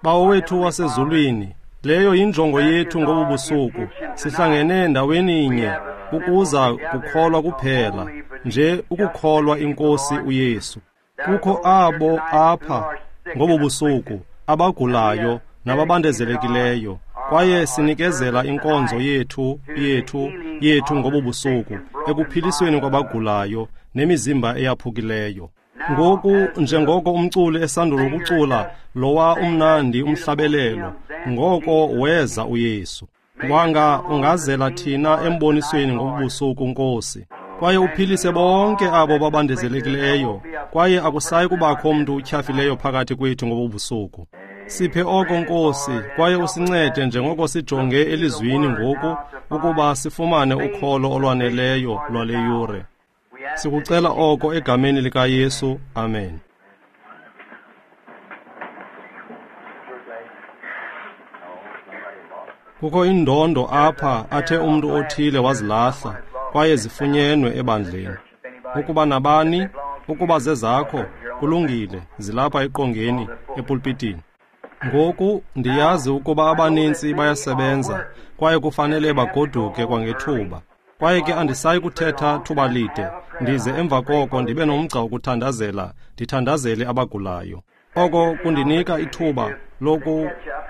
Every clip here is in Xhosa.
Bawo wethu wasezulwini, leyo yinjongo yethu ngobu busuku. Sihlangene ndaweni nye ukuza kukholwa kuphela, nje ukukholwa inkosi uYesu. Kukho abo apha ngobu busuku abagulayo nababandezelekileyo, kwaye sinikezela inkonzo yethu ngobu busuku ekuphilisweni kwabagulayo nemizimba eyaphukileyo. Ngoku njengoko umculi esandula ukucula lowa umnandi umhlabelelo, ngoko weza uYesu. Wanga ungazela thina embonisweni ngobusuku, Nkosi, kwaye uphilise bonke abo babandezelekileyo, kwaye akusayi kubakho mntu utyhafileyo phakathi kwethu ngobubusuku. Siphe oko, Nkosi, kwaye usincede njengoko sijonge elizwini ngoku ukuba sifumane ukholo olwaneleyo lwale yure. Sikucela oko egameni likaYesu. Amen. Kukho indondo apha athe umntu othile wazilahla, kwaye zifunyenwe ebandleni. Ukuba nabani, ukuba zezakho, kulungile, zilapha eqongeni, epulpitini. Ngoku ndiyazi ukuba abanintsi bayasebenza kwaye kufanele bagoduke kwangethuba. Kwaye ke andisayi kuthetha thuba lide, ndize emva koko ndibe nomgca wokuthandazela, ndithandazele abagulayo. Oko kundinika ithuba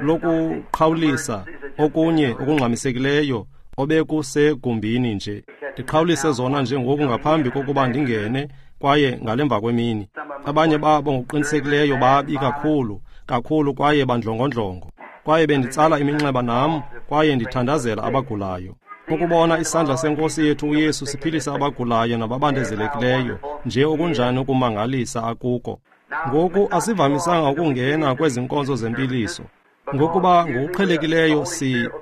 lokuqhawulisa okunye okungxamisekileyo obekusegumbini nje. Ndiqhawulise zona nje ngoku ngaphambi kokuba ndingene, kwaye ngalemva kwemini. Abanye babo ngokuqinisekileyo babi kakhulu, kakhulu kwaye bandlongondlongo. Kwaye benditsala iminxeba nam, kwaye ndithandazela abagulayo. Ukubona isandla senkosi yethu uYesu siphilisa abagulayo nababandezelekileyo, nje okunjani ukumangalisa akuko. Ngoku asivamisanga ukungena kwezi nkonzo zempiliso, ngokuba ngokuqhelekileyo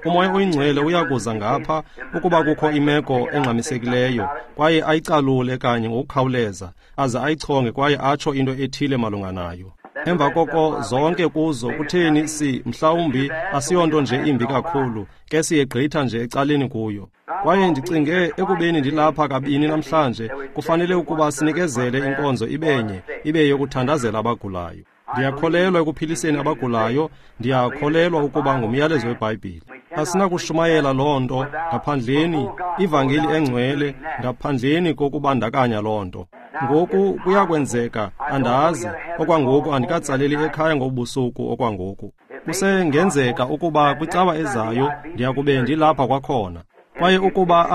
uMoya oyiNgcwele uyakuza ngapha ukuba kukho imeko engxamisekileyo, kwaye ayicalule kanye ngokukhawuleza, aze ayichonge kwaye atsho into ethile malunga nayo. Emva koko zonke kuzo kutheni mhlawumbi asiyonto nje imbi kakhulu, ke siyegqitha nje ecaleni kuyo. Kwaye ndicinge ekubeni ndilapha kabini namhlanje, kufanele ukuba sinikezele inkonzo ibenye, ibe yokuthandazela abagulayo. Ndiyakholelwa ekuphiliseni abagulayo, ndiyakholelwa ukuba ngumyalezo weBhayibhile. Asinakushumayela loo nto ngaphandleni, ivangeli engcwele ngaphandleni kokubandakanya loo nto. Ngoku kuyakwenzeka, andazi, okwangoku andikatsaleli ekhaya ngobusuku okwangoku. Kusengenzeka ukuba kwicawa ezayo ndiyakube ndilapha kwakhona. Kwaye ukuba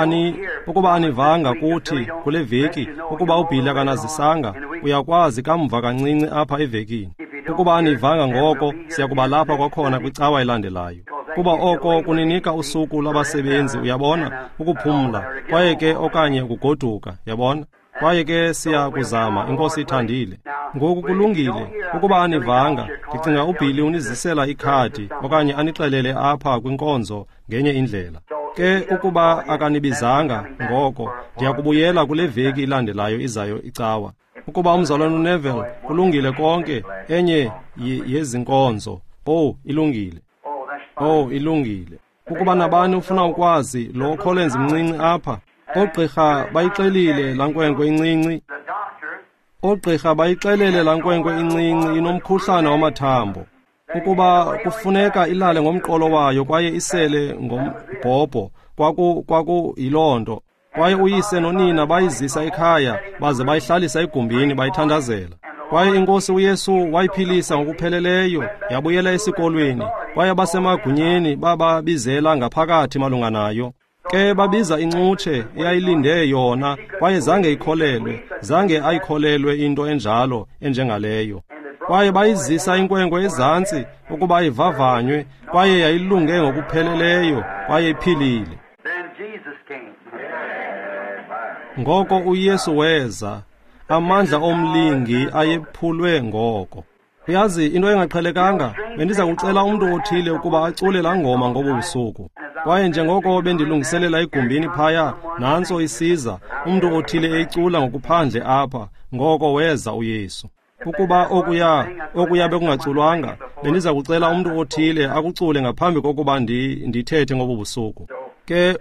anivanga kuthi kule veki, ukuba uBhili akanazisanga, uyakwazi kamva kancinci apha evekini. Ukuba anivanga ngoko, siyakuba lapha kwakhona kwicawa elandelayo. Kuba oko kuninika usuku lwabasebenzi, uyabona, ukuphumla, kwaye ke okanye ukugoduka, yabona. Kwaye ke siyakuzama, inkosi ithandile. Ngoku kulungile, ukuba anivanga, ndicinga uBhili unizisela ikhadi okanye anixelele apha kwinkonzo ngenye indlela. Ke ukuba akanibizanga ngoko, ndiyakubuyela kule veki ilandelayo izayo icawa. Ukuba umzalwane uNeville kulungile konke, enye yezinkonzo. Oh, ilungile. Oh, ilungile. Ukuba nabani ufuna ukwazi lo Collins mncinci apha, oogqirha bayixelile laa nkwenkwe incinci. Oogqirha bayixelele laa nkwenkwe incinci inomkhuhlane wamathambo, ukuba kufuneka ilale ngomqolo wayo kwaye isele ngombhobho. Kwaku yiloo nto. Kwaye uyise nonina bayizisa ekhaya baze bayihlalisa egumbini bayithandazela. Kwaye inkosi uYesu wayiphilisa ngokupheleleyo, yabuyela esikolweni, kwaye abasemagunyeni bababizela ngaphakathi malunga nayo. Ke babiza incutshe eyayilinde yona, kwaye zange ikholelwe, zange ayikholelwe into enjalo enjengaleyo. Kwaye bayizisa inkwenkwe ezantsi ukuba ivavanywe, kwaye yayilunge ngokupheleleyo, kwaye iphilile. Ngoko uYesu weza, amandla omlingi ayephulwe ngoko. Uyazi, into engaqhelekanga, bendiza kucela umntu othile ukuba acule laa ngoma ngobu busuku. Kwaye njengoko bendilungiselela egumbini phaya, nantso isiza, umntu othile eyicula ngokuphandle apha, ngoko weza uYesu. Ukuba okuya bekungaculwanga, bendiza kucela umntu othile akucule ngaphambi kokuba ndithethe ngobu busuku. Ke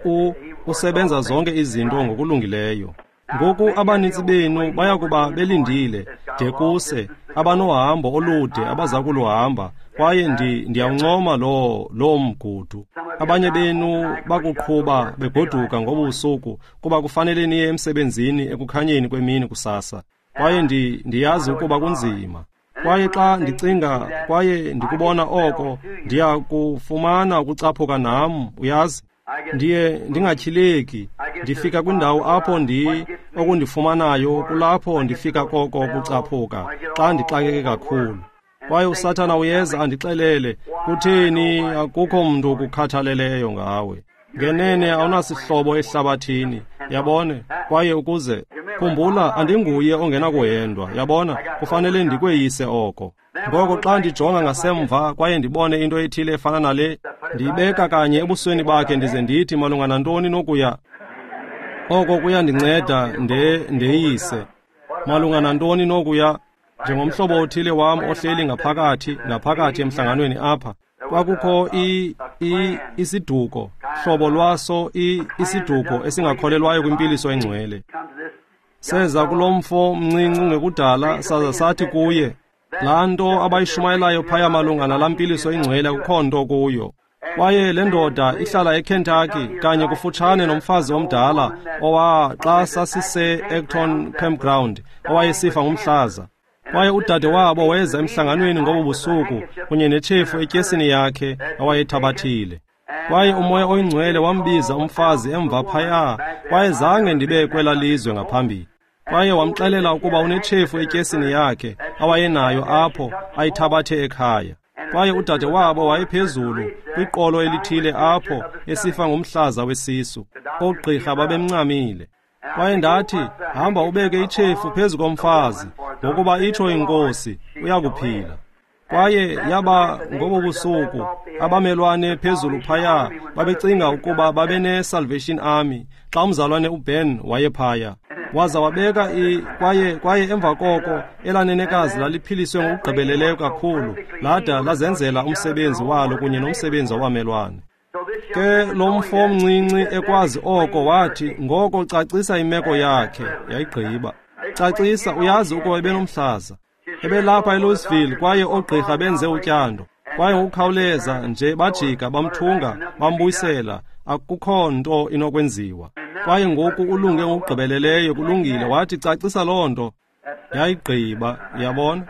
usebenza zonke izinto ngokulungileyo. Ngoku abanintsi benu bayakuba belindile de kuse, abanohambo olude abaza kuluhamba, kwaye ndiyawuncoma loo mgudu. Abanye benu bakuqhuba begoduka ngobusuku kuba kufanele niye emsebenzini ekukhanyeni kwemini kusasa. Kwaye ndiyazi ukuba kunzima. Kwaye xa ndicinga kwaye ndikubona oko, ndiyakufumana ukucaphuka nam, uyazi. Ndiye ndingatyhileki, ndifika kwindawo apho okundifumanayo kulapho ndifika koko kucaphuka xa ndixakeke kakhulu. Kwaye uSathana uyeza andixelele, kutheni akukho mntu ukukhathaleleyo ngawe. Ngenene awunasihlobo ehlabathini, yabona? Kwaye ukuze khumbula, andinguye ongenakuhendwa, yabona? Kufanele ndikweyise oko. Ngoko xa ndijonga ngasemva kwaye ndibone into ethile efana nale, ndiyibeka kanye ebusweni bakhe ndize ndithi malunga nantoni nokuya. Oko kuyandinceda ndeyise. Malunga nantoni nokuya, njengomhlobo othile wam ohleli ngaphakathi emhlanganweni apha. Kwakukho isiduko, hlobo lwaso isiduko esingakholelwayo kwimpiliso engcwele. Seza kulo mfo mncinci ngekudala saza sathi kuye, laa nto abayishumayelayo phaya malunga nalaa mpiliso ingcwele akukho nto kuyo. Kwaye le ndoda ihlala eKentucky kanye kufutshane nomfazi omdala owa xa sasise-Acton Campground owayesifa ngumhlaza. Kwaye udade wabo weza emhlanganweni ngobo busuku kunye netshefu etyesini yakhe awayethabathile. Kwaye uMoya oyiNgcwele wambiza umfazi emva phaya, kwaye zange ndibe kwela lizwe ngaphambili. Kwaye wamxelela ukuba unetshefu etyesini yakhe awayenayo apho ayithabathe ekhaya. Kwaye udade wabo wayephezulu kwiqolo elithile apho esifa ngumhlaza wesisu. Oogqirha babemncamile. Kwaye ndathi, hamba ubeke itshefu phezu komfazi, ngokuba itsho iNkosi, uyakuphila. Kwaye yaba ngobo busuku, abamelwane phezulu phaya babecinga ukuba babene-Salvation Army xa umzalwane uBen wayephaya. Waza wabeka kwaye emva koko elanenekazi laliphiliswe ngokugqibeleleyo kakhulu, lada lazenzela umsebenzi walo kunye nomsebenzi wabamelwane. Ke lo mfo mncinci ekwazi oko wathi, ngoko cacisa imeko yakhe, yayigqiba. Cacisa, uyazi ukuba ebenomhlaza. Ebelapha eLouisville kwaye oogqirha benze utyando. Kwaye ngokukhawuleza nje bajika bamthunga bambuyisela, akukho nto inokwenziwa. Kwaye ngoku ulunge ngokugqibeleleyo, kulungile, wathi cacisa loo nto. Yayigqiba, yabona?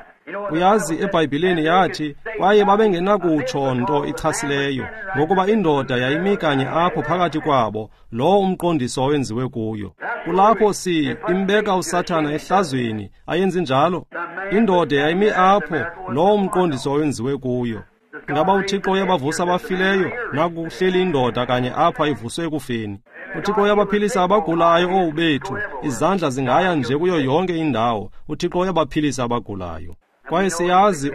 Uyazi eBhayibhileni yathi kwaye babengenakutsho nto ichasileyo, ngokuba indoda yayimi kanye apho phakathi kwabo, lowo umqondiso owenziwe kuyo. Kulapho imbeka uSathana ehlazweni, ayenzi njalo? Indoda yayimi apho, lowo umqondiso owenziwe kuyo. Ngaba uThixo uyabavusa abafileyo? Naku kuhleli indoda kanye apha ivuswe ekufeni. uThixo uyabaphilisa abagulayo, owu bethu, izandla zingaya nje kuyo yonke indawo. uThixo uyabaphilisa abagulayo. Kwaye siyazi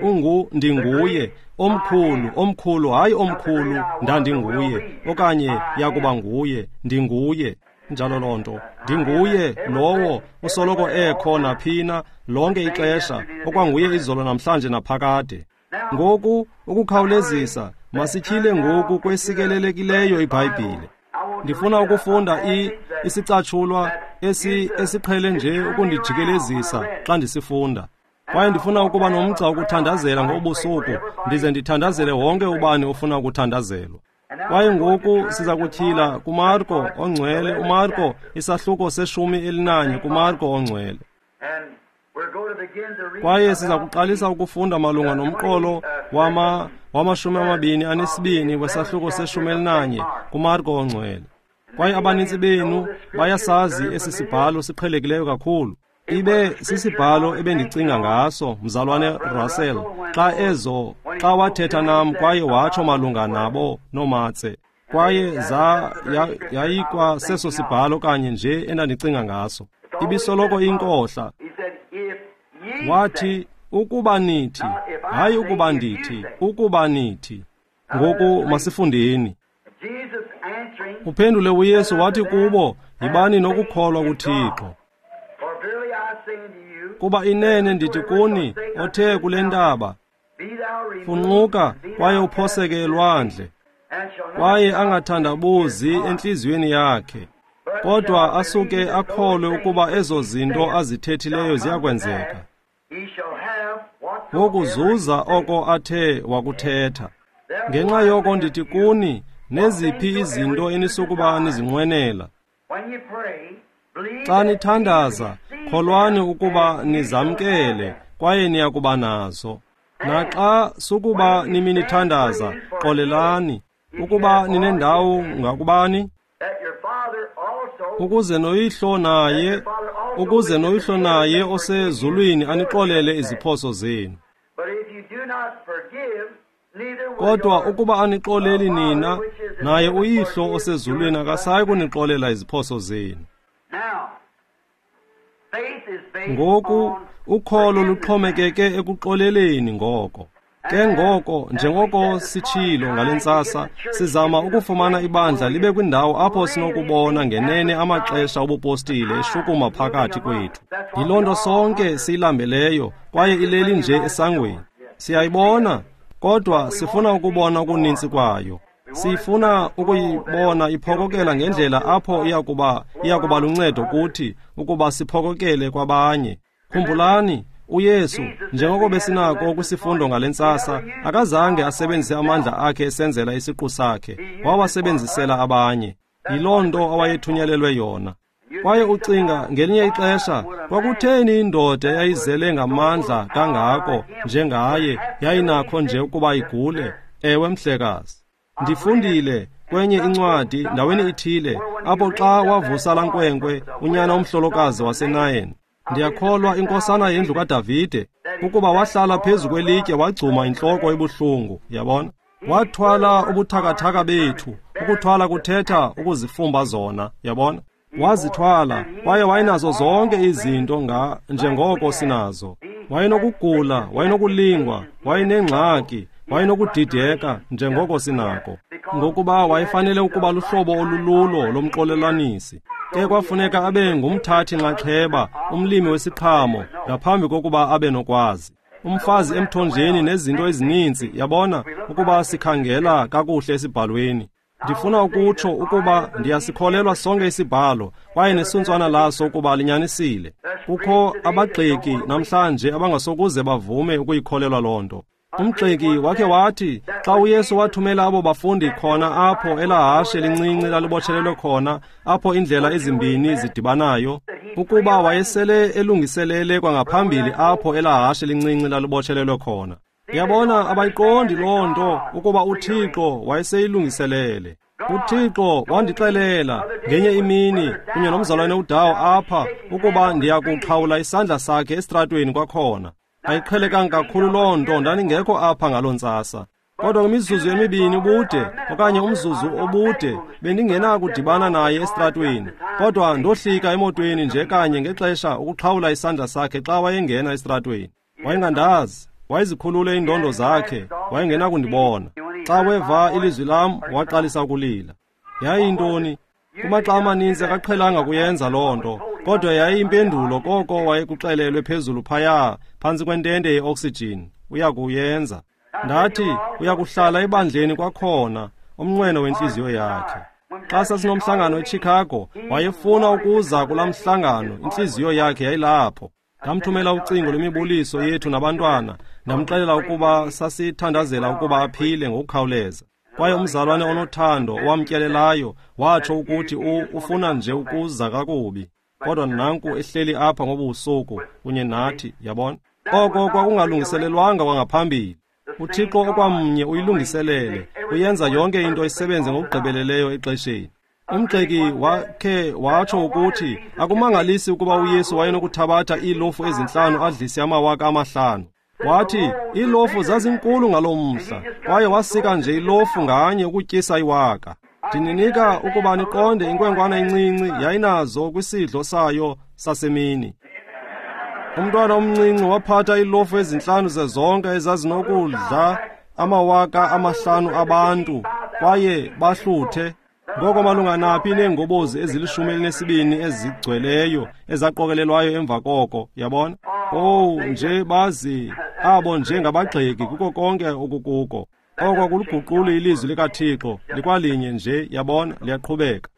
ndinguye, omkhulu, omkhulu, hayi omkhulu, ndandinguye, okanye yakuba nguye, ndinguye. Njalo loo nto, ndinguye lowo usoloko ekho naphina lonke ixesha, okwanguye izolo namhlanje naphakade. Ngoku ukukhawulezisa, masityhile ngoku kwesikelelekileyo iBhayibhile. Ndifuna ukufunda isicatshulwa esiqhele nje ukundijikelezisa xa ndisifunda. Kwaye ndifuna ukuba nomgca wokuthandazela ngobusuku, ndize ndithandazele wonke ubani ofuna ukuthandazelwa. Kwaye ngoku siza kutyhila kuMarko ongcwele, uMarko isahluko se-11 kuMarko ongcwele. Kwaye siza kuqalisa ukufunda malunga nomqolo wama-22 wesahluko se-11 kuMarko ongcwele. Kwaye abanintsi benu bayasazi esi sibhalo siqhelekileyo kakhulu. Ibe sisibhalo ebendicinga ngaso, mzalwane Russell, xa wathetha nam kwaye watsho malunga nabo noomatse. Kwaye yayikwa seso sibhalo kanye nje endandicinga ngaso. Ibisoloko inkohla. Wathi, ukuba nithi, hayi ukuba ndithi, ukuba nithi. Ngoku masifundeni. Uphendule uYesu wathi kubo, yibani nokukholwa kuThixo. Kuba inene ndithi kuni, othe kule ntaba, funquka kwaye uphoseke elwandle, kwaye angathandabuzi entliziyweni yakhe, Kodwa asuke akholwe ukuba ezo zinto azithethileyo ziyakwenzeka, wokuzuza oko athe wakuthetha. Ngenxa yoko ndithi kuni, neziphi izinto enisukuba nizinqwenela, xa nithandaza, kholwani ukuba nizamkele kwaye niyakuba nazo. Naxa sukuba niminithandaza, xolelani ukuba ninendawo ngakubani, ukuze noyihlo naye osezulwini anixolele iziphoso zenu. Kodwa ukuba anixoleli nina, naye uyihlo osezulwini akasayi kunixolela iziphoso zenu. Ngoku ukholo luxhomekeke ekuxoleleni ngoko. Ke ngoko, njengoko sitshilo ngale ntsasa, sizama ukufumana ibandla libe kwindawo apho sinokubona ngenene amaxesha obupostile eshukuma phakathi kwethu. Yiloo nto sonke siyilambeleyo kwaye ileli nje esangweni. Siyayibona, kodwa sifuna ukubona okuninzi kwayo. Sifuna ukuyibona iphokokela ngendlela apho iyakuba luncedo kuthi ukuba siphokokele kwabanye. Khumbulani, uYesu, njengoko besinako kwisifundo ngale ntsasa, akazange asebenzise amandla akhe esenzela isiqu sakhe, wawasebenzisela abanye. Yiloo nto awayethunyelelwe yona. Kwaye ucinga ngelinye ixesha, kwakutheni indoda eyayizele ngamandla kangako njengaye yayinakho nje ukuba igule? Ewe, mhlekazi. Ndifundile kwenye incwadi ndaweni ithile apho xa wavusa laa nkwenkwe unyana omhlolokazi waseNayin, ndiyakholwa inkosana yendlu kaDavide, ukuba wahlala phezu kwelitye wagcuma intloko ebuhlungu. Yabona, wathwala ubuthakathaka bethu. Ukuthwala kuthetha ukuzifumba zona. Yabona, wazithwala kwaye wayenazo zonke izinto njengoko sinazo. Wayenokugula, wayenokulingwa, wayenengxaki, wayenokudideka njengoko sinako, ngokuba wayefanele ukuba luhlobo olululo lomxolelanisi. Ke kwafuneka abe ngumthathi-nxaxheba, umlimi wesiqhamo, ngaphambi kokuba abe nokwazi. Umfazi emthonjeni nezinto ezininzi, yabona, ukuba sikhangela kakuhle esibhalweni. Ndifuna ukutsho ukuba ndiyasikholelwa sonke isibhalo kwaye nesuntswana laso ukuba linyanisile. Kukho abagxeki namhlanje abangasokuze bavume ukuyikholelwa loo nto. Umgxeki wakhe wathi xa uYesu wathumela abo bafundi khona apho elahashe lincinci lalibotshelelwe khona, apho indlela ezimbini zidibanayo, ukuba wayesele elungiselele kwangaphambili apho elahashe lincinci lalibotshelelwe khona. Uyabona, abayiqondi loo nto ukuba uThixo wayeseyilungiselele. UThixo wandixelela ngenye imini kunye nomzalwane uDawo apha ukuba ndiyakuxhawula isandla sakhe esitratweni kwakhona. Ayiqhelekanga kakhulu loo nto, ndandingekho apha ngaloo ntsasa. Kodwa kwimizuzu emibini ubude okanye umzuzu obude bendingenakudibana naye esitratweni, kodwa ndohlika emotweni nje kanye ngexesha ukuxhawula isandla sakhe xa wayengena esitratweni. Wayengandazi, wayezikhulule iindondo zakhe, wayengenakundibona. Xa weva ilizwi lam, waqalisa ukulila. Yayiyintoni? Kumaxa amaninzi akaqhelanga kuyenza loo nto, kodwa yayiyimpendulo koko wayekuxelelwe phezulu phaya phantsi kwentente yeoksijini, uyakuyenza. Ndathi uyakuhlala ebandleni kwakhona, umnqweno wentliziyo yakhe. Xa sasinomhlangano eChicago, wayefuna ukuza kulaa mhlangano, intliziyo yakhe yayilapho. Ndamthumela ucingo lwemibuliso yethu nabantwana, ndamxelela ukuba sasithandazela ukuba aphile ngokukhawuleza. Kwaye umzalwane onothando owamtyelelayo watsho ukuthi ufuna nje ukuza kakubi. Kodwa nanku ehleli apha ngobusuku kunye nathi, yabona. Oko kwakungalungiselelwanga kwangaphambili. UThixo okwamnye uyilungiselele, uyenza yonke into isebenze ngokugqibeleleyo exesheni. Umgxeki wakhe watsho ukuthi akumangalisi ukuba uYesu wayenokuthabatha iilofu ezi5 adlise 5,000. Wathi iilofu zazinkulu ngaloo mhla, kwaye wasika nje ilofu nganye ukutyisa iwaka. Ndininika ukuba niqonde inkwenkwana encinci yayinazo kwisidlo sayo sasemini. Umntwana omncinci waphatha iilofu ezi5 zezonka ezazinokudla 5,000 abantu, kwaye bahluthe. Ngoko malunga naphi neengobozi ezili-12 ezigcweleyo ezaqokelelwayo emva koko, yabona? Oh, nje bazi abo nje ngabagxeki kuko konke okukuko. Oko akuliguquli ilizwi likaThixo, likwalinye nje, yabona, liyaqhubeka.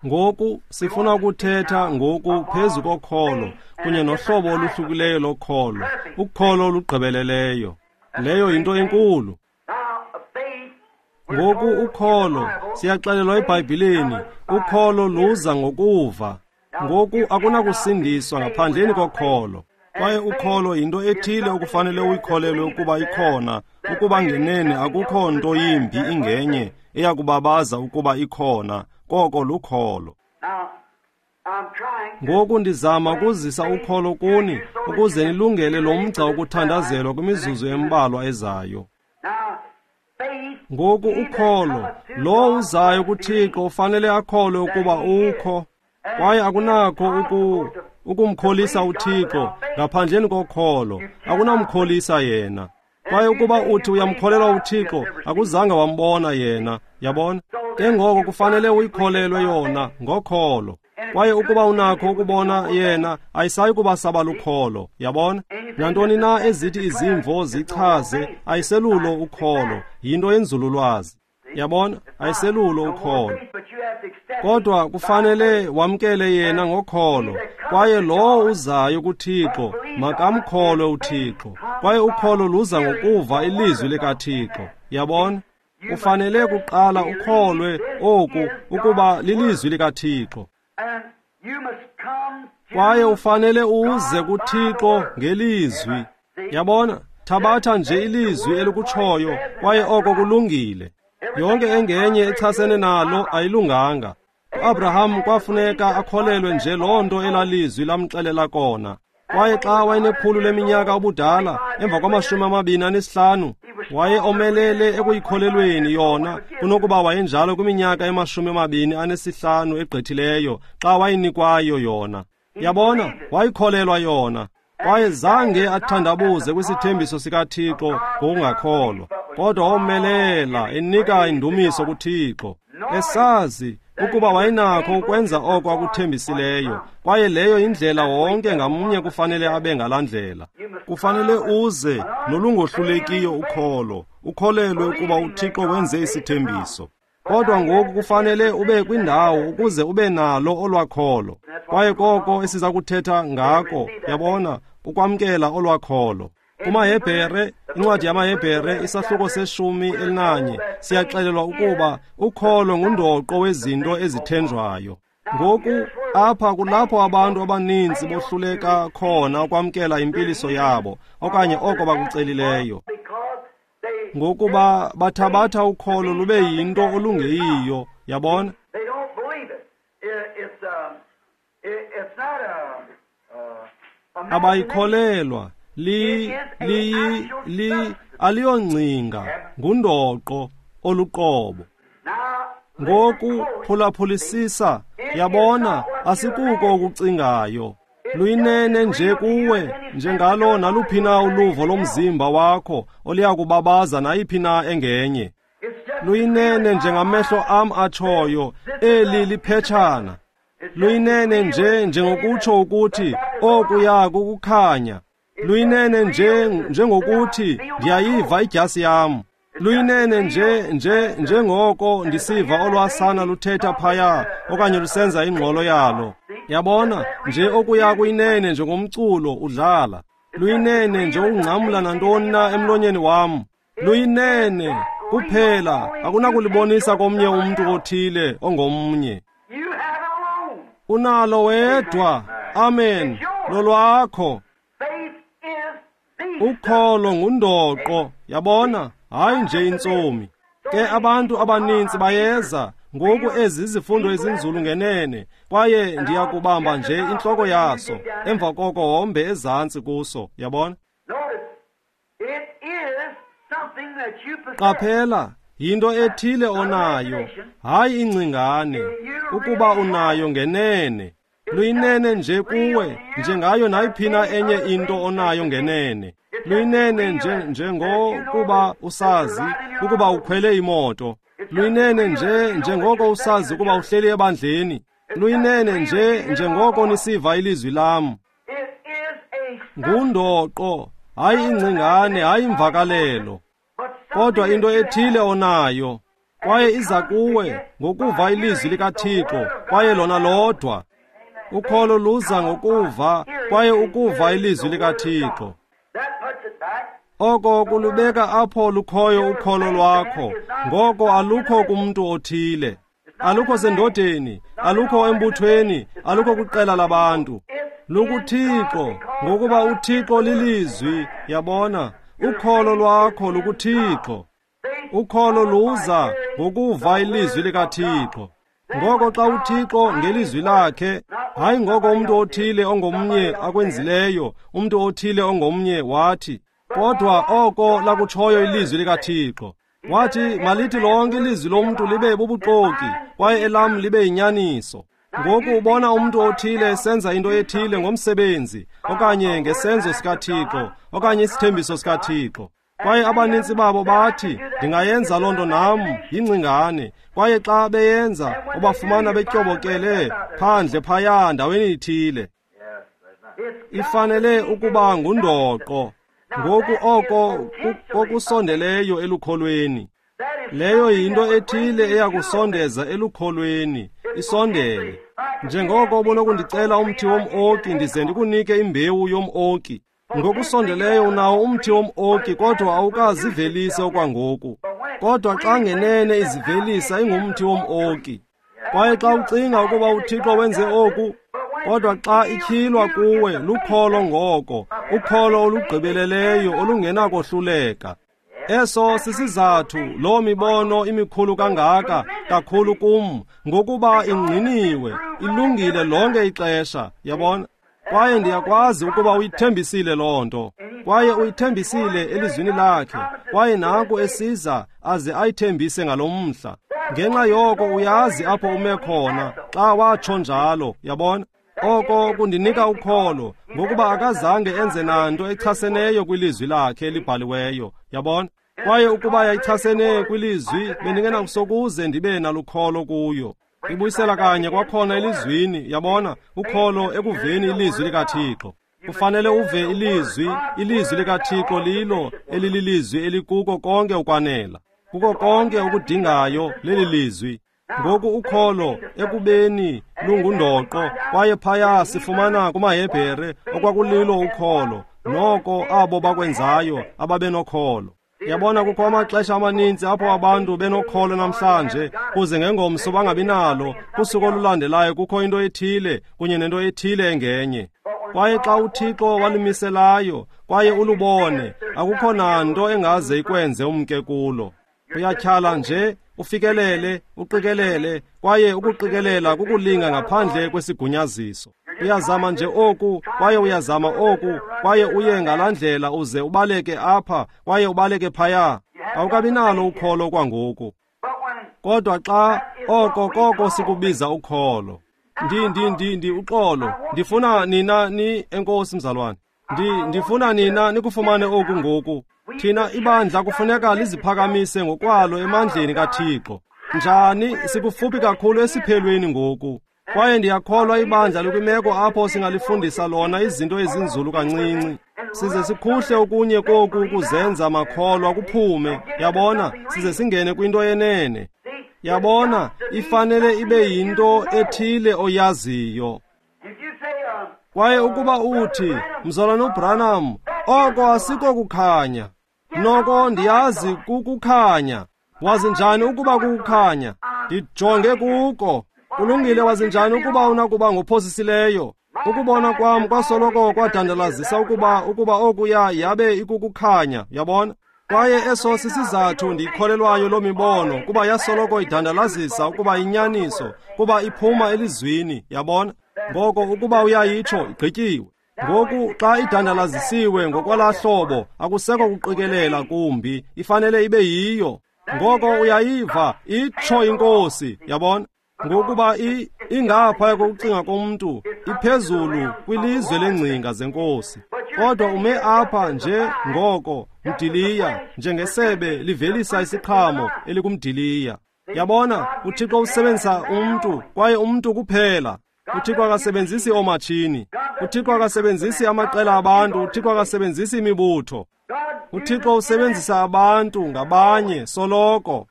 Ngoku sifuna ukuthetha ngoku phezu kokholo kunye nohlobo oluhlukileyo lokholo, ukholo olugqibeleleyo. Leyo yinto enkulu. Ngoku ukholo, siyaxelelwa eBhayibhileni, ukholo luza ngokuva. Ngoku akunakusindiswa ngaphandleni kokholo. Kwaye ukholo yinto ethile okufanele uyikholelwe ukuba ikhona, ukuba ngenene akukho nto yimbi ingenye eyakubabaza ukuba ikhona, koko lukholo. Ngoku ndizama ukuzisa ukholo kuni ukuze nilungele lo mgca wokuthandazelwa kwimizuzu embalwa ezayo. Ngoku ukholo, lo uzayo kuThixo ufanele akholwe ukuba ukho, kwaye akunakho ukumkholisa uThixo ngaphandleni kokholo, akunamkholisa yena. Kwaye ukuba uthi uyamkholelwa uThixo, akuzange wambona yena, yabona? Ke ngoko kufanele uyikholelwe yona ngokholo. Kwaye ukuba unakho ukubona yena, ayisayi kuba saba lukholo, yabona? Nantoni na ezithi izimvo zichaze, ayiselulo ukholo, yinto yenzululwazi. Yabona, ayiselulo ukholo. Kodwa kufanele wamkele yena ngokholo, kwaye lowo uzayo kuThixo makamkholwe uThixo. Kwaye ukholo luza ngokuva ilizwi likaThixo. Yabona? Ufanele kuqala ukholwe oku ukuba lilizwi likaThixo. Kwaye ufanele uze kuThixo ngelizwi. Yabona? Thabatha nje ilizwi elikutshoyo, kwaye oko kulungile. Yonke engenye echasene nalo ayilunganga. UAbraham kwafuneka akholelwe nje loo nto elalizwi lamxelela kona. Kwaye xa wayenekhulu leminyaka ubudala, emva kwama-25, waye omelele ekuyikholelweni yona kunokuba wayenjalo kwiminyaka ema-25 egqithileyo xa wayenikwayo yona. Yabona, wayikholelwa yona. Kwaye zange athandabuze kwisithembiso sikaThixo ngokungakholwa, kodwa womelela enika indumiso kuThixo, esazi ukuba wayenakho ukwenza oko akuthembisileyo. Kwaye leyo indlela wonke ngamnye kufanele abe ngalaa ndlela. Kufanele uze nolungohlulekiyo ukholo, ukholelwe ukuba uThixo wenze isithembiso. Kodwa ngoku kufanele ube kwindawo ukuze ube nalo olwakholo. Kwaye koko esiza kuthetha ngako, yabona, ukwamkela olwakholo. KumaHebhere, incwadi yamaHebhere, isahluko se-11, siyaxelelwa ukuba ukholo ngundoqo wezinto ezithenjwayo. Ngoku apha kulapho abantu abaninzi bohluleka khona ukwamkela impiliso yabo okanye oko bakucelileyo, ngokuba bathabatha ukholo lube yinto olungeyiyo. Yabona? Abayikholelwa. Aliyongcinga, ngundoqo oluqobo. Ngoku phulaphulisisa, yabona, asikuko okucingayo. Luyinene nje kuwe njengalo naluphi na uluvo lomzimba wakho oliyakubabaza nayiphi na engenye. Luyinene njengamehlo am atshoyo, eli liphetshana. Luyinene nje njengokutsho ukuthi okuya kukukhanya. Luyinene nje njengokuthi ndiyayiva idyasi yam. Luyinene nje njengoko ndisiva olwasana luthetha phaya okanye lusenza ingxolo yalo. Yabona, nje okuya kuyinene njengomculo udlala. Luyinene nje ukungcamla nantoni na emlonyeni wam. Luyinene kuphela akunakulibonisa komnye umntu othile ongomnye. Unalo wedwa. Amen. Lolwakho. Ukholo ngundoqo, yabona, hayi nje intsomi. Ke abantu abaninzi bayeza ngoku ezi zifundo ezinzulu ngenene, kwaye ndiyakubamba nje intloko yaso, emva koko hombe ezantsi kuso, yabona? Qaphela, yinto ethile onayo, hayi ingcingane, ukuba unayo ngenene. Luyinene nje kuwe, njengayo nayiphi na enye into onayo ngenene. Luyinene nje njengokuba usazi ukuba ukhwele imoto. Luyinene nje njengoko usazi ukuba uhleli ebandleni. Luyinene nje njengoko nisiva ilizwi lam. Ngundoqo, hayi ingcingane, hayi imvakalelo, kodwa into ethile onayo. Kwaye iza kuwe ngokuva ilizwi likaThixo, kwaye lona lodwa. Ukholo luza ngokuva, kwaye ukuva ilizwi likaThixo. Oko kulubeka apho lukhoyo ukholo lwakho. Ngoko alukho kumntu othile, alukho sendodeni, alukho embuthweni, alukho kwiqela labantu. LukuThixo, ngokuba uThixo lilizwi. Yabona, ukholo lwakho lukuThixo. Ukholo luza ngokuva ilizwi likaThixo. Ngoko xa uThixo ngelizwi lakhe, hayi ngoko umntu othile ongomnye akwenzileyo, umntu othile ongomnye wathi, kodwa oko lakutshoyo ilizwi likaThixo. Wathi malithi lonke ilizwi lomntu libe bubuxoki, kwaye elam libe yinyaniso. Ngoku ubona umntu othile esenza into ethile ngomsebenzi, okanye ngesenzo sikaThixo, okanye isithembiso sikaThixo. Kwaye abanintsi babo bathi, ndingayenza loo nto nam, yingcingane. Kwaye xa beyenza, ubafumana betyobokele phandle phaya ndaweni ithile. Ifanele ukuba ngundoqo. Ngoku oko kokusondeleyo elukholweni. Leyo yinto ethile eyakusondeza elukholweni, isondele. Njengoko ubunokundicela umthi wom-oki ndize ndikunike imbewu yom-oki. Ngokusondeleyo unawo umthi wom-oki, kodwa awukazivelisi okwangoku. Kodwa xa ngenene izivelisa ingumthi wom-oki. Kwaye xa ucinga ukuba uThixo wenze oku, kodwa xa ityhilwa kuwe lukholo ngoko, ukholo olugqibeleleyo olungenakohluleka. Eso sisizathu loo mibono imikhulu kangaka kakhulu kum, ngokuba ingqiniwe, ilungile lonke ixesha, yabona. Kwaye ndiyakwazi ukuba uyithembisile loo nto, kwaye uyithembisile elizwini lakhe, kwaye nanku esiza aze ayithembise ngalo mhla. Ngenxa yoko uyazi apho ume khona xa watsho njalo, yabona. Oko kundinika ukholo, ngokuba akazange enze nanto echaseneyo kwilizwi lakhe elibhaliweyo, yabona. Kwaye ukuba yayichasene kwilizwi, bendingenakusokuze ndibe nalukholo kuyo. Ibuyisela kanye kwakhona elizwini, yabona, ukholo ekuveni ilizwi likaThixo. Kufanele uve ilizwi, ilizwi likaThixo lilo elililizwi elikuko konke ukwanela. Kuko konke okudingayo leli lizwi. Ngoku ukholo ekubeni lungundoqo, kwaye phaya sifumana kumaHebhere okwakulilo ukholo, noko abo bakwenzayo ababenokholo. Yabona, kukho amaxesha amaninzi apho abantu benokholo namhlanje, kuze ngengomso bangabi nalo. Kusuku olulandelayo kukho into ethile kunye nento ethile engenye. Kwaye xa uThixo walimiselayo kwaye ulubone, akukho nanto engaze ikwenze umke kulo. Uyatyhala nje, ufikelele, uqikelele, kwaye ukuqikelela kukulinga ngaphandle kwesigunyaziso. Uyazama nje oku, kwaye uyazama oku, kwaye uye ngalaa ndlela uze ubaleke apha, kwaye ubaleke phaya. Awukabi nalo ukholo kwangoku. Kodwa xa oko koko sikubiza ukholo. Ndi uxolo. Ndifuna nina ni enkosi mzalwane. Ndifuna nina nikufumane oku ngoku. Thina ibandla kufuneka liziphakamise ngokwalo emandleni kaThixo. Njani? Sikufuphi kakhulu esiphelweni ngoku. Kwaye ndiyakholwa ibandla likwimeko apho singalifundisa lona izinto ezinzulu kancinci, size sikhuhle okunye koku kuzenza makholwa kuphume, yabona, size singene kwinto yenene. Yabona, ifanele ibe yinto ethile oyaziyo. Kwaye ukuba uthi, Mzalwana uBranham, oko asiko kukhanya. Noko ndiyazi kukukhanya. Wazi njani ukuba kukukhanya? Ndijonge kuko. Kulungile, wazi njani ukuba unakuba ngophosisileyo? Ukubona kwam kwasoloko kwadandalazisa ukuba okuya yabe ikukukhanya, yabona. Kwaye eso sisizathu ndiyikholelwayo loo mibono, kuba yasoloko idandalazisa ukuba inyaniso, kuba iphuma elizwini, yabona. Ngoko ukuba uyayitsho, igqityiwe. Ngoku xa idandalazisiwe ngokwalaa hlobo, akusekho kuqikelela kumbi, ifanele ibe yiyo. Ngoko uyayiva, itsho iNkosi, yabona. Ngokuba ingaphaya kokucinga komntu, iphezulu kwilizwe lengcinga zeNkosi. Kodwa ume apha nje ngoko mdiliya, njengesebe livelisa isiqhamo elikumdiliya. Yabona, uThixo usebenzisa umntu, kwaye umntu kuphela. uThixo akasebenzisi oomatshini, uThixo akasebenzisi amaqela abantu, uThixo akasebenzisi imibutho. uThixo usebenzisa abantu ngabanye soloko.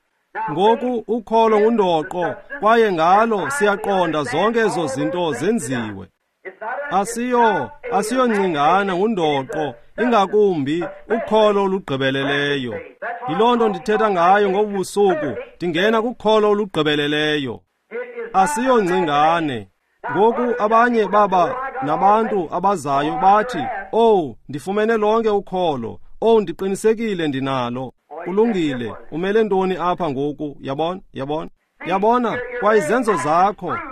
Ngoku ukholo ngundoqo, kwaye ngalo siyaqonda zonke ezo zinto zenziwe. Asiyongcingana, ngundoqo, ingakumbi ukholo olugqibeleleyo. Yiloo nto ndithetha ngayo ngobu busuku, ndingena kukholo olugqibeleleyo. Asiyongcingane. Ngoku abanye baba nabantu abazayo bathi, "Oh, ndifumene lonke ukholo. Oh, ndiqinisekile ndinalo." Kulungile, umele ntoni apha ngoku? Yabona, yabona, yabona, kwa izenzo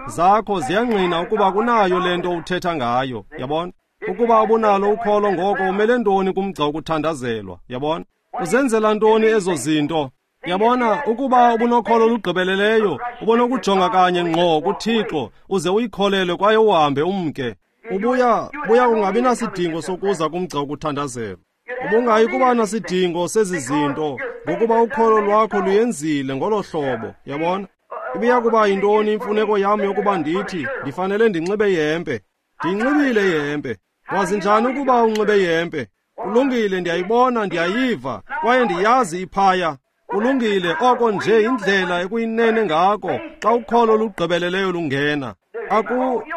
zakho ziyangqina ukuba kunayo le nto uthetha ngayo. Yabona, ukuba ubunalo ukholo ngoko umele ntoni kumgca wokuthandazelwa? Yabona, uzenzela ntoni ezo zinto? Yabona, ukuba ubunokholo olugqibeleleyo, ubonokujonga kanye ngqo kuThixo uze uyikholelwe kwaye uhambe umke. Ubuya kungabi nasidingo sokuza kumgca wokuthandazelwa. Ubungayi kuba nasidingo sezi zinto, ngokuba ukholo lwakho luyenzile ngolo hlobo. Yabona, ibiya kuba yintoni imfuneko yam yokuba ndithi ndifanele ndinxibe ihempe? Ndiyinxibile ihempe. Wazi njani ukuba unxibe ihempe? Kulungile, ndiyayibona, ndiyayiva, kwaye ndiyazi iphaya. Kulungile, oko nje indlela ekuyinene ngako xa ukholo olugqibeleleyo lungena.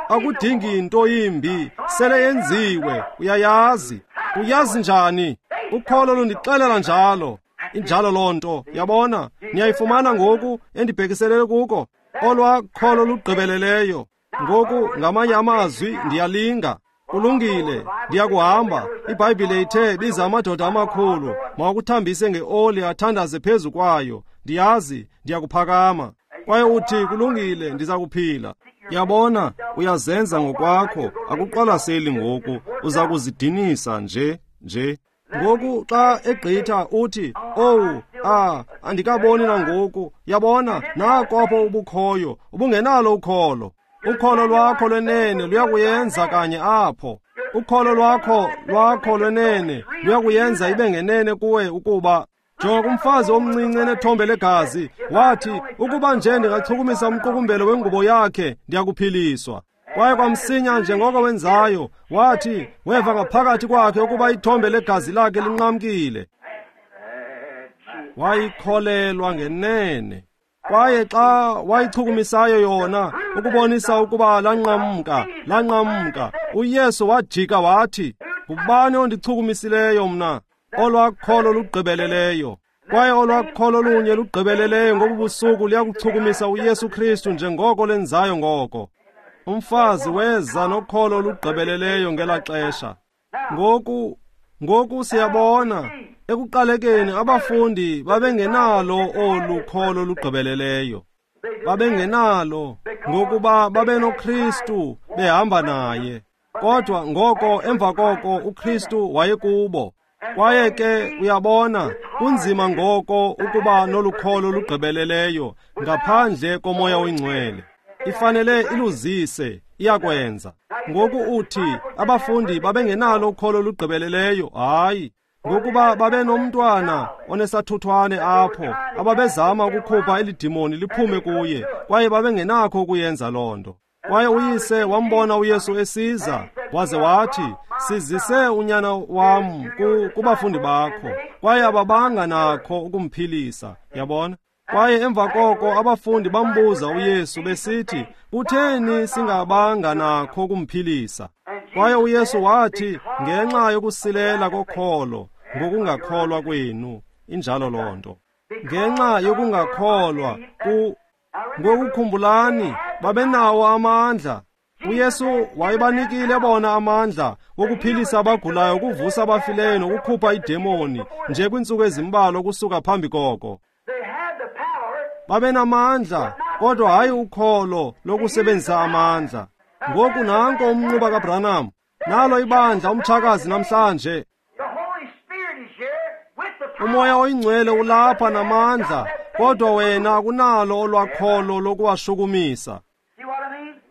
Akudingi nto yimbi, sele yenziwe, uyayazi. Uyazi njani? Ukholo lundixelela njalo. Injalo loo nto, yabona, niyayifumana ngoku endibhekiselele kuko, olwa kholo lugqibeleleyo. Ngoku ngamanye amazwi ndiyalinga. Kulungile, ndiyakuhamba. IBhayibhile ithe biza amadoda amakhulu, mawakuthambise ngeoli athandaze phezu kwayo. Ndiyazi, ndiyakuphakama. Kwaye uthi, kulungile, ndiza kuphila. Yabona, uyazenza ngokwakho, akuqwalaseli ngoku, uza kuzidinisa nje. Ngoku xa egqitha uthi, "Oh, andikaboni nangoku." Yabona, nako apho ubukhoyo, ubungenalo ukholo. Ukholo lwakho lwenene luyakuyenza kanye apho. Ukholo lwakho lwenene luyakuyenza ibe ngenene kuwe ukuba. Jonga kumfazi omncinci enethombe legazi, wathi, ukuba nje ndingachukumisa umqukumbelo wengubo yakhe, ndiyakuphiliswa. Kwaye kwamsinya njengoko wenzayo, wathi, weva ngaphakathi kwakhe ukuba ithombe legazi lakhe linqamkile. Wayikholelwa ngenene. Kwaye xa wayichukumisayo yona, ukubonisa ukuba lanqamka, uYesu wajika wathi, "Ngubani ondichukumisileyo mna?" Olwakholo lugqibeleleyo. Kwaye olwakholo lunye lugqibeleleyo ngobu busuku liyakuchukumisa uYesu Kristu njengoko lenzayo ngoko. Umfazi weza nokholo olugqibeleleyo ngelaa xesha. Ngoku siyabona ekuqalekeni abafundi babengenalo olu kholo lugqibeleleyo. Babengenalo ngokuba babenoKristu behamba naye. Kodwa ngoko emva koko uKristu wayekubo. Kwaye ke uyabona, kunzima ngoko ukuba nolukholo lugqibeleleyo ngaphandle koMoya oyiNgcwele. Ifanele iluzise, iyakwenza. Ngoku uthi abafundi babengenalo ukholo lugqibeleleyo. Hayi, ngokuba babenomntwana onesathuthwane apho ababezama ukukhupha elidimoni liphume kuye, kwaye babengenakho ukuyenza loo nto. Kwaye uyise wambona uYesu esiza, waze wathi, "Sizise unyana wam kubafundi bakho," kwaye ababanga nakho ukumphilisa. Yabona? Kwaye emva koko abafundi bambuza uYesu besithi, "Kutheni singabanga nakho ukumphilisa?" Kwaye uYesu wathi, "Ngenxa yokusilela kokholo, ngokungakholwa kwenu." Injalo loo nto. Ngenxa yokungakholwa ngokukhumbulani, babenawo amandla. uYesu wayebanikile bona amandla wokuphilisa abagulayo, ukuvusa abafileyo nokukhupha idemoni nje kwiintsuku ezimbalwa ukusuka phambi koko. Babenamandla, kodwa hayi ukholo lokusebenzisa amandla. Ngoku nanko umnquba kaBranham, nalo ibandla umtshakazi namhlanje. UMoya oyiNgcwele ulapha namandla, kodwa wena akunalo olwakholo lokuwashukumisa.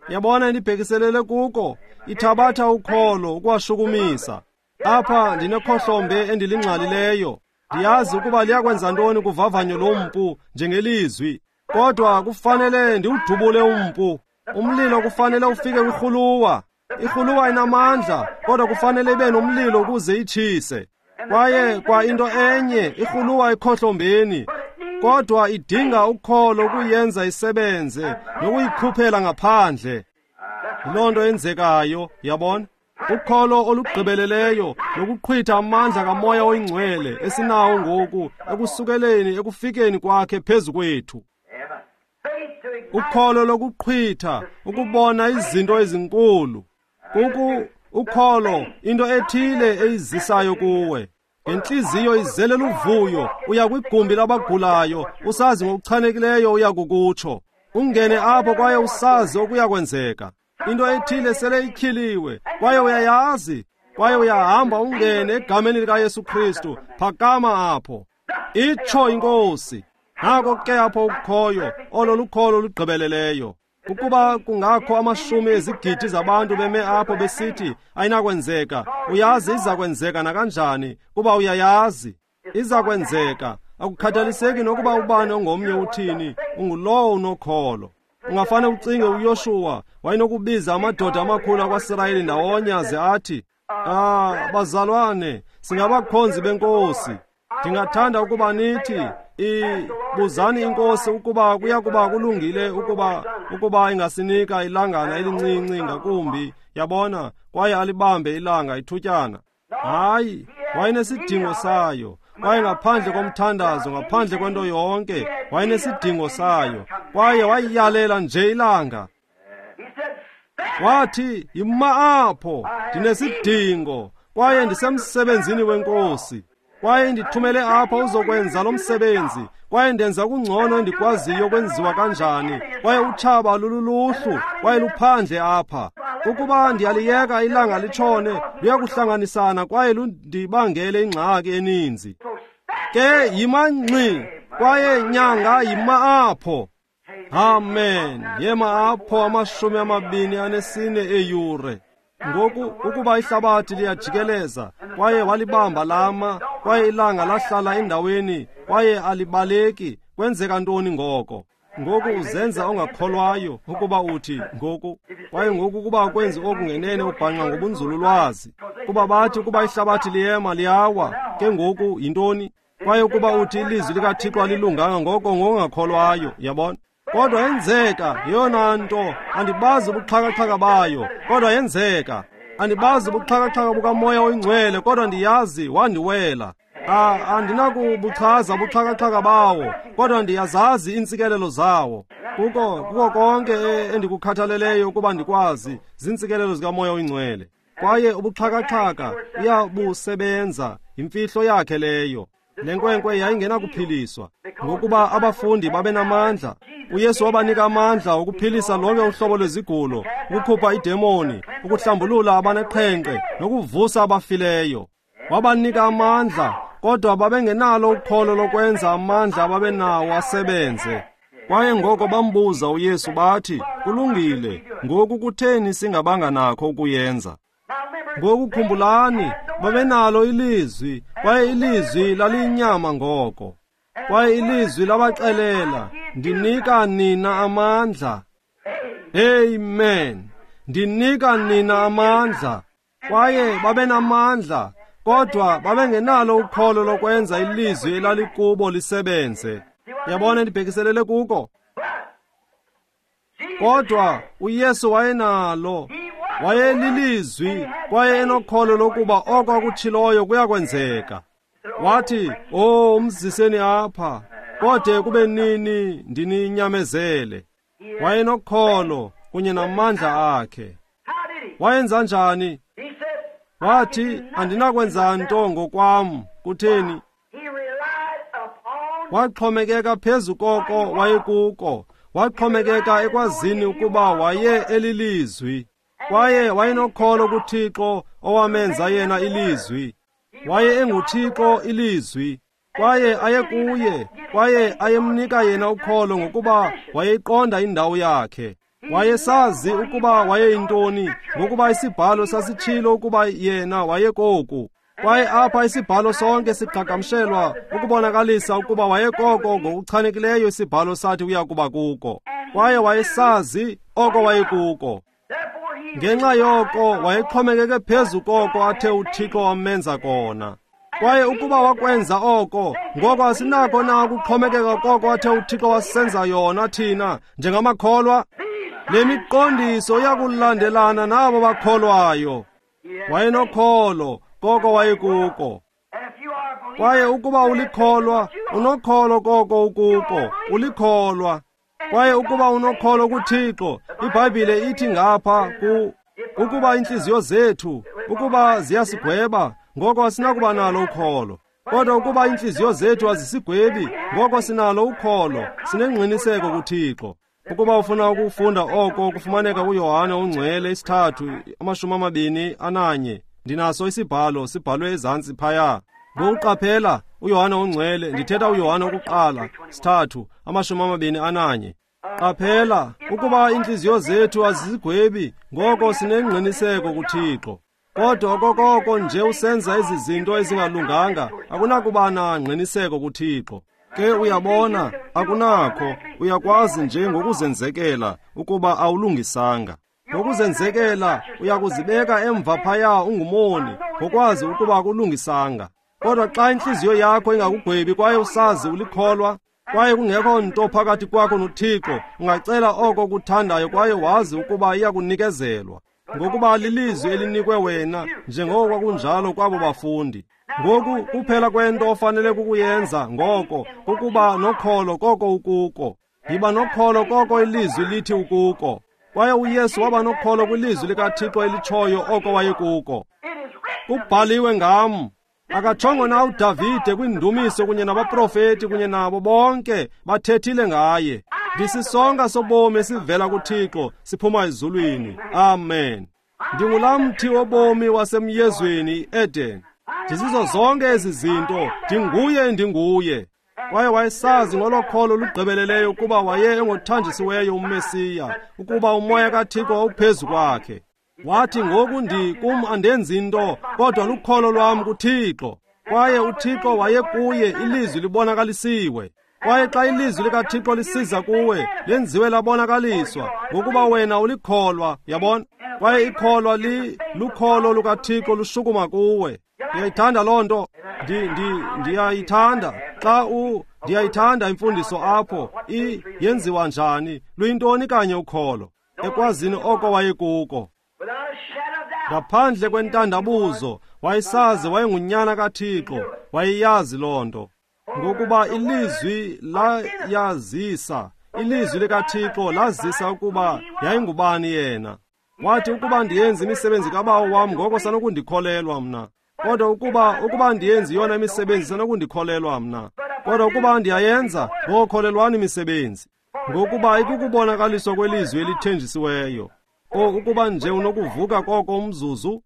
Yabona endibhekiselele kuko, ithabatha ukholo ukuwashukumisa. Apha ndinekhohlombe endilingxalileyo. Ndiyazi ukuba liyakwenza ntoni kuvavanyo lompu njengelizwi, kodwa kufanele ndiwudubule umpu. Umlilo kufanele ufike kwirhuluwa. Irhuluwa inamandla, kodwa kufanele ibe nomlilo ukuze itshise. Kwaye kwa into enye, irhuluwa ekhohlombeni, Kodwa idinga ukholo ukuyenza isebenze nokuyikhuphela ngaphandle. Yiloo nto yenzekayo, yabona? Ukholo olugqibeleleyo lokuqhwitha amandla kaMoya oyiNgcwele esinawo ngoku ekusukeleni ekufikeni kwakhe phezu kwethu. Ukholo lokuqhwitha ukubona izinto ezinkulu. Ukholo into ethile eyizisayo kuwe. Ngentliziyo izele luvuyo uya kwigumbi labagulayo, usazi ngokuchanekileyo uya kukutsho. Ungene apho kwaye usazi okuya kwenzeka. Into ethile sele ityhiliwe kwaye uyayazi, kwaye uyahamba ungene egameni likaYesu Kristu. Phakama apho, itsho iNkosi. Nako ke apho ukukhoyo, olo lukholo olugqibeleleyo. Ukuba kungakho amashumi ezigidi zabantu beme apho besithi ayinakwenzeka, uyazi iza kwenzeka nakanjani, kuba uyayazi iza kwenzeka. Akukhathaliseki nokuba ubani ongomnye uthini, ungulowo unokholo. Ungafane ucinge uYoshuwa wayenokubiza amadoda amakhulu akwaSirayeli ndawonye aze athi, bazalwane, singabakhonzi beNkosi. Ndingathanda ukuba nithi, buzani iNkosi ukuba kuya kuba kulungile ukuba ingasinika ilangana elincinci ngakumbi, yabona, kwaye alibambe ilanga ithutyana. Hayi, wayenesidingo sayo. Kwaye ngaphandle komthandazo, ngaphandle kwento yonke, wayenesidingo sayo. Kwaye wayiyalela nje ilanga. Wathi, yima apho, ndinesidingo, kwaye ndisemsebenzini weNkosi. Kwaye ndithumele apha uzokwenza lo msebenzi, kwaye ndenza kungcono endikwaziyo kwenziwa kanjani. Kwaye utshaba lululuhlu, kwaye luphandle apha. Ukuba ndiyaliyeka ilanga litshone, luyakuhlanganisana kwaye lundibangele ingxaki eninzi. Ke yima ngxi, kwaye nyanga yima apho. Amen. Yema apho 24 eeyure. Ngoku ukuba ihlabathi liyajikeleza, kwaye walibamba lama, kwaye ilanga lahlala endaweni, kwaye alibaleki, kwenzeka ntoni ngoko? Ngoku uzenza ongakholwayo ukuba uthi ngoku, kwaye ngoku ukuba ukwenzi oku ngenene ubhanqa ngobunzululwazi. Kuba bathi ukuba ihlabathi liyema liyawa, ke ngoku yintoni? Kwaye ukuba uthi ilizwi likaThixo alilunganga, ngoko ngongakholwayo, yabona? Kodwa yenzeka yeyona nto, andibazi ubuxhakaxhaka bayo, kodwa yenzeka. Andibazi ubuxhakaxhaka bukaMoya oyiNgcwele, kodwa ndiyazi wandiwela. Andinakubuchaza ubuxhakaxhaka bawo, kodwa ndiyazazi iintsikelelo zawo. Kuko konke endikukhathaleleyo ukuba ndikwazi ziintsikelelo zikaMoya oyiNgcwele. Kwaye ubuxhakaxhaka uyabusebenza, yimfihlo yakhe leyo. Le nkwenkwe yayingenakuphiliswa, ngokuba abafundi babenamandla. uYesu wabanika amandla okuphilisa lonke uhlobo lwezigulo, ukukhupha idemoni, ukuhlambulula abaneqhenqe nokuvusa abafileyo. Wabanika amandla, kodwa babengenalo ukholo lokwenza amandla ababenawo asebenze. Kwaye ngoko bambuza uYesu bathi, kulungile, ngoku kutheni singabanga nakho ukuyenza? Ngoku khumbulani, babenalo ilizwi, kwaye ilizwi laliyinyama ngoko. Kwaye ilizwi labaxelela, ndinika nina amandla. Amen. Ndinika nina amandla. Kwaye babenamandla, kodwa babengenalo ukholo lokwenza ilizwi elalikubo lisebenze. Yabona ndibhekiselele kuko? Kodwa uYesu wayenalo, wayelilizwi, kwaye enokholo lokuba oko akutshiloyo kuyakwenzeka. Wathi, "Oh, umziseni apha, kode kube nini ndininyamezele." Wayenokholo kunye namandla akhe. Wayenza njani? Wathi, andinakwenza nto ngokwam. Kutheni? Waxhomekeka phezu koko wayekuko. Waxhomekeka ekwazini ukuba waye elilizwi. Kwaye wayenokholo kuThixo owamenza yena ilizwi. Waye enguThixo ilizwi. Kwaye ayekuye, kwaye ayemnika yena ukholo ngokuba wayeyiqonda indawo yakhe. Wayesazi ukuba wayeyintoni, ngokuba isibhalo sasitshilo ukuba yena wayekoku. Kwaye apha isibhalo sonke siqhagamshelwa ukubonakalisa ukuba wayekoko ngokuchanekileyo isibhalo sathi uya kuba kuko. Kwaye wayesazi oko wayekuko. Ngenxa yoko wayexhomekeke phezu koko athe uThixo wamenza kona. Kwaye ukuba wakwenza oko, ngoko asinakho na ukuxhomekeka koko athe uThixo wasenza yona thina njengamakholwa? Le miqondiso iyakulandelana nabo bakholwayo. Wayenokholo koko wayekuko. Kwaye ukuba ulikholwa, unokholo koko ukuko, ulikholwa. Kwaye ukuba unokholo kuThixo, iBhayibhile ithi ngapha ukuba iintliziyo zethu, ukuba ziyasigweba, ngoko asinakuba nalo ukholo. Kodwa ukuba iintliziyo zethu azisigwebi, ngoko sinalo ukholo, sinengqiniseko kuThixo. Ukuba ufuna ukufunda oko kufumaneka kuYohane oNgcwele 3:21. Ndinaso isibhalo sibhalwe ezantsi phaya. Ngokuqaphela uYohane oNgcwele, ndithetha uYohane wokuqala 3:21. Qaphela ukuba iintliziyo zethu azizigwebi, ngoko sinengqiniseko kuThixo. Kodwa okokoko nje usenza ezi zinto ezingalunganga, akunakuba nangqiniseko kuThixo. Ke uyabona, akunakho, uyakwazi nje ngokuzenzekela ukuba awulungisanga. Ngokuzenzekela uyakuzibeka emva phaya ungumoni, ngokwazi ukuba akulungisanga. Kodwa xa intliziyo yakho ingakugwebi kwaye usazi ulikholwa, kwaye kungekho nto phakathi kwakho noThixo, ungacela oko kuthandayo kwaye wazi ukuba iyakunikezelwa, ngokuba lilizwi elinikwe wena, njengoko kwakunjalo kwabo bafundi. Ngoku kuphela kwento ofanele kukuyenza ngoko kukuba nokholo koko ukuko. Yiba nokholo koko ilizwi lithi ukuko. Kwaye uYesu waba nokholo kwilizwi likaThixo elitshoyo oko wayekuko. Kubhaliwe ngam. Akatshongo na uDavide kwiindumiso kunye nabaprofeti kunye nabo bonke bathethile ngaye. Ndisisonka sobomi esivela kuThixo siphuma ezulwini. Amen. Ndingulaa mthi wobomi wasemyezweni iEden. Ndizizo zonke ezi zinto, ndinguye ndinguye. Kwaye wayesazi ngolo kholo lugqibeleleyo ukuba waye engothanjisiweyo uMesiya, ukuba umoya kaThixo wawuphezu kwakhe. Wathi ngoku kum andenzi nto, kodwa lukholo lwam kuThixo. Kwaye uThixo wayekuye, ilizwi libonakalisiwe. Kwaye xa ilizwi likaThixo lisiza kuwe, lenziwe labonakaliswa, ngokuba wena ulikholwa, yabona? Kwaye ikholwa lukholo lukaThixo lushukuma kuwe. Ndiyayithanda loo nto. Ndiyayithanda. Xa ndiyayithanda imfundiso apho, yenziwa njani, luyintoni kanye ukholo, ekwazini oko wayekuko. Ngaphandle kwentandabuzo, wayesazi wayengunyana kaThixo, wayeyazi loo nto. Ngokuba ilizwi layazisa, ilizwi likaThixo lazisa ukuba yayingubani yena. Wathi ukuba ndiyenze imisebenzi kaBawo wam, ngoko sanokundikholelwa mna. Kodwa ukuba ndiyenze yona imisebenzi, sanokundikholelwa mna. Kodwa ukuba ndiyayenza, ngoko kholelwani imisebenzi. Ngokuba ikukubonakaliswa kwelizwi elithenjisiweyo. O, ukuba nje unokuvuka koko umzuzu.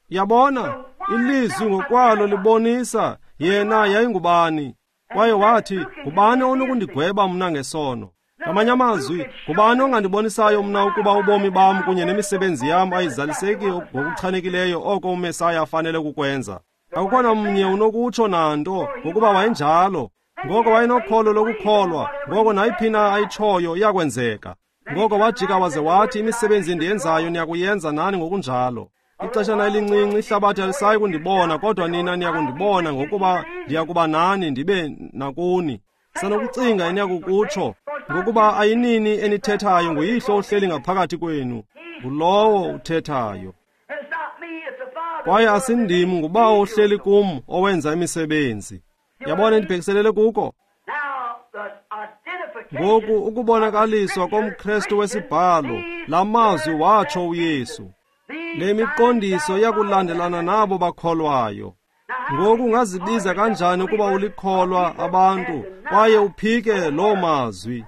Yabona, ilizwi ngokwalo libonisa yena yayingubani. Kwaye wathi, ngubani onokundigweba mna ngesono? Ngamanye amazwi, ngubani ongandibonisayo mna ukuba ubomi bam kunye nemisebenzi yam ayizaliseki ngokuchanekileyo oko uMesaya afanele ukukwenza? Akukho namnye unokutsho nanto, ngokuba wayenjalo. Ngoko wayenokholo lokukholwa, ngoko nayiphi na ayitshoyo iyakwenzeka. Ngoko wajika waze wathi, imisebenzi endiyenzayo niyakuyenza nani ngokunjalo. Ixeshana elincinci ihlabathi alisayi kundibona, kodwa nina niyakundibona, ngokuba ndiyakuba nani ndibe nakuni. Sanokucinga eniyakukutsho, ngokuba ayinini enithethayo, nguyihlo ohleli ngaphakathi kwenu, ngulowo uthethayo. Kwaye asindim, nguBawo ohleli kum owenza imisebenzi. Yabona endibhekiselele kuko? Ngoku ukubonakaliswa komKrestu wesibhalo, la mazwi watsho uYesu. Le miqondiso iyakulandelana nabo bakholwayo. Ngoku ungazibiza kanjani ukuba ulikholwa abantu kwaye uphike loo mazwi?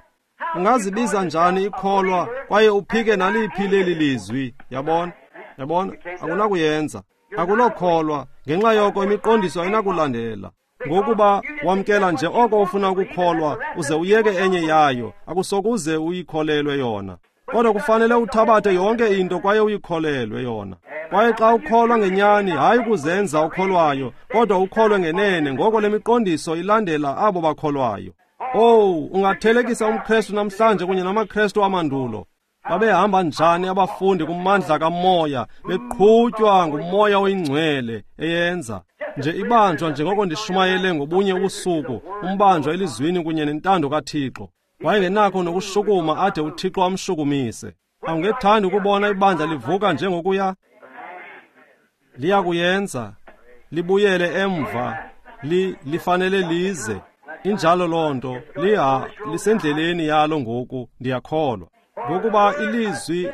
Ungazibiza njani ikholwa kwaye uphike naliphi leli lizwi? Yabona? Yabona? Akunakuyenza. Akulokholwa. Ngenxa yoko imiqondiso ayinakulandela. Ngokuba wamkela nje oko ufuna ukukholwa uze uyeke enye yayo, akusokuze uyikholelwe yona. Kodwa kufanele uthabathe yonke into kwaye uyikholelwe yona. Kwaye xa ukholwa ngenyani, hayi ukuzenza ukholwayo, kodwa ukholwe ngenene, ngoko le miqondiso ilandela abo bakholwayo. Owu, ungathelekisa umKrestu namhlanje kunye namaKrestu amandulo. Babehamba njani abafundi kumandla kaMoya, beqhutywa nguMoya oyiNgcwele eyenza nje ibanjwa, njengoko ndishumayele ngobunye ubusuku, umbanjwa elizwini kunye nentando kaThixo. Wayengenakho nokushukuma ade uThixo amshukumise. Awungethandi ukubona ibandla livuka njengokuya? Liyakuyenza, libuyele emva, lifanele lize. Injalo loo nto, lisendleleni yalo ngoku, ndiyakholwa. Ngokuba ilizwi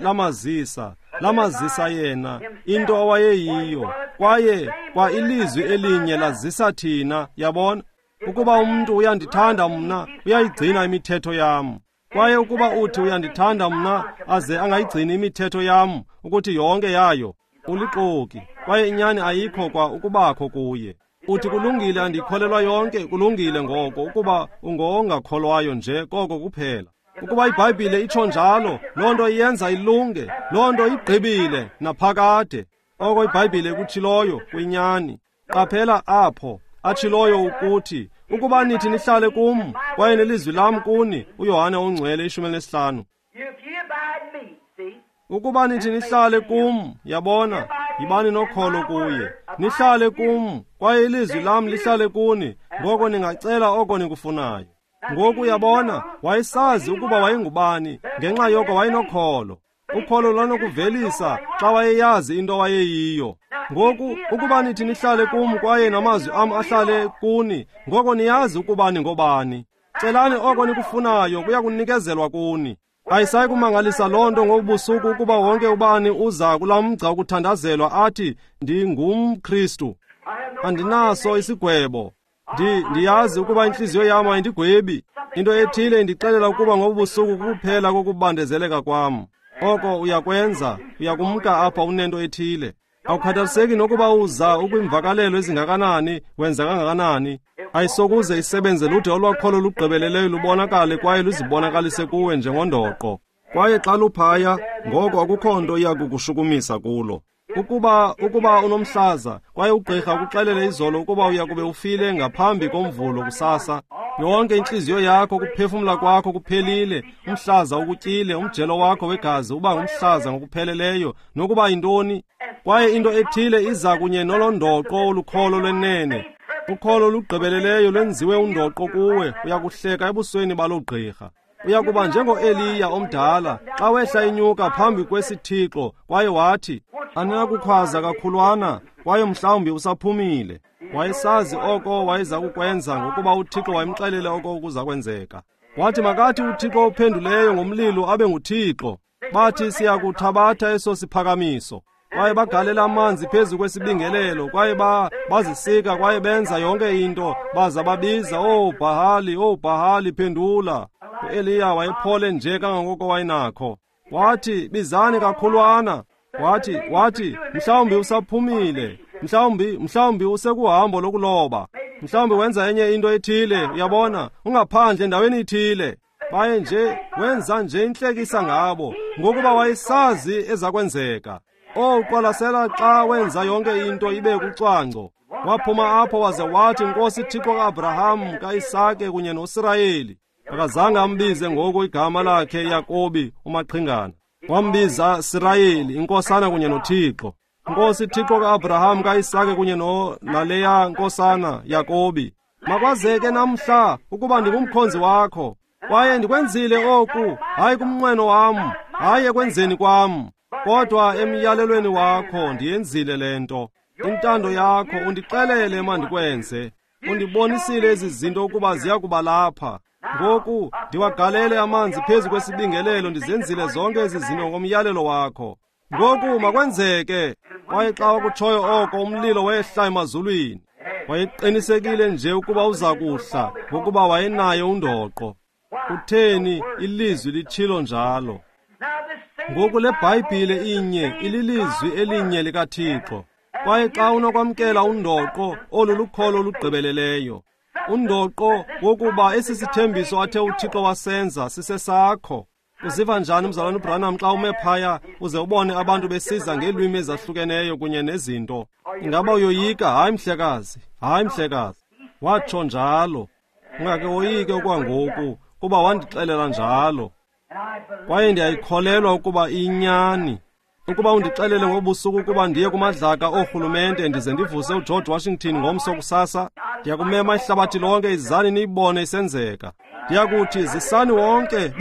lamazisa yena into awayeyiyo, kwaye kwa ilizwi elinye lazisa thina, yabona. Ukuba umntu uyandithanda mna, uyayigcina imithetho yam. Kwaye ukuba uthi uyandithanda mna, aze angayigcini imithetho yam, ukuthi yonke yayo, ulixoki, kwaye inyani ayikho kwa ukubakho kuye. Uthi kulungile, andikholelwa yonke, kulungile ngoko, ukuba ungongakholwayo nje koko kuphela. Ukuba iBhayibhile itsho njalo, loo nto iyenza ilunge, loo nto igqibile naphakade. Oko iBhayibhile ikutshiloyo kuyinyani. Qaphela apho atshiloyo ukuthi, ukuba nithi nihlale kum, kwaye nelizwi lam kuni, uYohane oNgcwele 15. Ukuba nithi nihlale kum, yabona, yibani nokholo kuye. Nihlale kum, kwaye ilizwi lam lihlale kuni, ngoko ningacela oko nikufunayo. Ngoku yabona, wayesazi ukuba wayengubani, ngenxa yoko wayenokholo. Ukholo lwanokuvelisa xa wayeyazi into wayeyiyo. Ngoku ukuba nithi nihlale kum kwaye namazwi am ahlale kuni, ngoko niyazi ukuba ningobani. Celani oko nikufunayo, kuya kunikezelwa kuni. Ayisayi kumangalisa loo nto ngobusuku ukuba wonke ubani uza kulaa mgca wokuthandazelwa athi, ndingumKristu, andinaso isigwebo. Ndiyazi ukuba intliziyo yam ayindigwebi. Into ethile indixelela ukuba ngobusuku kuphela kokubandezeleka kwam. Oko uyakwenza, uyakumka apha unento ethile. Awukhathaliseki nokuba uza ukwimvakalelo ezingakanani, wenza kangakanani. Ayisokuze isebenze lude olwakholo lugqibeleleyo lubonakale kwaye luzibonakalise kuwe njengondoqo. Kwaye xa luphaya, ngoko akukho nto iya kukushukumisa kulo. Ukuba unomhlaza, kwaye ugqirha ukuxelele izolo ukuba uya kube ufile ngaphambi komvulo kusasa, yonke intliziyo yakho, ukuphefumla kwakho kuphelile, umhlaza ukutyile, umjelo wakho wegazi uba ngumhlaza ngokupheleleyo, nokuba yintoni. Kwaye into ethile iza kunye nolondoqo olukholo lwenene. Ukholo olugqibeleleyo lwenziwe undoqo kuwe, uyakuhleka ebusweni baloo gqirha. Uyakuba njengo-Eliya omdala xa wehla inyuka phambi kwesithixo kwaye wathi, andinakukhwaza kakhulwana, kwaye mhlawumbi usaphumile. Wayesazi oko wayeza kukwenza ngokuba uThixo wayemxelele oko kuza kwenzeka. Wathi makathi uThixo ophenduleyo ngomlilo abe nguThixo. Bathi siyakuthabatha eso siphakamiso. Kwaye bagalela amanzi phezu kwesibingelelo, kwaye bazisika kwaye benza yonke into, baza babiza, "Oh Bhahali, oh Bhahali, phendula." uEliya wayephole nje kangangoko wayenakho. Wathi, bizani kakhulwana. Wathi, mhlawumbi usaphumile, mhlawumbi usekuhambo lokuloba, mhlawumbi wenza enye into ethile, uyabona, ungaphandle endaweni ithile. Baye nje wenza nje intlekisa ngabo, ngokuba wayesazi ezakwenzeka. Oh, qwalasela xa wenza yonke into ibe kucwangco. Waphuma apho waze wathi, Nkosi Thixo kaAbraham, kaIsake kunye noSirayeli. Akazange ambize ngoku igama lakhe Yakobi umaqhingana. Wambiza Sirayeli, inkosana kunye noThixo. Nkosi Thixo kaAbraham, kaIsake kunye naleya nkosana Yakobi. Makwazeke namhla ukuba ndingumkhonzi wakho, kwaye ndikwenzile oku, hayi kumnqweno wam, hayi ekwenzeni kwam, kodwa emyalelweni wakho ndiyenzile le nto. Intando yakho undixelele mandikwenze. Undibonisile ezi zinto ukuba ziya kuba lapha. Ngoku ndiwagalele amanzi phezu kwesibingelelo, ndizenzile zonke ezi zinto ngomyalelo wakho. Ngoku makwenzeke. Kwaye xa wakutshoyo oko, umlilo wehla emazulwini. Wayeqinisekile nje ukuba uza kuhla, ngokuba wayenaye undoqo. Kutheni ilizwi litshilo njalo? Ngoku le Bhayibhile inye ililizwi elinye likaThixo. Kwaye xa unokwamkela undoqo, olu lukholo olugqibeleleyo. Undoqo wokuba esi sithembiso athe uThixo wasenza sisesakho. Uziva njani mzalwana uBranham xa ume phaya uze ubone abantu besiza ngeelwimi ezahlukeneyo kunye nezinto? Ingaba uyoyika? Hayi mhlekazi, hayi mhlekazi. Watsho njalo. Ungake woyike okwangoku, kuba wandixelela njalo. Kwaye ndiyayikholelwa ukuba iyinyani. Ukuba undixelele ngobusuku ukuba ndiye kumadlaka oorhulumente ndize ndivuse uGeorge Washington ngomso kusasa, ndiyakumema ihlabathi lonke, izani niyibone isenzeka. Ndiyakuthi zisani wonke,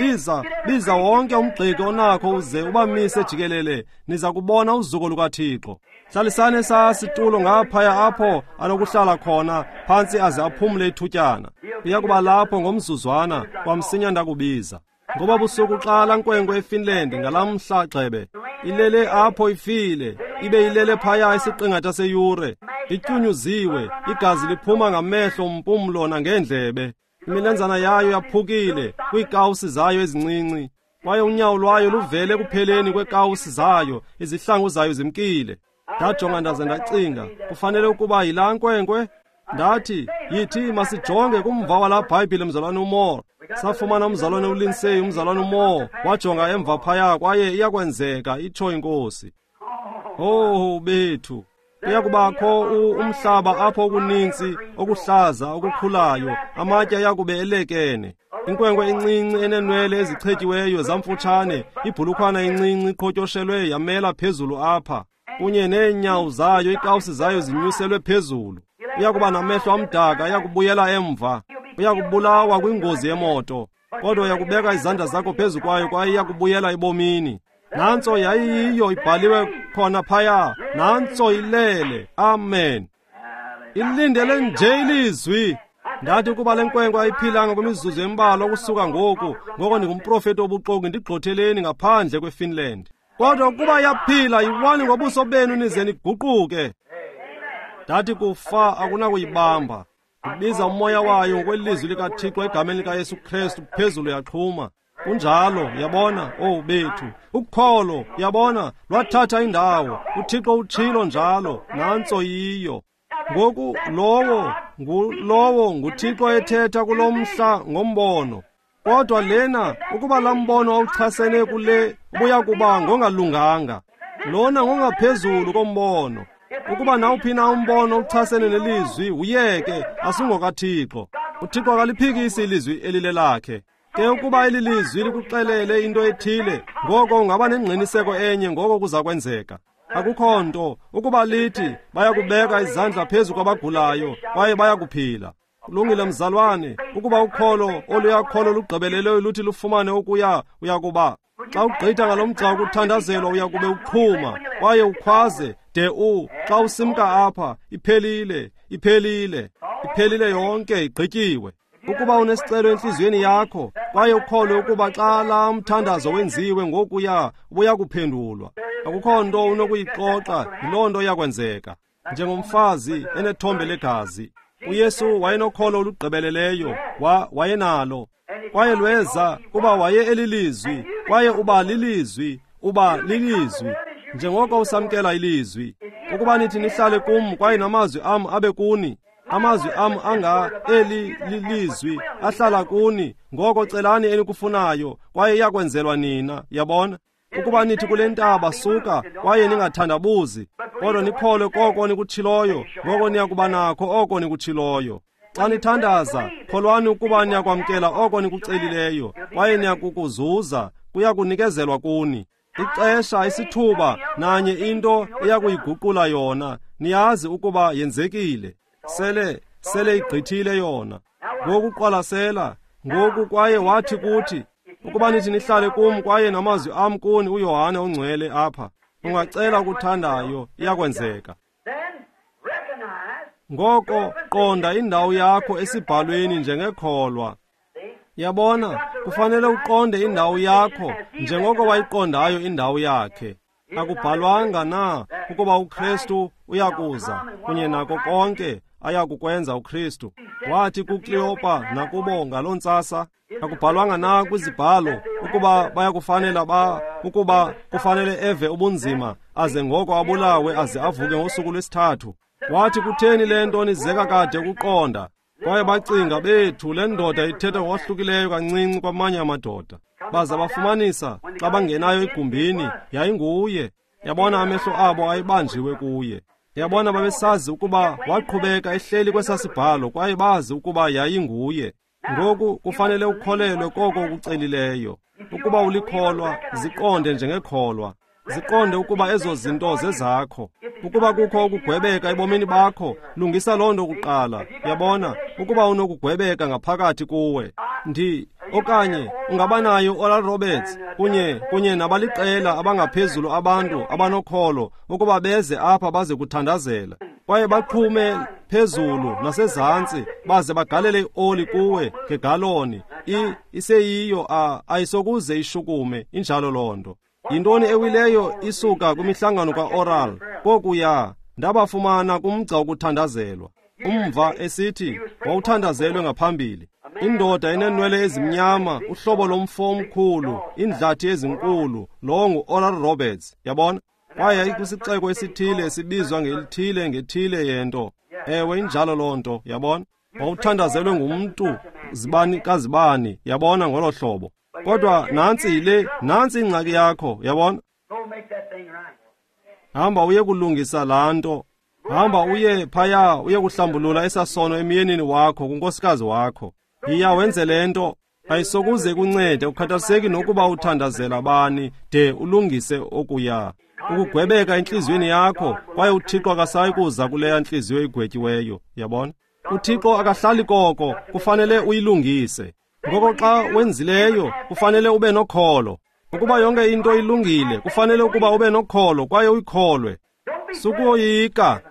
biza wonke umgxeki onakho uze ubamise jikelele, niza kubona uzuko lukaThixo. Hlalisani esaa situlo ngaphaya apho anokuhlala khona phantsi aze aphumle ithutyana. Uya kuba lapho ngomzuzwana, kwamsinya ndakubiza. Ngoba busuku xa laa nkwenkwe eFinland ngalamhla gxebe ilele apho ifile, ibe ilele phaya isiqingatha seyure, ityunyuziwe, igazi liphuma ngamehlo, mpumlo nangeendlebe. Imilenzana yayo yaphukile kwiikawusi zayo ezincinci, kwaye unyawo lwayo luvele ekupheleni kweekawusi zayo, izihlangu zayo zimkile. Ndajonga ndaze ndacinga, kufanele ukuba yilaa nkwenkwe. Ndathi, yithi masijonge kumva walaa Bhayibhile, mzalwane uMoore. Safumana umzalwane uLindsay, umzalwane uMoore wajonga emva phaya, kwaye iyakwenzeka, itsho iNkosi. Oh bethu, kuyakubakho umhlaba apho okuninzi okuhlaza okukhulayo, amatye ayakube elekene. Inkwenkwe encinci eneenwele ezichetyiweyo zamfutshane, ibhulukhwana encinci iqhotyoshelwe yamela phezulu apha, kunye neenyawo zayo, iikawusi zayo zinyuselwe phezulu. Uyakuba namehlo amdaka, uyakubuyela emva, uyakubulawa kwingozi yemoto, kodwa uyakubeka izandla zakho phezu kwayo kwaye iyakubuyela ebomini. Nantso yayiyiyo ibhaliwe khona phaya, nantso ilele. Amen. Ilindele nje ilizwi. Ndathi ukuba le nkwenkwe ayiphilanga kwimizuzu embalwa ukusuka ngoku, ngoko ndingumprofeti obuxoki, ndigxotheleni ngaphandle kweFinland. Kodwa ukuba yaphila, yiwani ngobuso benu nize niguquke. Ndathi kufa akunakuyibamba. Ndibiza umoya wayo ngokwelizwi likaThixo egameni likaYesu Kristu, phezulu yaxhuma. Kunjalo, yabona, oh bethu. Ukholo, yabona, lwathatha indawo. UThixo utshilo njalo, nantso yiyo. Ngoku lowo nguThixo ethetha kulo mhla ngombono. Kodwa lena, ukuba laa mbono awuchasene kule, ubuya kuba ngongalunganga. Lona ngongaphezulu kombono. Ukuba nawuphi na umbono uchasene nelizwi, uyeke, asingokaThixo. uThixo akaliphikisi ilizwi elilelakhe. Ke ukuba eli lizwi likuxelele into ethile, ngoko ungaba nengqiniseko enye ngoko kuza kwenzeka. Akukho nto ukuba lithi bayakubeka izandla phezu kwabagulayo kwaye bayakuphila. Kulungile mzalwane, ukuba ukholo oluyakholo lugqibeleleyo luthi lufumane okuya, uyakuba xa ugqitha ngalo mgca wokuthandazelwa uyakube uqhuma kwaye ukhwaze de xa usimka apha, iphelile, iphelile, iphelile yonke, igqityiwe. Ukuba unesicelo entliziyweni yakho kwaye ukholwe ukuba xa laa mthandazo wenziwe ngokuya ubuya kuphendulwa, akukho nto unokuyixoxa, yiloo nto iyakwenzeka. Njengomfazi enethombe legazi, uYesu wayenokholo olugqibeleleyo, wayenalo kwaye lweza kuba waye elilizwi, kwaye uba lilizwi, uba lilizwi. Njengoko usamkela ilizwi, ukuba nithi nihlale kum kwaye namazwi am abe kuni, amazwi am anga eli lilizwi ahlala kuni, ngoko celani enikufunayo kwaye iyakwenzelwa nina. Yabona, ukuba nithi kule ntaba suka kwaye ningathandabuzi, kodwa nikholwe koko nikutshiloyo, ngoko niyakuba nakho oko nikutshiloyo. Xa nithandaza, kholwani ukuba niyakwamkela oko nikucelileyo kwaye niyakukuzuza, kuya kunikezelwa kuni. Ixesha, isithuba, nanye into eyakuyiguqula yona, niyazi ukuba yenzekile. Sele igqithile yona. Ngoku qwalasela, ngoku kwaye wathi kuthi, ukuba nithi nihlale kum kwaye namazwi am kuni, uYohane ongcwele apha, ungacela okuthandayo, iyakwenzeka. Ngoko qonda indawo yakho esibhalweni njengekholwa. Yabona, kufanele uqonde indawo yakho njengoko wayiqondayo indawo yakhe. Akubhalwanga na ukuba uKristu uyakuza kunye nako konke ayakukwenza uKristu? Wathi kuKleopa nakubo ngaloo ntsasa, akubhalwanga na kwizibhalo ukuba bayakufanela ukuba kufanele eve ubunzima aze ngoko abulawe aze avuke ngosuku lwesithathu? Wathi, kutheni le nto nizeka kade ukuqonda? Kwaye bacinga, bethu, le ndoda ithetha ngokwahlukileyo kancinci kwamanye amadoda. Baza bafumanisa xa bangenayo egumbini, yayinguye. Yabona, amehlo abo ayebanjiwe kuye. Yabona, babesazi ukuba waqhubeka ehleli kwesasibhalo kwaye bazi ukuba yayinguye. Ngoku kufanele ukholelwe koko ukucelileyo. Ukuba ulikholwa, ziqonde njengekholwa. Ziqonde ukuba ezo zinto zezakho. Ukuba kukho ukugwebeka ebomini bakho, lungisa loo nto kuqala. Yabona, ukuba unokugwebeka ngaphakathi kuwe. Okanye ungabanayo Oral Roberts kunye nabaliqela abangaphezulu abantu abanokholo ukuba beze apha baze kuthandazela. Kwaye baqhume phezulu nasezantsi baze bagalele ioli kuwe ngegaloni. Iseyiyo ayisokuze ishukume, injalo loo nto. Yintoni ewileyo isuka kwimihlangano kaOral? Kokuya ndabafumana kumgca wokuthandazelwa. Umva esithi wawuthandazelwe ngaphambili. Indoda eneenwele ezimnyama, uhlobo lomfo omkhulu, iindlathi ezinkulu, lowo ngu-Oral Roberts, yabona? Kwaye yayikwisixeko esithile esibizwa ngelithile ngethile yento. Ewe, injalo loo nto, yabona? Wawuthandazelwe ngumntu zibani kazibani, yabona, ngolo hlobo. Kodwa nantsi nantsi ingxaki yakho, yabona? Hamba uye kulungisa laa nto. Hamba uye phaya uye kuhlambulula esasono emyenini wakho, kunkosikazi wakho. Yiya wenze le nto. Ayisokuze kuncede, ukhathaliseki nokuba uthandazela bani, de ulungise okuya. Ukugwebeka entliziyweni yakho, kwaye uThixo akasayi kuza kuleya ntliziyo igwetyiweyo, yabona? uThixo akahlali koko, kufanele uyilungise. Ngoko xa wenzileyo, kufanele ube nokholo. Ukuba yonke into ilungile, kufanele ukuba ube nokholo kwaye uyikholwe. Sukoyika.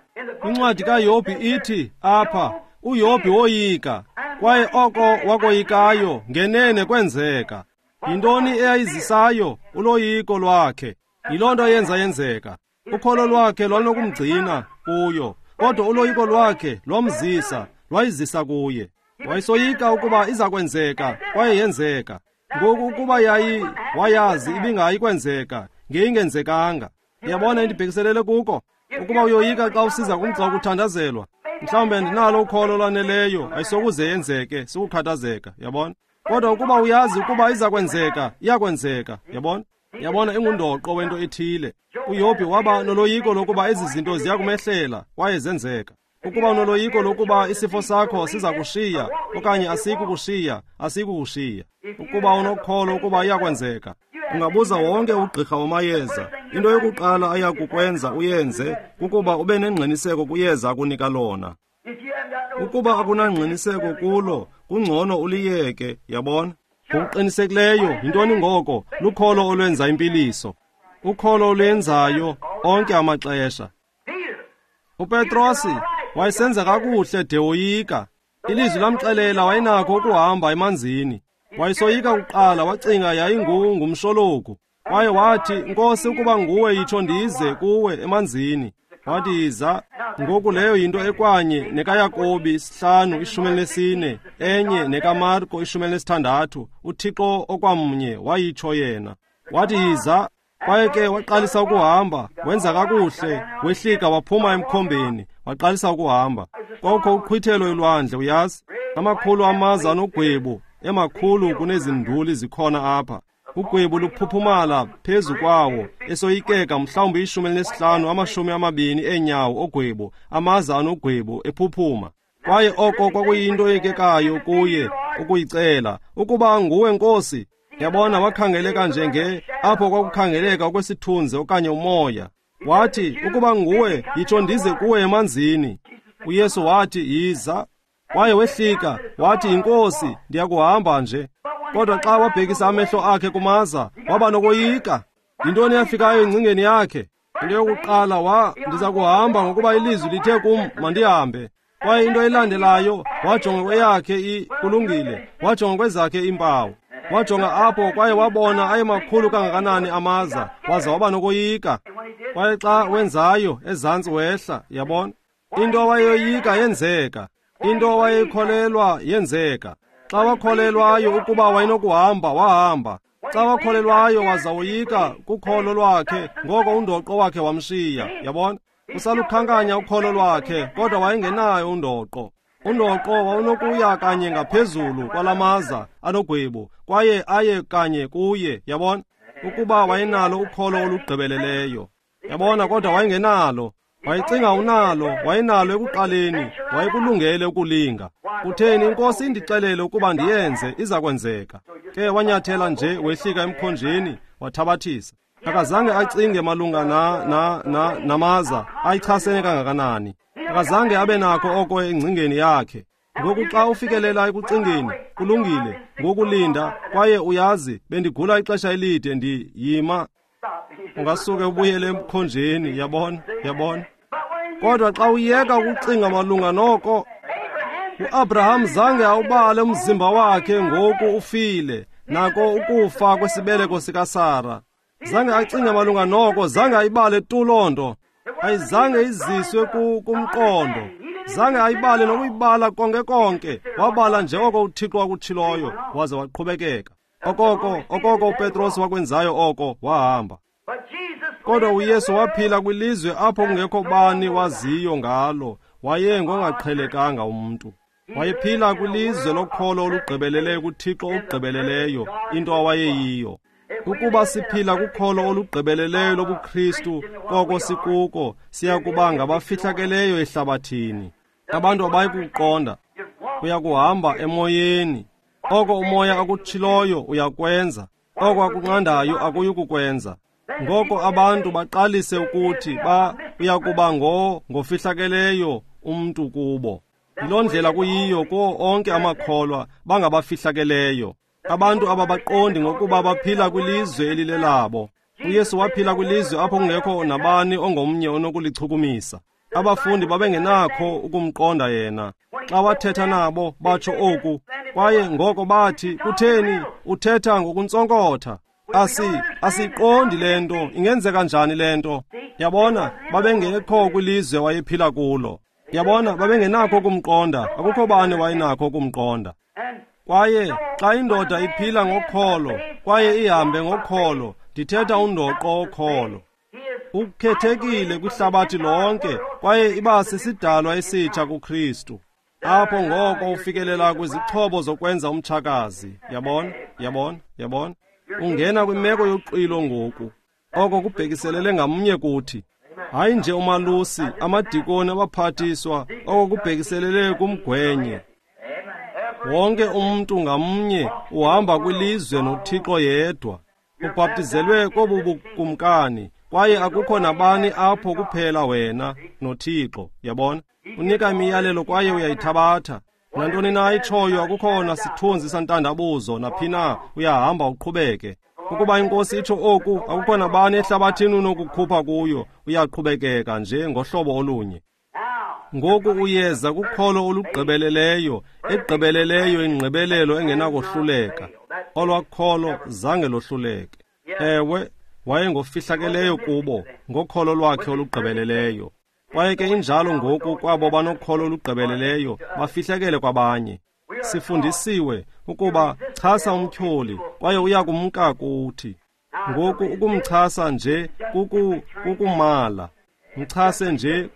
Incwadi kaYobhi ithi apha, uYobhi woyika, kwaye oko wakoyikayo ngenene kwenzeka. Yintoni eyayizisayo? Uloyiko lwakhe. Yiloo nto eyenza yenzeka. Ukholo lwakhe lwalunokumgcina kuyo, kodwa uloyiko lwakhe lwamzisa, lwayizisa kuye. Wayesoyika ukuba iza kwenzeka, kwaye yenzeka. Ngoku ukuba wayazi ibingayi kwenzeka, ngeyingenzekanga. Uyabona endibhekiselele kuko? Ukuba uyoyika xa usiza kumgca wokuthandazelwa, mhlawumbi andinalo ukholo olwaneleyo, ayisokuze yenzeke, sukukhathazeka, yabona? Kodwa ukuba uyazi ukuba iza kwenzeka, iyakwenzeka, yabona? Yabona, ingundoqo wento ethile. uYobhi waba noloyiko lokuba ezi zinto ziya kumehlela, kwaye zenzeka. Ukuba unoloyiko lokuba isifo sakho siza kushiya okanye asikukushiya, asikukushiya. Ukuba unokholo ukuba iyakwenzeka, ungabuza wonke ugqirha wamayeza. Into yokuqala aya kukwenza uyenze kukuba ube nengqiniseko kuyeza akunika lona. Ukuba akunangqiniseko kulo, kungcono uliyeke, yabona? Ngokuqinisekileyo, yintoni ngoko? Lukholo olwenza impiliso. Ukholo olwenzayo onke amaxesha. uPetrosi wayesenza kakuhle de woyika. Ilizwi lamxelela wayenakho ukuhamba emanzini. Wayesoyika kuqala, wacinga yayingumshologu. Kwaye wathi, Nkosi, ukuba nguwe yitsho ndize kuwe emanzini. Wathi, yiza. Ngoku leyo yinto ekwanye nekaYakobi 5:14, enye nekaMarko 16. uThixo okwamnye wayitsho yena. Wathi, yiza. Kwaye ke waqalisa ukuhamba, wenza kakuhle, wehlika waphuma emkhombeni, waqalisa ukuhamba. Kwakukho uqhwithelo elwandle, uyazi, amakhulu amaza anogwebu, emakhulu kunezinduli zikhona apha. Ugwebu luphuphumala phezu kwawo, esoyikeka mhlawumbi 15 20 eenyawo ogwebu, amaza anogwebu ephuphuma. Kwaye oko kwakuyinto eyikekayo kuye ukuyicela, ukuba nguwe Nkosi. Yabona, wakhangeleka njenge apho kwakukhangeleka okwesithunzi okanye umoya. Wathi, ukuba nguwe, yitsho ndize kuwe emanzini. uYesu wathi, yiza. Kwaye wehlika, wathi, Inkosi, ndiyakuhamba nje. Kodwa xa wabhekisa amehlo akhe kumaza, waba nokoyika. Yintoni eyafikayo engcingeni yakhe? Into yokuqala, ndiza kuhamba ngokuba ilizwi lithe kum mandihambe. Kwaye into elandelayo, wajonga kweyakhe kulungile, wajonga kwezakhe iimpawu. Wajonga apho kwaye wabona ayemakhulu kangakanani amaza, waza waba nokoyika. Kwaye xa wenzayo, ezantsi wehla, yabona? Into awayeyoyika yenzeka. Into awayeyikholelwa yenzeka. Xa wakholelwayo ukuba wayenokuhamba, wahamba. Xa wakholelwayo waza woyika kukholo lwakhe, ngoko undoqo wakhe wamshiya, yabona? Usalukhankanya ukholo lwakhe, kodwa wayengenayo undoqo. Undoqo wawunokuya kanye ngaphezulu kwalamaza anogwebu, kwaye aye kanye kuye, yabona? Ukuba wayenalo ukholo olugqibeleleyo. Yabona, kodwa wayengenalo. Wayecinga unalo, wayenalo ekuqaleni, wayekulungele ukulinga. Kutheni inkosi indixelele ukuba ndiyenze, iza kwenzeka. Ke wanyathela nje wehlika emkhonjeni, wathabathisa. Akazange acinge malunga namaza ayichasene kangakanani. Akazange abe nakho oko engcingeni yakhe. Ngoku xa ufikelela ekucingeni, kulungile, ngokulinda, kwaye uyazi, bendigula ixesha elide, ndiyima. Ungasuke ubuyele emkhonjeni, yabona, yabona. Kodwa xa uyeka ukucinga malunga noko, uAbraham zange awubale umzimba wakhe ngoku ufile, nako ukufa kwesibeleko sikaSara. Zange acinge malunga noko, zange ayibale tu loo nto. Ayizange iziswe kumqondo. Zange ayibale nokuyibala konke konke. Wabala nje oko uThixo wakutshiloyo, waze waqhubekeka. Okoko uPetros wakwenzayo oko, wahamba. Kodwa uYesu waphila kwilizwe apho kungekho bani waziyo ngalo, waye ngongaqhelekanga umntu. Wayephila kwilizwe lokholo olugqibeleleyo kuThixo ogqibeleleyo, into awayeyiyo. Ukuba siphila kukholo olugqibeleleyo lobuKristu, koko sikuko, siya kuba ngabafihlakeleyo ehlabathini. Abantu abayi kukuqonda. Uyakuhamba emoyeni. Oko umoya akutshiloyo uyakwenza, oko akunqandayo akuyi kukwenza. Ngoko abantu baqalise ukuthi uyakuba ngofihlakeleyo umntu kubo. Yiloo ndlela kuyiyo kuwo onke amakholwa, bangabafihlakeleyo. Abantu ababaqondi ngokuba baphila kwilizwe elilelabo. uYesu waphila kwilizwe apho kungekho nabani ongomnye onokulichukumisa. Abafundi babengenakho ukumqonda yena. Xa wathetha nabo batsho oku, kwaye ngoko bathi, kutheni uthetha ngokuntsonkotha? Asiqondi le nto, ingenzeka njani le nto? Yabona, babengekho kwilizwe wayephila kulo. Yabona, babengenakho ukumqonda, akukho bani wayenakho ukumqonda. Kwaye xa indoda iphila ngokholo, kwaye ihambe ngokholo, ndithetha undoqo wokholo. Ukhethekile kwihlabathi lonke, kwaye iba sisidalwa esitsha kuKristu. Apho ngoko ufikelela kwizixhobo zokwenza umtshakazi. Yabona, yabona, yabona. Ungena kwimeko yoxwilo ngoku. Oko kubhekiselele ngamnye kuthi. Hayi nje umalusi, amadikoni, abaphathiswa, oko kubhekiselele kumgwenye. Wonke umntu ngamnye uhamba kwilizwe noThixo yedwa. Ubhaptizelwe kobu bukumkani, kwaye akukho nabani apho kuphela wena noThixo. Yabona? Unika imiyalelo kwaye uyayithabatha. Nantoni na ayitshoyo, akukho nasithunzi santandabuzo, naphi na, uyahamba uqhubeke. Ukuba inkosi itsho oku, akukho nabani ehlabathini unokukhupha kuyo, uyaqhubekeka nje ngohlobo olunye. Ngoku uyeza kukholo olugqibeleleyo, egqibeleleyo ingqibelelo engenakohluleka. Olwakholo zange lohluleke. Ewe, wayengofihlakeleyo kubo ngokholo lwakhe olugqibeleleyo. Kwaye ke injalo ngoku kwabo banokholo olugqibeleleyo, bafihlakele kwabanye. Sifundisiwe ukuba chasa umtyholi, kwaye uya kumka kuthi. Ngoku ukumchasa nje kukumala. Mchase nje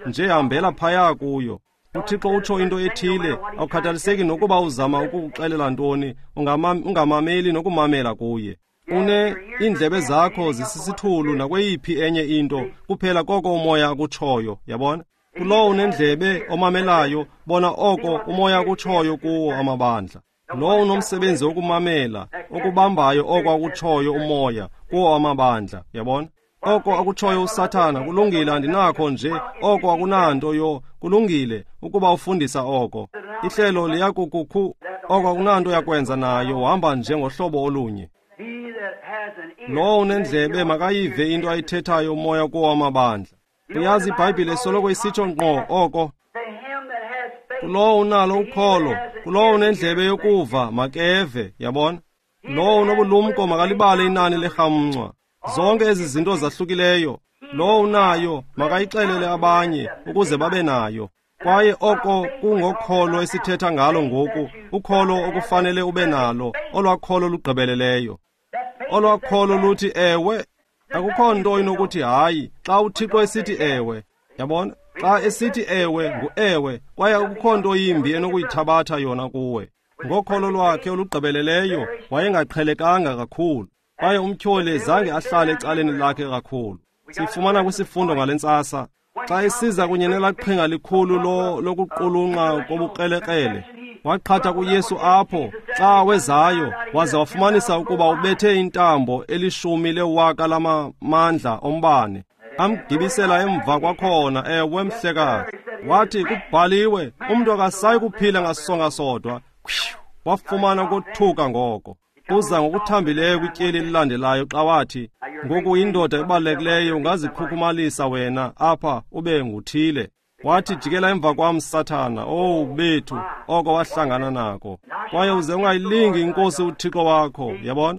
nje hambela phaya kuyo. uThixo utsho into ethile, awukhathaliseki nokuba uzama ukukuxelela ntoni, ungamameli nokumamela kuye. Une iindlebe zakho zisisithulu nakweyiphi enye into, kuphela koko umoya akutshoyo, yabona? Kulowo unendlebe omamelayo, bona oko umoya akutshoyo kuwo amabandla. Lowo unomsebenzi wokumamela, okubambayo oko akutshoyo umoya kuwo amabandla, yabona? Oko akutshoyo uSathana, kulungile, andinakho nje, oko akunanto yo, kulungile ukuba ufundisa oko. Ihlelo liyakukukhu, oko akunanto yakwenza nayo, uhamba nje ngohlobo olunye. Lowo unendlebe makayive into ayithethayo umoya kuwo amabandla. Uyazi iBhayibhile soloko isitsho ngqo oko. Kulowo unalo ukholo, kulowo unendlebe yokuva makeve, yabona? Lowo unobulumko makalibale inani lerhamncwa. Zonke ezi zinto zahlukileyo, lowo unayo makayixelele abanye ukuze babe nayo. Kwaye oko kungokholo esithetha ngalo ngoku, ukholo okufanele ube nalo, olwakholo lugqibeleleyo. Olwakholo luthi ewe, akukho nto inokuthi hayi xa uThixo esithi ewe. Yabona? Xa esithi ewe ngu-ewe, kwaye akukho nto yimbi enokuyithabatha yona kuwe. Ngokholo lwakhe olugqibeleleyo wayengaqhelekanga kakhulu, kwaye umtyholi zange ahlale ecaleni lakhe kakhulu. Sifumana kwisifundo ngale ntsasa. Xa esiza kunye nelaqhinga likhulu lokuqulunqa kobukrelekrele, waqhatha kuYesu apho xa wezayo, waze wafumanisa ukuba ubethe intambo elishumi lewaka lamamandla ombane. Amgibisela emva kwakhona. Ewe, mhlekazi. Wathi, kubhaliwe, umntu akasayi kuphila ngasonga sodwa. Wafumana ukothuka ngoko. Uza ngokuthambileyo kwityeli elilandelayo xa wathi, ngoku indoda ebalulekileyo, ungazikhukhumalisa wena apha ube nguthile. Wathi, jikela emva kwam, Sathana. Owu bethu, oko wahlangana nako. Kwaye uze ungayilingi iNkosi uThixo wakho, yabona?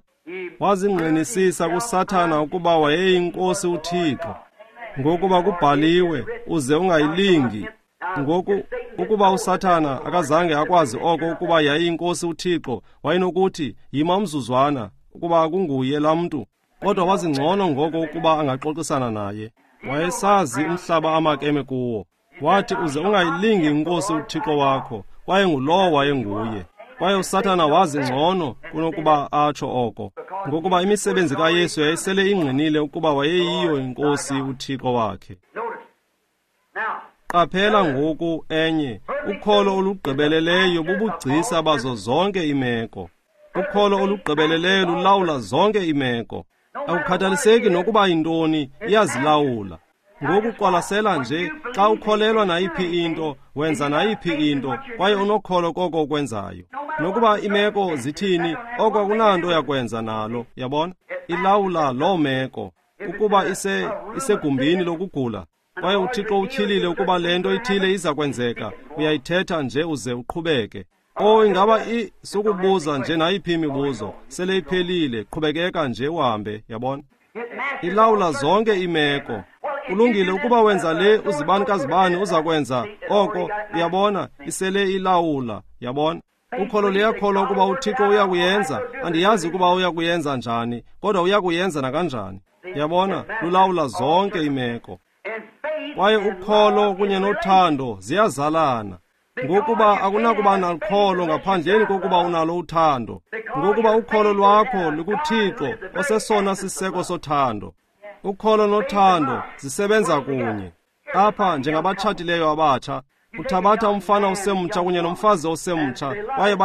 Wazingqinisisa kuSathana ukuba wayeyinkosi uThixo. Ngokuba kubhaliwe, uze ungayilingi. Ngoku ukuba uSathana akazange akwazi oko ukuba yayiyinkosi uThixo, wayenokuthi, yima umzuzwana, ukuba kunguye laa mntu. Kodwa wazingcono ngoko ukuba angaxoxisana naye. Wayesazi umhlaba amakeme kuwo. Wathi, uze ungayilingi inkosi uThixo wakho, kwaye ngulowo wayenguye. Kwaye uSathana wazi ngcono kunokuba atsho oko, ngokuba imisebenzi kaYesu yayisele ingqinile ukuba wayeyiyo inkosi uThixo wakhe. Qaphela ngoku enye, ukholo olugqibeleleyo bubugcisa bazo zonke iimeko. Ukholo olugqibeleleyo lulawula zonke iimeko. Akukhathaliseki nokuba yintoni, iyazilawula. Ngoku qwalasela nje, xa ukholelwa nayiphi into, wenza nayiphi into, kwaye unokholo koko ukwenzayo. Nokuba imeko zithini, oko akunanto yakwenza nalo, yabona? Ilawula loo meko. Ukuba isegumbini lokugula, kwaye uThixo utyhilile ukuba le nto ithile iza kwenzeka, uyayithetha nje uze uqhubeke. Oh, ingaba sukubuza nje nayiphi imibuzo, sele iphelile, qhubekeka nje uhambe, yabona? Ilawula zonke iimeko. Kulungile, ukuba wenza le, uzibani kazibani uza kwenza oko, uyabona, isele ilawula, yabona? Ukholo liyakholwa ukuba uThixo uyakuyenza. Andiyazi ukuba uyakuyenza njani, kodwa uyakuyenza nakanjani. Yabona, lulawula zonke iimeko. Kwaye ukholo kunye nothando ziyazalana. Ngokuba akunakuba nalukholo ngaphandleni kokuba unalo uthando. Ngokuba ukholo lwakho lukuThixo osesona siseko sothando. Ukholo nothando zisebenza kunye. Apha njengabatshatileyo abatsha, uthabatha umfana osemtsha kunye nomfazi osemtsha, kwaye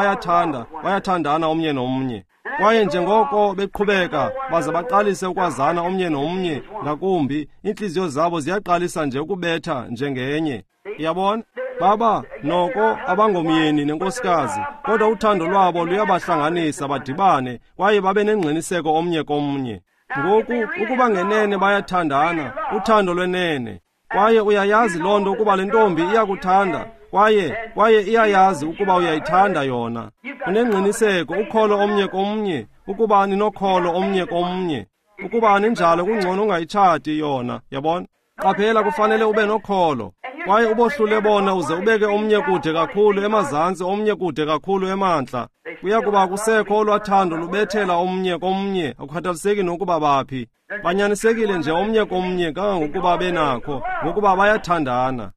bayathandana omnye nomnye. Kwaye njengoko beqhubeka baze baqalise ukwazana omnye nomnye ngakumbi, iintliziyo zabo ziyaqalisa nje ukubetha njengenye. Yabona? Baba noko abangomyeni nenkosikazi, kodwa uthando lwabo luyabahlanganisa badibane kwaye babe nengqiniseko omnye komnye. Ngoku ukuba ngenene bayathandana, uthando lwenene. Kwaye uyayazi loo nto ukuba le ntombi iyakuthanda, kwaye iyayazi ukuba uyayithanda yona. Unengqiniseko, ukholo omnye komnye, ukuba ninokholo omnye komnye. Ukuba aninjalo, kungcono ungayitshati yona, yabona? Qaphela, kufanele ube nokholo. Kwaye ubohlule bona uze ubeke omnye kude kakhulu emazantsi, omnye kude kakhulu emantla. Kuya kuba kusekho olwathando lubethela omnye komnye, akukhathaliseki nokuba baphi. Banyanisekile nje omnye komnye kangangokuba benakho, ngokuba bayathandana.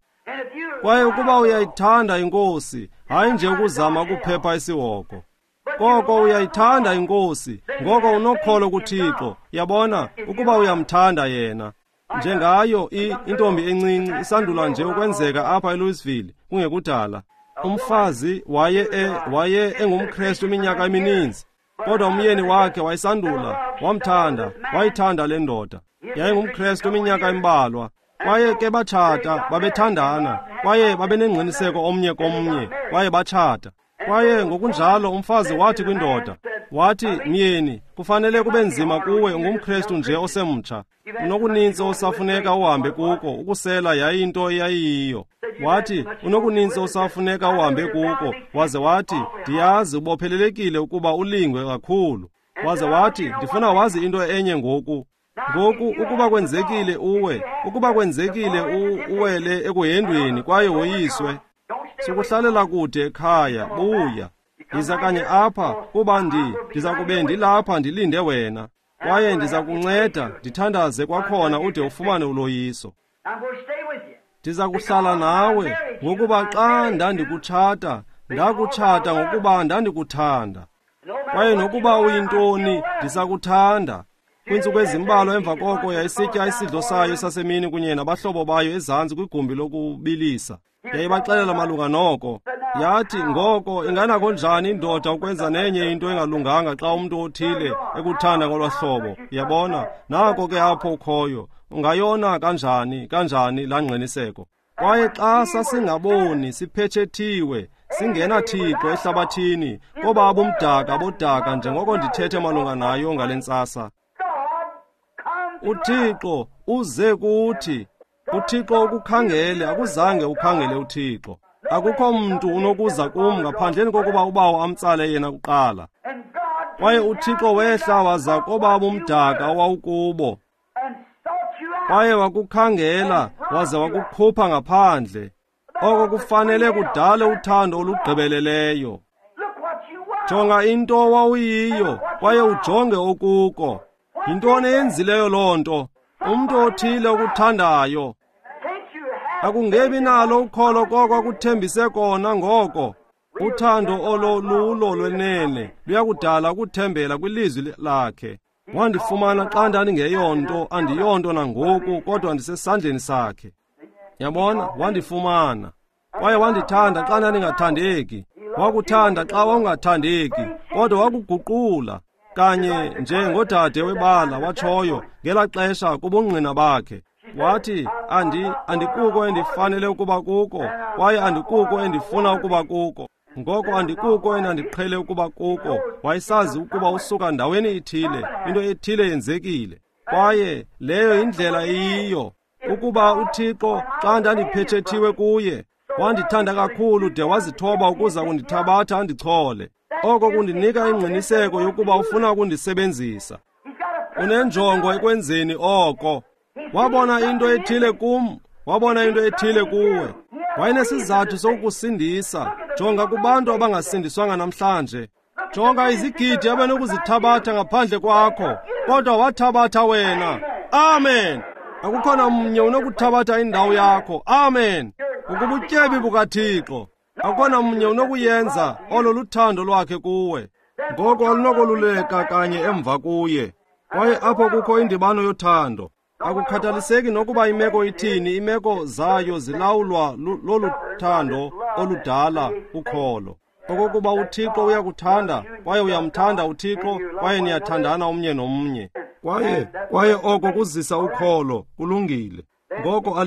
Kwaye ukuba uyayithanda iNkosi, hayi nje ukuzama ukuphepha isihogo, koko uyayithanda iNkosi, ngoko unokholo kuThixo, yabona, ukuba uyamthanda yena. Njengayo intombi encinci isandula nje ukwenzeka apha eLouisville kungekudala. Umfazi waye engumKrestu iminyaka emininzi, kodwa umyeni wakhe wayesandula wamthanda, wayithanda le ndoda. YayingumKrestu iminyaka embalwa. Kwaye ke batshata, babethandana, kwaye babenengqiniseko omnye komnye, kwaye batshata. Kwaye ngokunjalo umfazi wathi kwindoda, wathi, myeni, kufanele kube nzima kuwe, ungumKrestu nje osemtsha. Unokuninzi osafuneka uhambe kuko, ukusela yayinto eyayiyiyo. Wathi, unokuninzi osafuneka uhambe kuko, waze wathi, ndiyazi ubophelelekile ukuba ulingwe kakhulu. Waze wathi, ndifuna wazi into enye ngoku. Ngoku ukuba kwenzekile uwe, ukuba kwenzekile uwele ekuhendweni kwaye woyiswe, sukuhlalela kude ekhaya, buya. Ndiza kanye apha kuba ndiza kube ndilapha ndilinde wena. Kwaye ndiza kunceda ndithandaze kwakhona ude ufumane uloyiso. Ndiza kuhlala nawe ngokuba xa ndandikutshata, ndakutshata ngokuba ndandikuthanda. Kwaye nokuba uyintoni, ndisakuthanda. Kwiintsuku ezimbalwa emva koko yayisitya isidlo sayo sasemini kunye nabahlobo bayo ezantsi kwigumbi lokubilisa. Yayibaxelela malunga noko. Yathi, ngoko inganako njani indoda ukwenza nenye into engalunganga xa umntu othile ekuthanda ngolwa hlobo? Yabona, nako ke apho ukhoyo. Ungayona kanjani, kanjani laa ngqiniseko? Kwaye xa sasingaboni, siphethethiwe, singenaThixo ehlabathini, koba bumdaka bodaka njengoko ndithethe malunga nayo ngale ntsasa. UThixo uze kuthi. UThixo ukukhangele, akuzange ukhangele uThixo. Akukho mntu unokuza kum ngaphandleni kokuba uBawo amtsale yena kuqala. Kwaye uThixo wehla waza koba bumdaka owawukubo. Kwaye wakukhangela waze wakukhupha ngaphandle. Oko kufanele kudale uthando olugqibeleleyo. Jonga into owawuyiyo kwaye ujonge okuko. Yintoni eyenzileyo loo nto? Umntu othile okuthandayo. Akungebi nalo ukholo koko akuthembise kona ngoko. Uthando olo lulo lwenene luyakudala ukuthembela kwilizwi lakhe. Wandifumana xa ndandingeyonto, andiyonto nangoku, kodwa ndisesandleni sakhe. Yabona, wandifumana. Kwaye wandithanda xa ndandingathandeki. Wakuthanda xa wawungathandeki, kodwa wakuguqula. Kanye njengodade webala watshoyo ngelaa xesha kubungqina bakhe. Wathi, andikuko endifanele ukuba kuko, kwaye andikuko endifuna ukuba kuko. Ngoko andikuko endandiqhele ukuba kuko. Wayesazi ukuba usuka ndaweni ithile, into ethile yenzekile. Kwaye leyo yindlela eyiyo. Ukuba uThixo, xa ndandiphethethiwe kuye, wandithanda kakhulu de wazithoba ukuza kundithabatha andichole. Oko kundinika ingqiniseko yokuba ufuna ukundisebenzisa. Unenjongo ekwenzeni oko. Wabona into ethile kum, wabona into ethile kuwe. Wayenesizathu sokukusindisa. Jonga kubantu abangasindiswanga namhlanje. Jonga izigidi abanokuzithabatha ngaphandle kwakho, kodwa wathabatha wena. Amen. Akukhona mnye unokuthabatha indawo yakho. Amen. Ukubutyebi bukaThixo. Akukhona mnye unokuyenza olo luthando lwakhe kuwe. Ngoko alunokoluleka kanye emva kuye. Kwaye apho kukho indibano yothando. Akukhathaliseki nokuba imeko ithini, imeko zayo zilawulwa lolu thando oludala ukholo. Okokuba uThixo uyakuthanda, kwaye uyamthanda uThixo, kwaye niyathandana omnye nomnye. Kwaye oko kuzisa ukholo, kulungile. Ngoko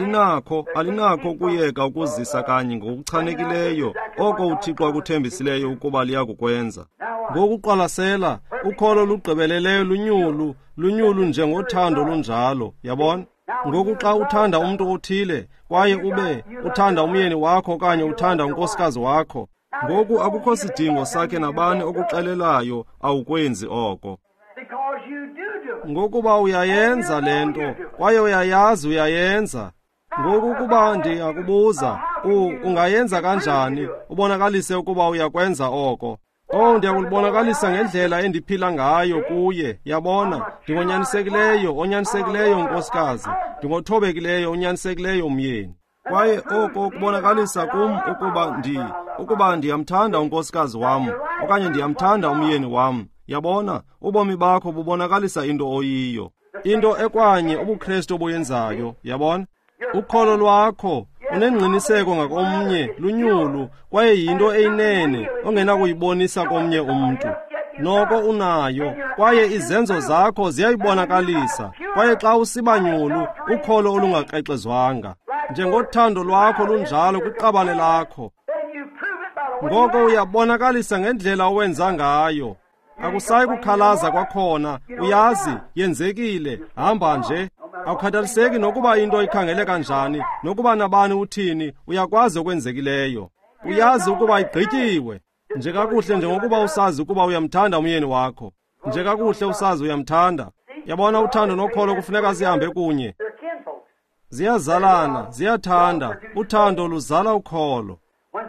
alinakho ukuyeka ukuzisa kanye ngokuchanekileyo oko uThixo akuthembisileyo ukuba liyakukwenza. Ngokuqwalasela, ukholo lugqibeleleyo lunyulu, lunyulu njengothando lunjalo, yabona? Ngoku xa uthanda umntu othile, kwaye ube uthanda umyeni wakho okanye uthanda unkosikazi wakho, ngoku akukho sidingo sakhe nabani okuxelelayo awukwenzi oko. Ngokuba uyayenza le nto, kwaye uyayazi uyayenza. Ngoku ukuba ndingakubuza, ungayenza kanjani, ubonakalise ukuba uyakwenza oko. Oh, ndiyakulibonakalisa ngendlela endiphila ngayo kuye, yabona, ndingonyanisekileyo, onyanisekileyo unkosikazi, ndingothobekileyo, onyanisekileyo umyeni. Kwaye oko kubonakalisa kum ukuba ndiyamthanda unkosikazi wam, okanye ndiyamthanda umyeni wam. Yabona, ubomi bakho bubonakalisa into oyiyo. Into ekwanye ubuKristu obuyenzayo, yabona? Ukholo lwakho unengqiniseko ngakomnye, lunyulu, kwaye yinto eyinene ongenakuyibonisa komnye umntu. Noko unayo, kwaye izenzo zakho ziyayibonakalisa. Kwaye xa usiba nyulu, ukholo olungakrexezwanga. Njengothando lwakho lunjalo kwiqabane lakho. Ngoko uyabonakalisa ngendlela owenza ngayo. Akusayi kukhalaza kwakhona, uyazi, yenzekile, hamba nje. Akukhathaliseki nokuba into ikhangele kanjani, nokuba nabani uthini, uyakwazi okwenzekileyo. Uyazi ukuba igqityiwe. Nje kakuhle njengokuba usazi ukuba uyamthanda umyeni wakho. Nje kakuhle usazi uyamthanda. Yabona, uthando nokholo kufuneka zihambe kunye. Ziyazalana, ziyathanda. Uthando luzala ukholo.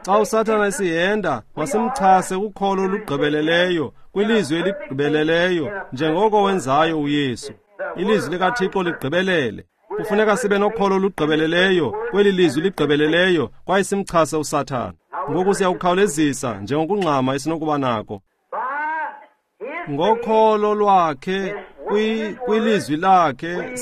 Xa uSathana esihenda, masimchase kukholo olugqibeleleyo, kwilizwi eligqibeleleyo, njengoko wenzayo uYesu. Ilizwi likaThixo ligqibelele. Kufuneka sibe nokholo olugqibeleleyo kweli lizwi ligqibeleleyo, kwaye simchase uSathana. Ngoku siyakukhawulezisa njengokungxama esinokuba nako. Ngokholo lwakhe Kwilizwi lakhe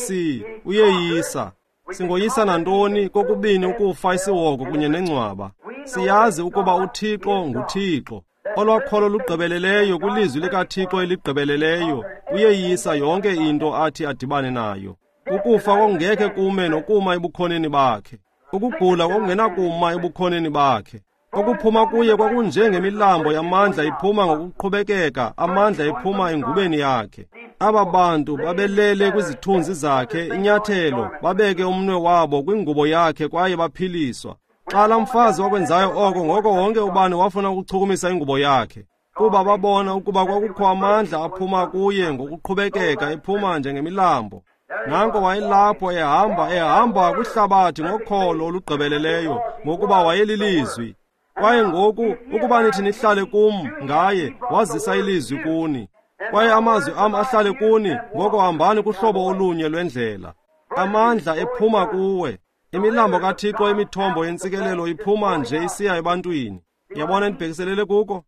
uyeyisa. Singoyisa nantoni kokubini ukufa isihogo kunye nengcwaba. Siyazi ukuba uThixo nguThixo. Olwakholo lugqibeleleyo kwilizwi likaThixo eligqibeleleyo uyeyisa yonke into athi adibane nayo. Ukufa kwakungekhe kume nokuma ebukhoneni bakhe. Ukugula kwakungenakuma ebukhoneni bakhe. Okuphuma kuye kwakunjengemilambo yamandla iphuma ngokuqhubekeka, amandla ephuma engubeni yakhe. Aba bantu babelele kwizithunzi zakhe inyathelo, babeke umnwe wabo kwingubo yakhe kwaye baphiliswa. Xa laa mfazi wakwenzayo oko, ngoko wonke ubani wafuna ukuchukumisa ingubo yakhe, kuba babona ukuba kwakukho amandla aphuma kuye ngokuqhubekeka ephuma njengemilambo. Nanko wayelapho ehamba kwihlabathi ngokholo olugqibeleleyo, ngokuba wayelilizwi. Kwaye ngoku ukuba nithi nihlale kum ngaye, wazisa ilizwi kuni. Kwaye amazwi am ahlale kuni, ngoko hambani kuhlobo olunye lwendlela. Amandla ephuma kuwe. Imilambo kaThixo, imithombo yentsikelelo iphuma nje isiya ebantwini. Yabona ndibhekiselele kuko?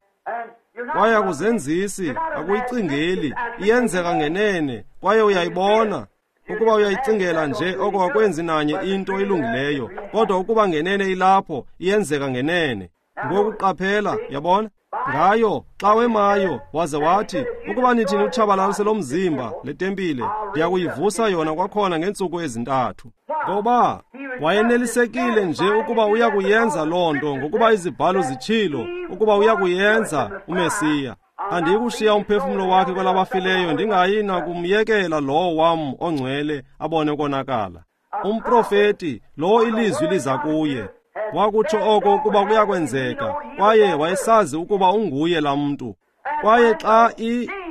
Kwaye akuzenzisi, akuyicingeli, iyenzeka ngenene, kwaye uyayibona. Ukuba uyayicingela nje oko akwenzi nanye into ilungileyo, kodwa ukuba ngenene ilapho, iyenzeka ngenene. Ngoku qaphela, yabona? Ngayo, xa wemayo, waze wathi, ukuba nithi niwutshabalalise lo mzimba, le tempile, ndiyakuyivusa yona kwakhona ngeentsuku ezintathu. Ngoba wayenelisekile nje ukuba uyakuyenza loo nto, ngokuba izibhalo zitshilo ukuba uyakuyenza uMesiya. Andiyikushiya umphefumlo wakhe kwelabafileyo, ndingayi nakumyekela lowo wam ongcwele abone ukonakala. Umprofeti, lowo ilizwi liza kuye, wakutsho oko ukuba kuyakwenzeka, kwaye wayesazi ukuba unguye laa mntu. Kwaye xa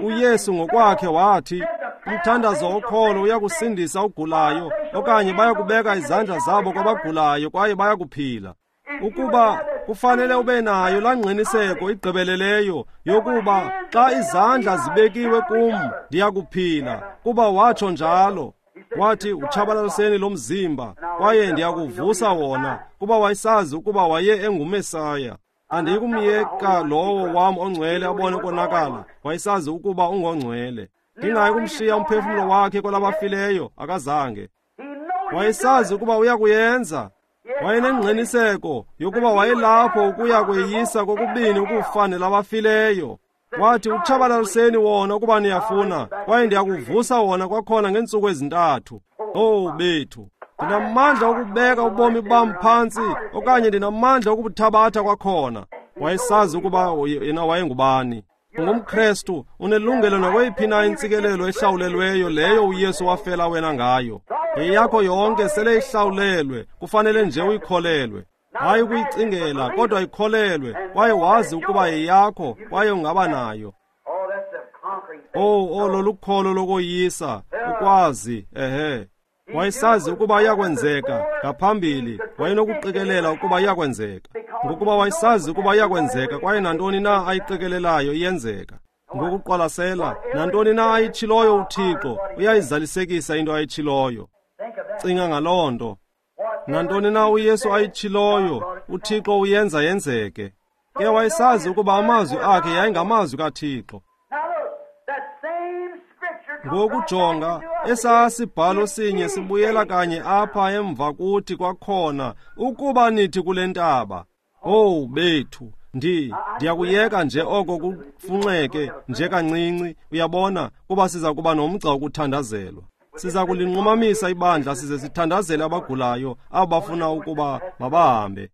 uYesu ngokwakhe wathi, umthandazo wokholo uyakusindisa ogulayo, okanye bayakubeka izandla zabo kwabagulayo kwaye bayakuphila. Ukuba kufanele ube nayo laa ngqiniseko igqibeleleyo yokuba xa izandla zibekiwe kum ndiyakuphila, kuba watsho njalo. Wathi, utshabalaliseni lo mzimba kwaye ndiyakuvusa wona, kuba wayesazi ukuba waye enguMesaya. Andiyikumyeka lowo wam ongcwele abone ukonakala, wayesazi ukuba ungongcwele. Ndingayi kumshiya umphefumlo wakhe kwelabafileyo, akazange. Wayesazi ukuba uyakuyenza. Wayenengqiniseko yokuba wayelapho ukuya kweyisa kokubini ukufa nelabafileyo. Wathi, utshabalaliseni wona ukuba niyafuna, kwaye ndiyakuvusa wona kwakhona ngeentsuku ezintathu. Oh bethu, ndinamandla okubeka ubomi bam phantsi, okanye ndinamandla okubuthabatha kwakhona. Wayesazi ukuba yena wayengubani. UngumKrestu, unelungelo nakweyiphi na intsikelelo ehlawulelweyo leyo uYesu wafela wena ngayo. Yeyakho yonke sele ihlawulelwe, kufanele nje uyikholelwe. Hayi ukuyicingela, kodwa ikholelwe, kwaye wazi ukuba yeyakho, kwaye ungaba nayo. Oh, lolukholo lokoyisa, ukwazi, ehe. Wayesazi ukuba iyakwenzeka ngaphambili, wayenokuqikelela ukuba iyakwenzeka. Ngokuba wayesazi ukuba iyakwenzeka, kwaye nantoni na ayiqikelelayo iyenzeka. Ngokuqwalasela, nantoni na ayitshiloyo uThixo, uyayizalisekisa into ayitshiloyo. Cinga ngaloo nto. Nantoni na uYesu ayitshiloyo, uThixo uyenza yenzeke. Ke wayesazi ukuba amazwi akhe yayingamazwi kaThixo. Ngokujonga, esaa sibhalo sinye sibuyela kanye apha emva kuthi kwakhona, ukuba nithi kule ntaba. Oh bethu, ndiyakuyeka nje oko kufunxeke nje kancinci, uyabona, kuba siza kuba nomgca wokuthandazelwa. Siza kulinqumamisa ibandla size sithandazele abagulayo, abo bafuna ukuba mabahambe.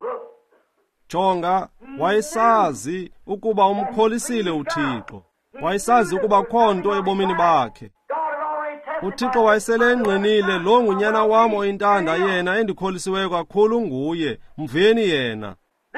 Jonga, wayesazi ukuba umkholisile uThixo. Wayesazi ukuba kho nto ebomini bakhe. uThixo wayesele engqinile, lo ngunyana wam oyintanda yena endikholisiweyo kakhulu nguye, mveni yena.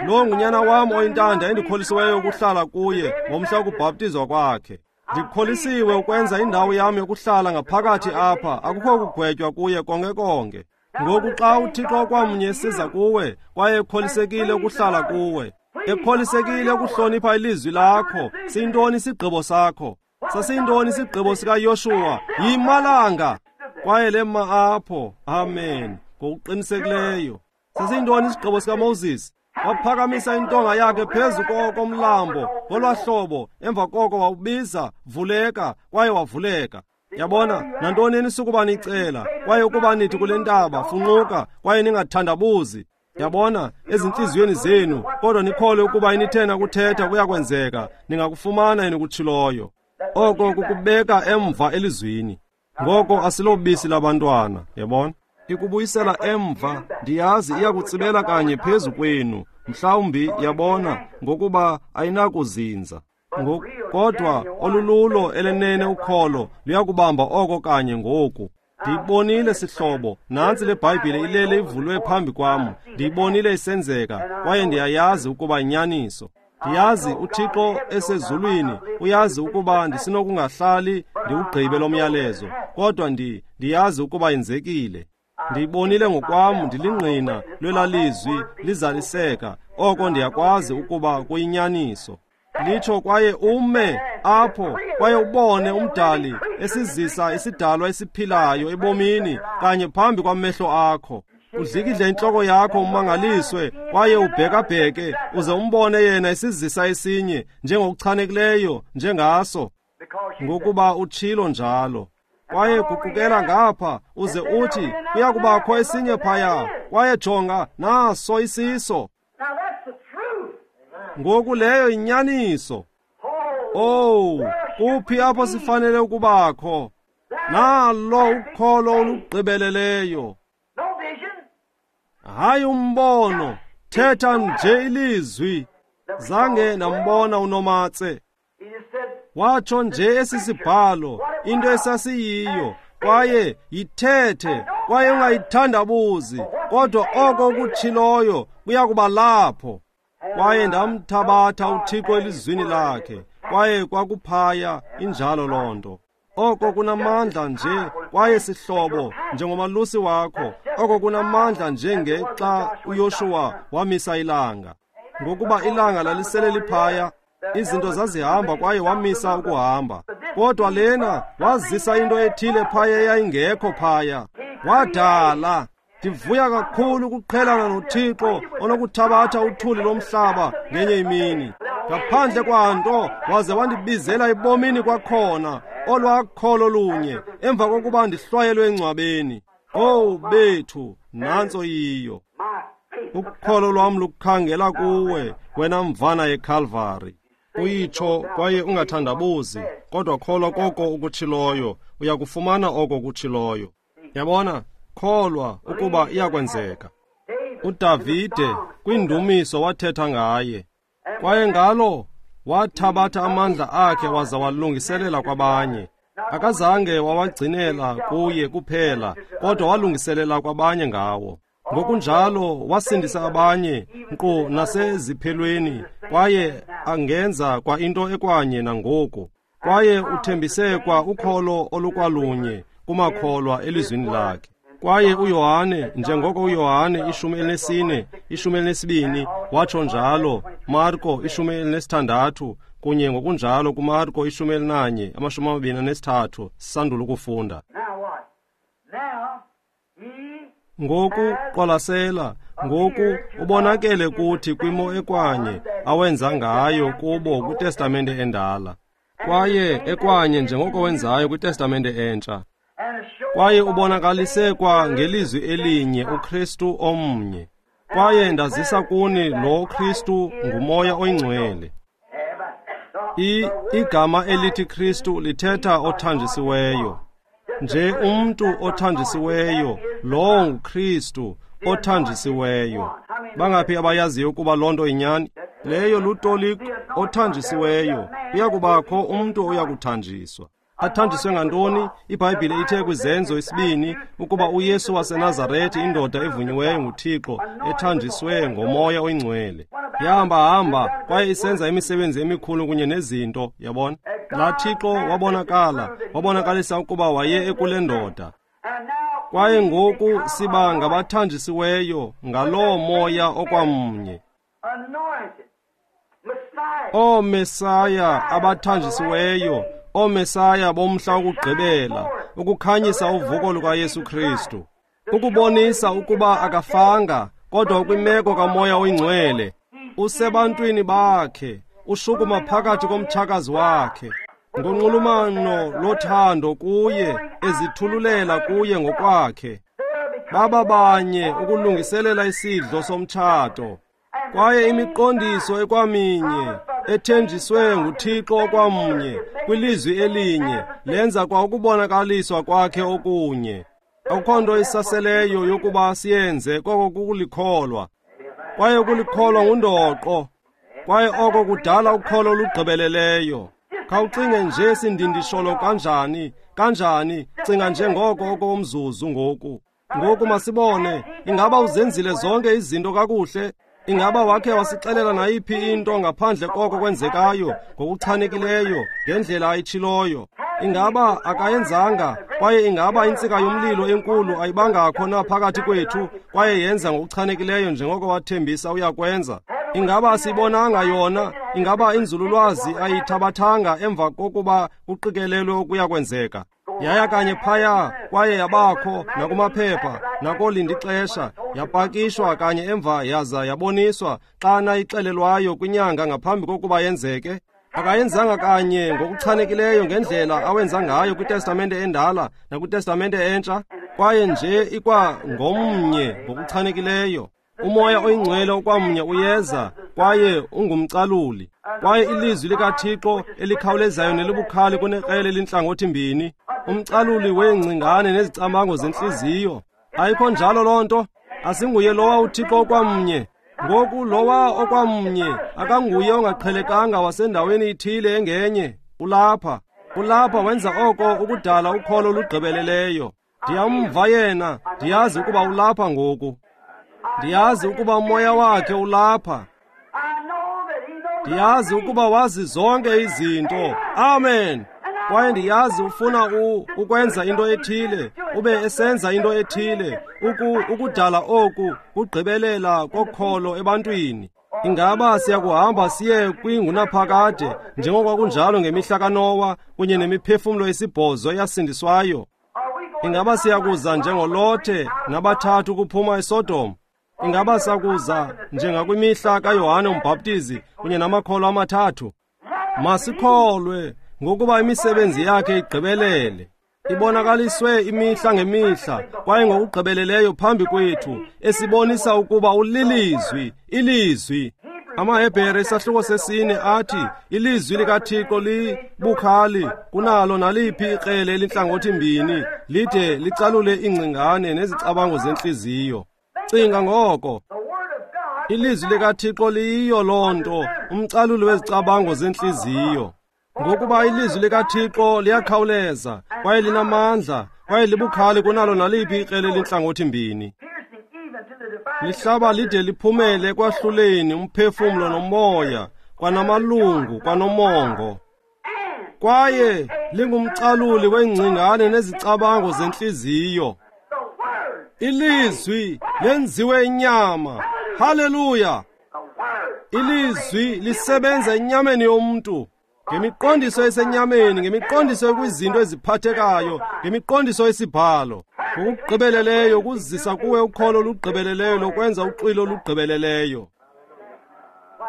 Lo ngunyana wam oyintanda endikholisiweyo ukuhlala kuye ngomhla wokubhaptizwa kwakhe. Ndikholisiwe ukwenza indawo yam yokuhlala ngaphakathi apha, akukho kugwetywa kuye konke konke. Ngoku xa uThixo kwamnye siza kuwe, kwaye ekholisekile ukuhlala kuwe, ekholisekile ukuhlonipha ilizwi lakho, siyintoni isigqibo sakho? Sasiyintoni isigqibo sikaYoshuwa? Yimalanga! Kwaye lema apho, amen, ngokuqinisekileyo. Sasiyintoni isigqibo sikaMoses? Waphakamisa intonga yakhe phezu komlambo ngolwahlobo, emva koko wawubiza, vuleka, kwaye wavuleka. Yabona, nantoni enisukuba nicela, kwaye ukuba nithi kule ntaba, funquka, kwaye ningathandabuzi. Yabona, ezintliziyweni zenu, kodwa nikholwe ukuba inithena kuthetha kuyakwenzeka, ningakufumana enikutshiloyo. Oko kukubeka emva elizwini. Ngoko asilobisi labantwana, yabona? Ikubuyisela emva, ndiyazi iyakutsibela kanye phezu kwenu, mhlawumbi, yabona, ngokuba ayinakuzinza. Kodwa olululo elenene ukholo luyakubamba oko kanye ngoku. Ndiyibonile sihlobo, nantsi le Bhayibhile ilele ivulwe phambi kwam. Ndiyibonile isenzeka, kwaye ndiyayazi ukuba inyaniso. Ndiyazi uThixo esezulwini uyazi ukuba ndisinokungahlali ndiwugqibe lo myalezo, kodwa ndiyazi ukuba yenzekile. Ndiyibonile ngokwam, ndilingqina lwelalizwi lizaliseka, oko ndiyakwazi ukuba kuyinyaniso. Litsho kwaye ume apho kwaye ubone umdali esizisa isidalwa esiphilayo ebomini kanye phambi kwamehlo akho. Udlikidle intloko yakho umangaliswe kwaye ubhekabheke uze umbone yena esizisa esinye njengokuchanekileyo njengaso, ngokuba utshilo njalo. Kwaye guqukela ngapha uze uthi kuyakubakho esinye phaya, kwaye jonga naso isiso. Ngoku leyo inyaniso. Oh, kuphi apho sifanele ukubakho? Nalo ukholo olugqibeleleyo. Hayi umbono, thetha nje ilizwi. Zange nambona uNomatse. Watsho nje esi sibhalo, into esasiyiyo, kwaye yithethe, kwaye ungayithandabuzi, kodwa oko ukutshiloyo kuyakuba lapho. Kwaye ndamthabatha uThixo elizwini lakhe, kwaye kwakuphaya injalo loo nto. Oko kunamandla nje, kwaye sihlobo, njengomalusi wakho, oko kunamandla njengexa uYoshuwa wamisa ilanga. Ngokuba ilanga lalisele liphaya, izinto zazihamba kwaye wamisa ukuhamba. Kodwa lena wazisa into ethile phaya eyayingekho phaya. Wadala. Ndivuya kakhulu ukuqhelana noThixo onokuthabatha uthuli lomhlaba ngenye imini. Ngaphandle kwanto waze wandibizela ebomini kwakhona, olwakholo lunye, emva kokuba ndihlwayelwe engcwabeni. Owu bethu, nantso yiyo. Ukholo lwam lukhangela kuwe, wena mvana yeKalvari. Uyitsho kwaye ungathandabuzi, kodwa kholwa koko ukutshiloyo, uyakufumana oko kutshiloyo. Yabona, kholwa ukuba iyakwenzeka. uDavide kwindumiso wathetha ngaye, kwaye ngalo wathabatha amandla akhe waza walungiselela kwabanye. Akazange wawagcinela kuye kuphela, kodwa walungiselela kwabanye ngawo. Ngokunjalo wasindisa abanye nkqu naseziphelweni, kwaye angenza kwa into ekwanye nangoku. Kwaye uthembise kwa ukholo olukwalunye kumakholwa elizwini lakhe. Kwaye uYohane, njengoko uYohane 14, 12 watsho njalo, Marko 16, kunye ngokunjalo kuMarko 11, 23, sisandula ukufunda. Ngoku qwalasela, ngoku ubonakele kuthi kwimo ekwanye awenza ngayo kubo kwiTestamente endala, kwaye ekwanye njengoko wenzayo kwiTestamente entsha. Kwaye ubonakalise kwa ngelizwi elinye uKristu omnye. Kwaye ndazisa kuni lo Kristu nguMoya oyiNgcwele. Igama elithi Kristu lithetha othanjisiweyo. Nje umntu othanjisiweyo, lowo nguKristu othanjisiweyo. Bangaphi abayaziyo ukuba loo nto inyani? Leyo lutoliko othanjisiweyo. Uyakubakho umntu oyakuthanjiswa. Athanjiswe ngantoni? IBhayibhile ithe kwiZenzo 2 ukuba uYesu waseNazaretha, indoda evunyiweyo nguThixo, ethanjiswe ngoMoya oyiNgcwele, yahamba-hamba kwaye isenza imisebenzi emikhulu kunye nezinto, yabona. Laa Thixo wabonakala, wabonakalisa ukuba waye ekule ndoda. Kwaye ngoku siba ngabathanjisiweyo ngaloo Moya okwamnye. OoMesaya abathanjisiweyo, ooMesaya bomhla wokugqibela, ukukhanyisa uvuko lukaYesu Kristu, ukubonisa ukuba akafanga, kodwa ukwimeko kaMoya oyiNgcwele, usebantwini bakhe, ushukuma phakathi komtshakazi wakhe. Ngonxulumano lothando kuye, ezithululela kuye ngokwakhe. Baba banye ukulungiselela isidlo somtshato. Kwaye imiqondiso ekwaminye ethenjiswe nguThixo okwamnye kwilizwi elinye lenza kwa ukubonakaliswa kwakhe okunye. Akukho nto isaseleyo yokuba siyenze koko kukulikholwa. Kwaye ukulikholwa ngundoqo. Kwaye oko kudala ukholo olugqibeleleyo. Khawucinge nje sindindisholo kanjani, kanjani, cinga nje ngoko okomzuzu ngoku. Ngoku masibone, ingaba uzenzile zonke izinto kakuhle? Ingaba wakhe wasixelela nayiphi into ngaphandle koko kwenzekayo ngokuchanekileyo ngendlela ayitshiloyo? Ingaba akayenzanga, kwaye ingaba intsika yomlilo enkulu ayibangakho na phakathi kwethu kwaye yenza ngokuchanekileyo njengoko wathembisa uyakwenza? Ingaba asiyibonanga yona? Ingaba inzululwazi ayithabathanga emva kokuba kuqikelelwe okuya kwenzeka? Yaya kanye phaya kwaye yabakho nakumaphepha nakolindixesha, yapakishwa kanye emva yaza yaboniswa xa nayixelelwayo kwinyanga ngaphambi kokuba yenzeke. Akayenzanga kanye ngokuchanekileyo ngendlela awenza ngayo kwiTestamente endala nakwiTestamente entsha, kwaye nje ikwa ngomnye ngokuchanekileyo. Umoya oyingcwele okwamnye uyeza kwaye ungumcaluli. Kwaye ilizwi likaThixo elikhawulezayo nelibukhali kunekrele elintlangothi mbini, umcaluli weengcingane nezicamango zentliziyo. Ayikho njalo loo nto? Asinguye lowa uThixo okwamnye. Ngoku lowa okwamnye akanguye ongaqhelekanga wasendaweni ithile engenye. Ulapha. Ulapha wenza oko ukudala ukholo olugqibeleleyo. Ndiyamva yena, ndiyazi ukuba ulapha ngoku. Ndiyazi ukuba umoya wakhe ulapha. Ndiyazi ukuba wazi zonke izinto. Amen. Kwaye ndiyazi ufuna ukwenza into ethile, ube esenza into ethile, ukudala oku kugqibelela kokholo ebantwini. Ingaba siyakuhamba siye kwingunaphakade njengoko kunjalo ngemihla kaNowa kunye nemiphefumlo esibhozo eyasindiswayo? Ingaba siyakuza njengoLothe nabathathu kuphuma eSodom? Ingaba sakuza njengakwimihla kaYohane uMbhaptizi kunye namakholo amathathu? Masikholwe ngokuba imisebenzi yakhe igqibelele, ibonakaliswe imihla ngemihla kwaye ngokugqibeleleyo phambi kwethu, esibonisa ukuba ulilizwi, ilizwi. AmaHebhere isahluko 4 athi ilizwi likaThixo libukhali kunalo naliphi ikrele elintlangothi mbini, lide licalule iingcingane nezicabango zentliziyo. Cinga ngoko. Ilizwi likaThixo liyiyo loo nto, umcaluli wezicabango zentliziyo. Ngokuba ilizwi likaThixo liyakhawuleza kwaye linamandla kwaye libukhali kunalo naliphi ikrele elintlangothi mbini. Lihlaba lide liphumele ekwahluleni umphefumlo nomoya, kwanamalungu kwanomongo. Kwaye lingumcaluli weengcingane nezicabango zentliziyo. Ilizwi lenziwe inyama. Haleluya! Ilizwi lisebenza enyameni yomntu, ngemiqondiso esenyameni, ngemiqondiso ekwizinto eziphathekayo, ngemiqondiso esibhalo. Ngokugqibeleleyo kuzisa kuwe ukholo olugqibeleleyo lokwenza uxwilo olugqibeleleyo.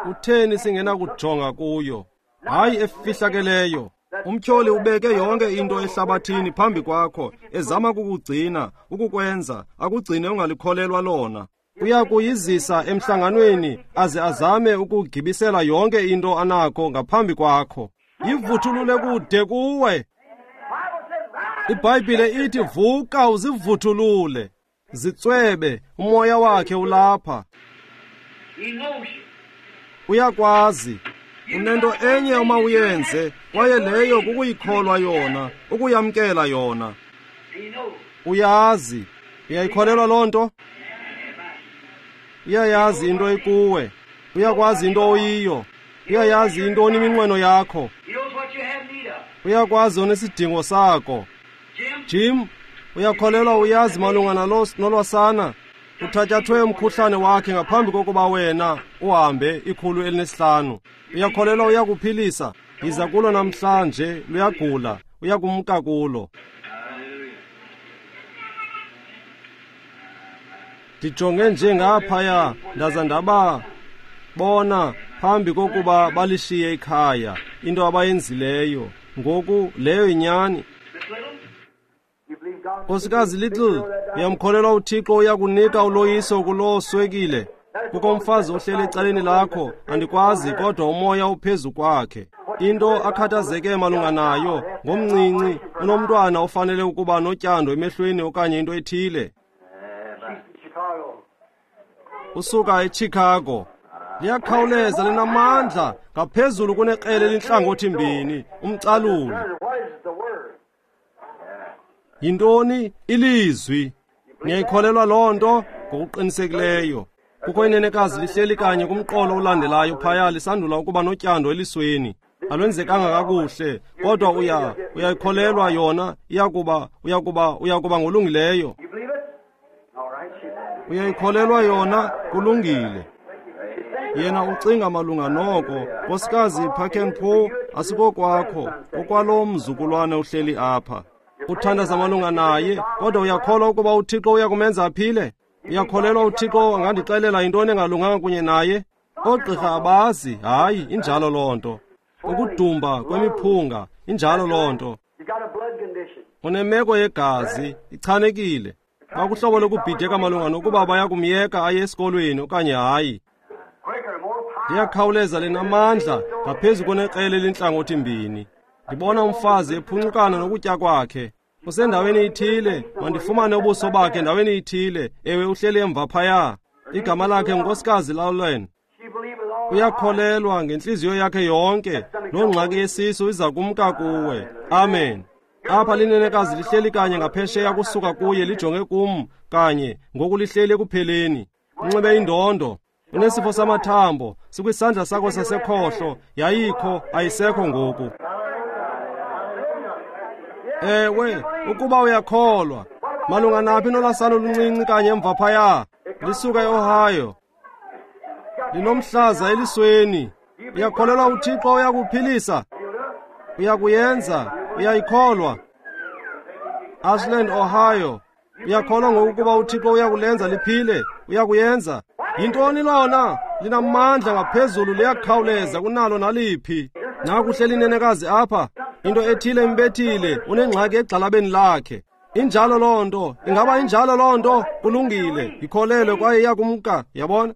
Kutheni singenakujonga kuyo? Hayi efihlakeleyo. Umtyholi ubeke yonke into ehlabathini phambi kwakho, ezama kukugcina, ukukwenza, akugcine ungalikholelwa lona. Uya kuyizisa emhlanganweni aze azame ukugibisela yonke into anakho ngaphambi kwakho. Yivuthulule kude kuwe. IBhayibhile ithi vuka uzivuthulule. Zitswebe, umoya wakhe ulapha. Uyakwazi. Unento enye uma uyenze, kwaye leyo kukuyikholwa yona, ukuyamkela yona. Uyazi. Uyayikholelwa loo nto? Uyayazi into ekuwe. Uyakwazi into oyiyo. Uyayazi intoni iminqweno yakho. Uyakwazi onesidingo sakho. Jim, uyakholelwa uyazi malunga nolwasana? Uthatyathwe umkhuhlane wakhe ngaphambi kokuba wena uhambe 105. Uyakholelwa uyakuphilisa? Yiza kulo namhlanje, luyagula, uyakumka kulo. Ndijonge nje ngaphaya ndaza ndababona phambi kokuba balishiye ikhaya, into abayenzileyo. Ngoku leyo yinyani. Nkosikazi Little, uyamkholelwa uThixo uyakunika uloyiso kuloo swekile? Kukho umfazi ohleli ecaleni lakho, andikwazi, kodwa umoya uphezu kwakhe. Into akhathazeke malunga nayo ngomncinci, unomntwana ofanele ukuba notyando emehlweni okanye into ethile. Usuka eChicago. Liyakhawuleza, linamandla ngaphezulu kunekrele elintlangothi mbini, umcaluli. Yintoni? Ilizwi. Niyayikholelwa loo nto? Ngokuqinisekileyo. Kukho inenekazi lihleli kanye kumqolo olandelayo phaya, lisandula ukuba notyando elisweni. Alwenzekanga kakuhle, kodwa uyayikholelwa yona, uyakuba ngolungileyo. Uyayikholelwa yona, kulungile. Yena ucinga malunga noko. Nkosikazi Parkenpo, asikokwakho, okwalo mzukulwane uhleli apha. Uthandaza malunga naye, kodwa uyakholwa ukuba uThixo uyakumenza aphile? Uyakholelwa uThixo angandixelela yintoni engalunganga kunye naye? Oogqirha abazi, hayi, injalo loo nto. Ukudumba kwemiphunga, injalo loo nto. Unemeko yegazi, ichanekile. Bakuhlobo lokubhideka malunga nokuba bayakumyeka aye esikolweni okanye hayi. Liyakhawuleza, linamandla ngaphezu kunekrele elintlangothi mbini. Ndibona umfazi ephuncukana nokutya kwakhe. Usendaweni ithile, mandifumane ubuso bakhe ndaweni ithile. Ewe, uhleli emva phaya. Igama lakhe ngunkosikazi Lawlen. Uyakholelwa ngentliziyo yakhe yonke. Loo ngxaki yesisu iza kumka kuwe. Amen. Apha linenekazi lihleli kanye ngaphesheya kusuka kuye, lijonge kum kanye ngoku, lihleli ekupheleni. Unxibe indondo. Unesifo samathambo, sikwisandla sakho sasekhohlo. Yayikho, ayisekho ngoku. Ewe, ukuba uyakholwa. Malunga naphi nolasana oluncinci kanye emva phaya? Lisuka eOhio. Linomhlaza elisweni. Uyakholelwa uThixo uyakuphilisa? Uyakuyenza? Uyayikholwa? Ashland, Ohio. Uyakholwa ngokuba uThixo uyakulenza liphile? Uyakuyenza? Yintoni lona? Linamandla ngaphezulu, liyakhawuleza kunalo naliphi. Nakuhleli inenekazi apha, into ethile imbethile, unengxaki egxalabeni lakhe. Injalo loo nto. Ingaba injalo loo nto? Kulungile, yikholelwe kwaye iyakumka. Yabona?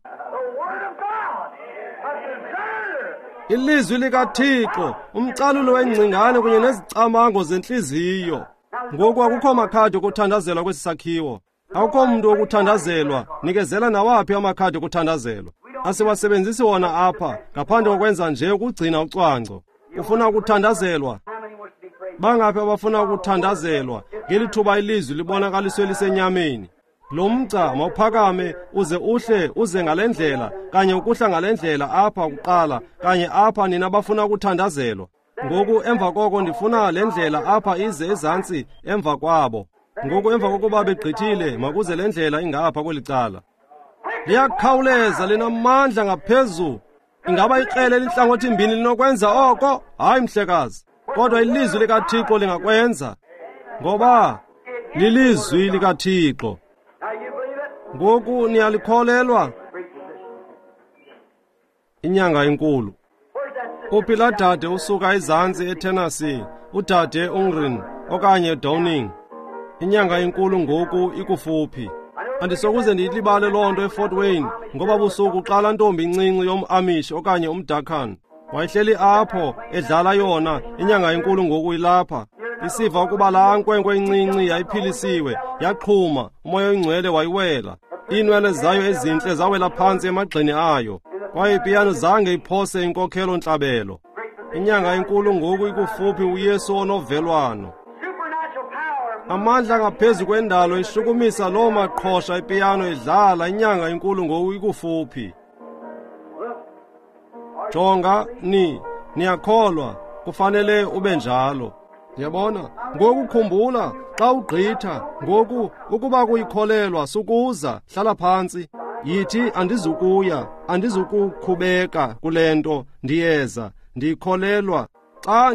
Ilizwi likaThixo, umcalulo wengcingane kunye nezicamango zentliziyo. Ngoku akukho makhadi okuthandazelwa kwesi sakhiwo. Akukho mntu wokuthandazelwa. Nikezela nawaphi amakhadi okuthandazelwa. Asiwasebenzisi wona apha, ngaphandle kokwenza nje ukugcina ucwangco. Ufuna ukuthandazelwa? Bangaphi abafuna ukuthandazelwa ngeli thuba ilizwi libonakaliswe lisenyameni? Lo mgca mawuphakame uze uhle uze ngale ndlela, kanye ukuhla ngale ndlela apha kuqala, kanye apha nina bafuna ukuthandazelwa. Ngoku emva koko ndifuna le ndlela apha ize ezantsi emva kwabo. Ngoku emva kokuba begqithile, makuze le ndlela ingapha kweli cala. Liyakhawuleza, linamandla ngaphezu. Ingaba ikrele elintlangothi mbini linokwenza oko? Hayi, mhlekazi. Kodwa ilizwi likaThixo lingakwenza, ngoba lilizwi likaThixo. Ngoku niyalikholelwa? Inyanga enkulu. Uphi laa dade usuka ezantsi eTennessee, udade Ungren okanye Downing? Inyanga enkulu ngoku ikufuphi. Andisokuze ndiyilibale loo nto eFort Wayne, ngoba busuku xa laa ntombi incinci yomAmish okanye umDakan wayehleli apho edlala yona. Inyanga enkulu ngoku ilapha. Isiva ukuba laa nkwenkwe incinci yayiphilisiwe, yaxhuma, umoya oyingcwele wayiwela. Iinwele zayo ezintle zawela phantsi emagxeni ayo, kwaye ipiyano zange iphose inkokhelo ntlabelo. Inyanga enkulu ngoku ikufuphi, uYesu onovelwano. Amandla ngaphezu kwendalo ishukumisa loo maqhosha ipiyano idlala. Inyanga enkulu ngoku ikufuphi. Jonga, niyakholwa, kufanele ube njalo. Yabona? Ngoku khumbula, xa ugqitha, ngoku ukuba kuyikholelwa, sukuza, hlala phantsi. Yithi, andizukuya, andizukukhubeka kule nto, ndiyeza, ndiyikholelwa. Xa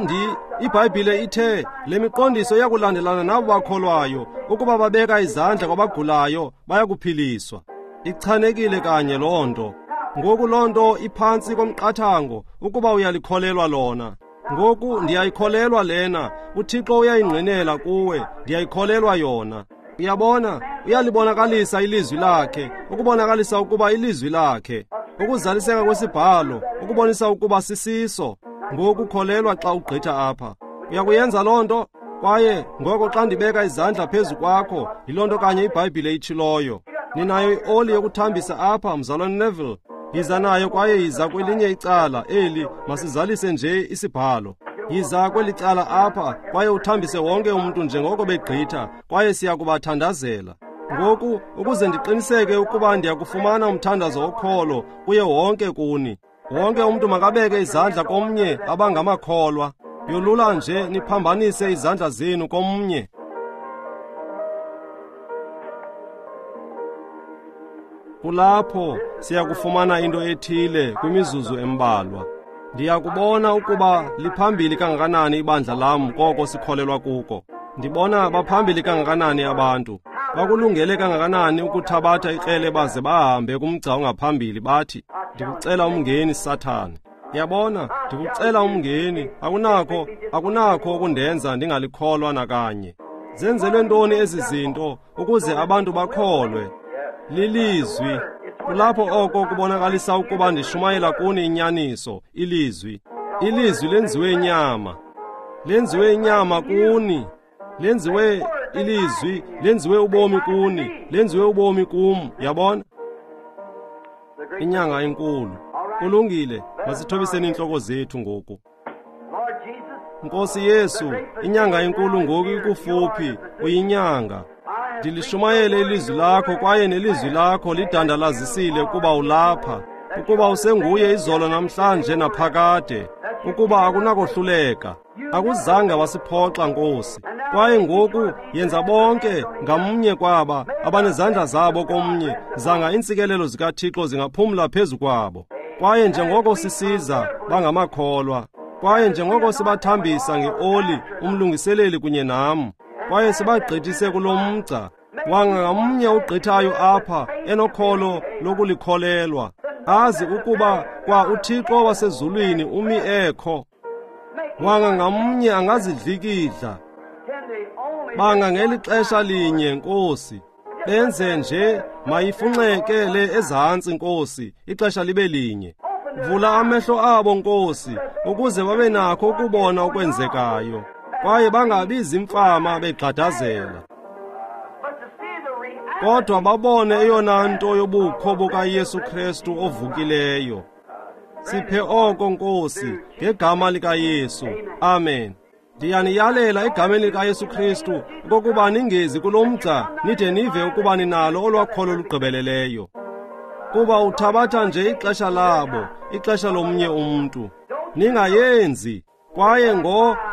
iBhayibhile ithe le miqondiso iyakulandelana nabo bakholwayo, ukuba babeka izandla kwabagulayo bayakuphiliswa. Ichanekile kanye loo nto. Ngoku loo nto iphantsi komqathango ukuba uyalikholelwa lona. Ngoku ndiyayikholelwa lena. UThixo uyayingqinela kuwe. Ndiyayikholelwa yona. Uyabona, uyalibonakalisa ilizwi lakhe, ukubonakalisa ukuba ilizwi lakhe, ukuzaliseka kwesibhalo, ukubonisa ukuba sisiso. Ngoku kholelwa xa ugqitha apha. Uyakuyenza loo nto? Kwaye ngoko xa ndibeka izandla phezu kwakho, yiloo nto kanye iBhayibhile itshiloyo. Ninayo ioli yokuthambisa apha, Mzalwane Neville. Yiza nayo kwaye yiza kwelinye icala eli, masizalise nje isibhalo. Yiza kweli cala apha kwaye uthambise wonke umntu njengoko begqitha, kwaye siya kubathandazela. Ngoku ukuze ndiqiniseke ukuba ndiyakufumana umthandazo wokholo kuye wonke kuni. Wonke umntu makabeke izandla komnye abangamakholwa. Yolula nje niphambanise izandla zenu komnye. Kulapho siyakufumana into ethile kwimizuzu embalwa. Ndiyakubona ukuba liphambili kangakanani ibandla lam koko sikholelwa kuko. Ndibona baphambili kangakanani abantu. Bakulungele kangakanani ukuthabatha ikrele baze bahambe kumgca ongaphambili bathi, ndikucela umngeni, Sathane. Yabona, ndikucela umngeni, akunakho ukundenza ndingalikholwa nakanye. Zenzelwe ntoni ezi zinto ukuze abantu bakholwe? Lilizwi. Kulapho oko kubonakalisa ukuba ndishumayela kuni inyaniso, ilizwi. Ilizwi lenziwe inyama. Lenziwe inyama kuni. Lenziwe ilizwi, lenziwe ubomi kuni, lenziwe ubomi kum. Yabona? Inyanga enkulu. Kulungile, masithobiseni iintloko zethu ngoku. Nkosi Yesu, inyanga enkulu ngoku ikufuphi, uyinyanga. Ndilishumayele ilizwi lakho kwaye nelizwi lakho lidandalazisile ukuba ulapha, ukuba usenguye izolo namhlanje naphakade, ukuba akunakohluleka. Akuzange wasiphoxa, Nkosi. Kwaye ngoku yenza bonke ngamnye kwaba abanezandla zabo komnye, zanga iintsikelelo zikaThixo zingaphumla phezu kwabo. Kwaye njengoko sisiza bangamakholwa, kwaye njengoko sibathambisa ngeoli umlungiseleli kunye nam, kwaye sibagqithise kulo mgca, wanga ngamnye ugqithayo apha enokholo lokulikholelwa, azi ukuba kwa uThixo wasezulwini umi ekho. Wanga ngamnye angazidlikidla. Banga ngeli xesha linye, Nkosi, benze nje mayifunxeke le ezantsi, Nkosi, ixesha libe linye. Vula amehlo abo, Nkosi, ukuze babe nakho ukubona okwenzekayo, kwaye bangabi zimfama begxadazela, kodwa babone eyona nto yobukho bukaYesu Kristu ovukileyo. Siphe oko, Nkosi, ngegama likaYesu. Amen. Ndiyaniyalela egameni likaYesu Kristu okokuba ningezi kulo mgca nide nive ukuba ninalo olwakholo lugqibeleleyo. Kuba uthabatha nje ixesha labo, ixesha lomnye umntu. Ningayenzi. Kwaye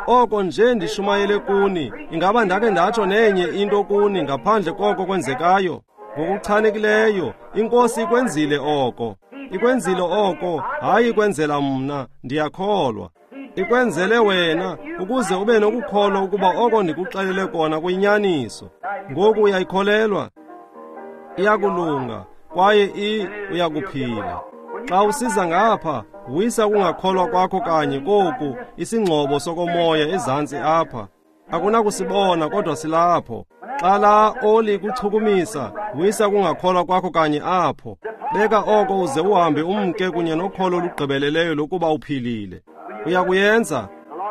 oko nje ndishumayele kuni, ingaba ndake ndatsho nenye into kuni ngaphandle koko kwenzekayo? Ngokuchanekileyo, iNkosi ikwenzile oko. Ikwenzile oko, hayi ikwenzela mna, ndiyakholwa. Ikwenzele wena, ukuze ube nokukholwa ukuba oko ndikuxelele kona kuyinyaniso. Ngoku uyayikholelwa? Iyakulunga, kwaye uyakuphila. Xa usiza ngapha, wisa ukungakholwa kwakho kanye koku, isingxobo sokomoya ezantsi apha. Akunakusibona kodwa silapho. Xa laa oli kuchukumisa, wisa ukungakholwa kwakho kanye apho. Beka oko uze uhambe umke kunye nokholo olugqibeleleyo lokuba uphilile. Uyakuyenza?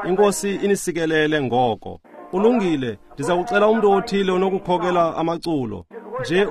INkosi inisikelele ngoko. Kulungile, ndiza kucela umntu othile onokukhokela amaculo. Nje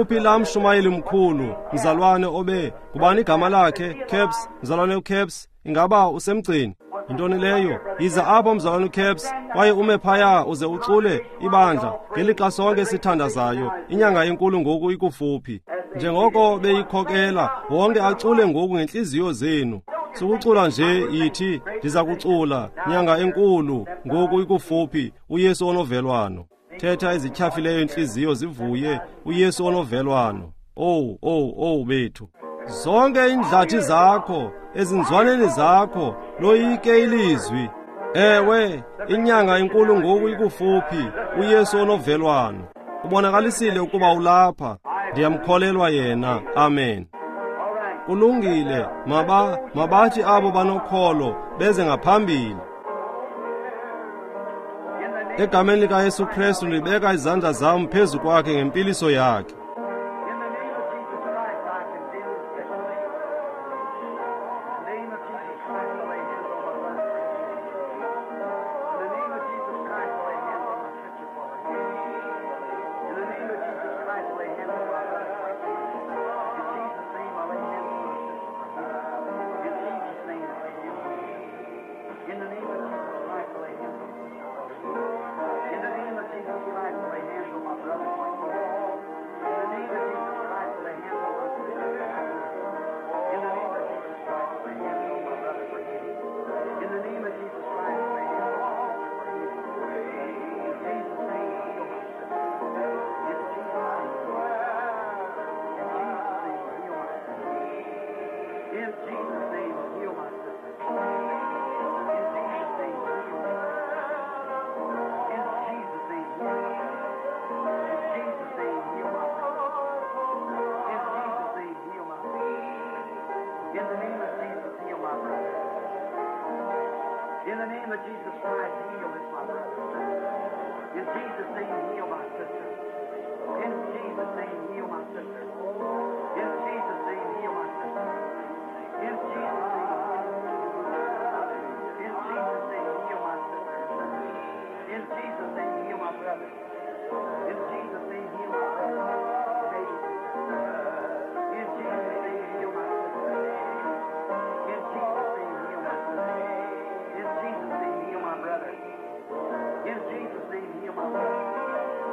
uphi laa mshumayeli mkhulu, mzalwane obe, ngubani igama lakhe? Caps, mzalwane uCaps, ingaba usemgceni? Yintoni leyo? Yiza apha, mzalwane uCaps, kwaye ume phaya uze ucule ibandla ngelixa sonke sithandazayo. Inyanga enkulu ngoku ikufuphi. Njengoko beyikhokela, wonke acule ngoku ngentliziyo zenu. Sukucula nje yithi, ndiza kucula, nyanga enkulu ngoku ikufuphi, uYesu onovelwano. Thetha ezityhafileyo intliziyo zivuye, uYesu onovelwano. Owu, owu, owu bethu. Zonke iindlathi zakho, ezinzwaneni zakho, loyike ilizwi. Ewe, inyanga enkulu ngoku ikufuphi, uYesu onovelwano. Ubonakalisile ukuba ulapha. Ndiyamkholelwa yena. Amen. Kulungile, mabathi abo banokholo beze ngaphambili. Egameni likaYesu Kristu ndibeka izandla zam phezu kwakhe ngempiliso yakhe. In the name of Jesus Christ, heal this, my brother. In Jesus' name, heal my sister. In Jesus' name, heal my sister. In Jesus' name, heal my sister. In Jesus' name, in Jesus' name, heal my sister. In Jesus' name, heal my brother. In Jesus' name, heal my brother. In Jesus' name, heal my sister. In Jesus' name, heal my sister. In Jesus' name, heal my brother. In Jesus' name, heal my brother. In Jesus' name, heal my sister. Jesus' name, heal my sister.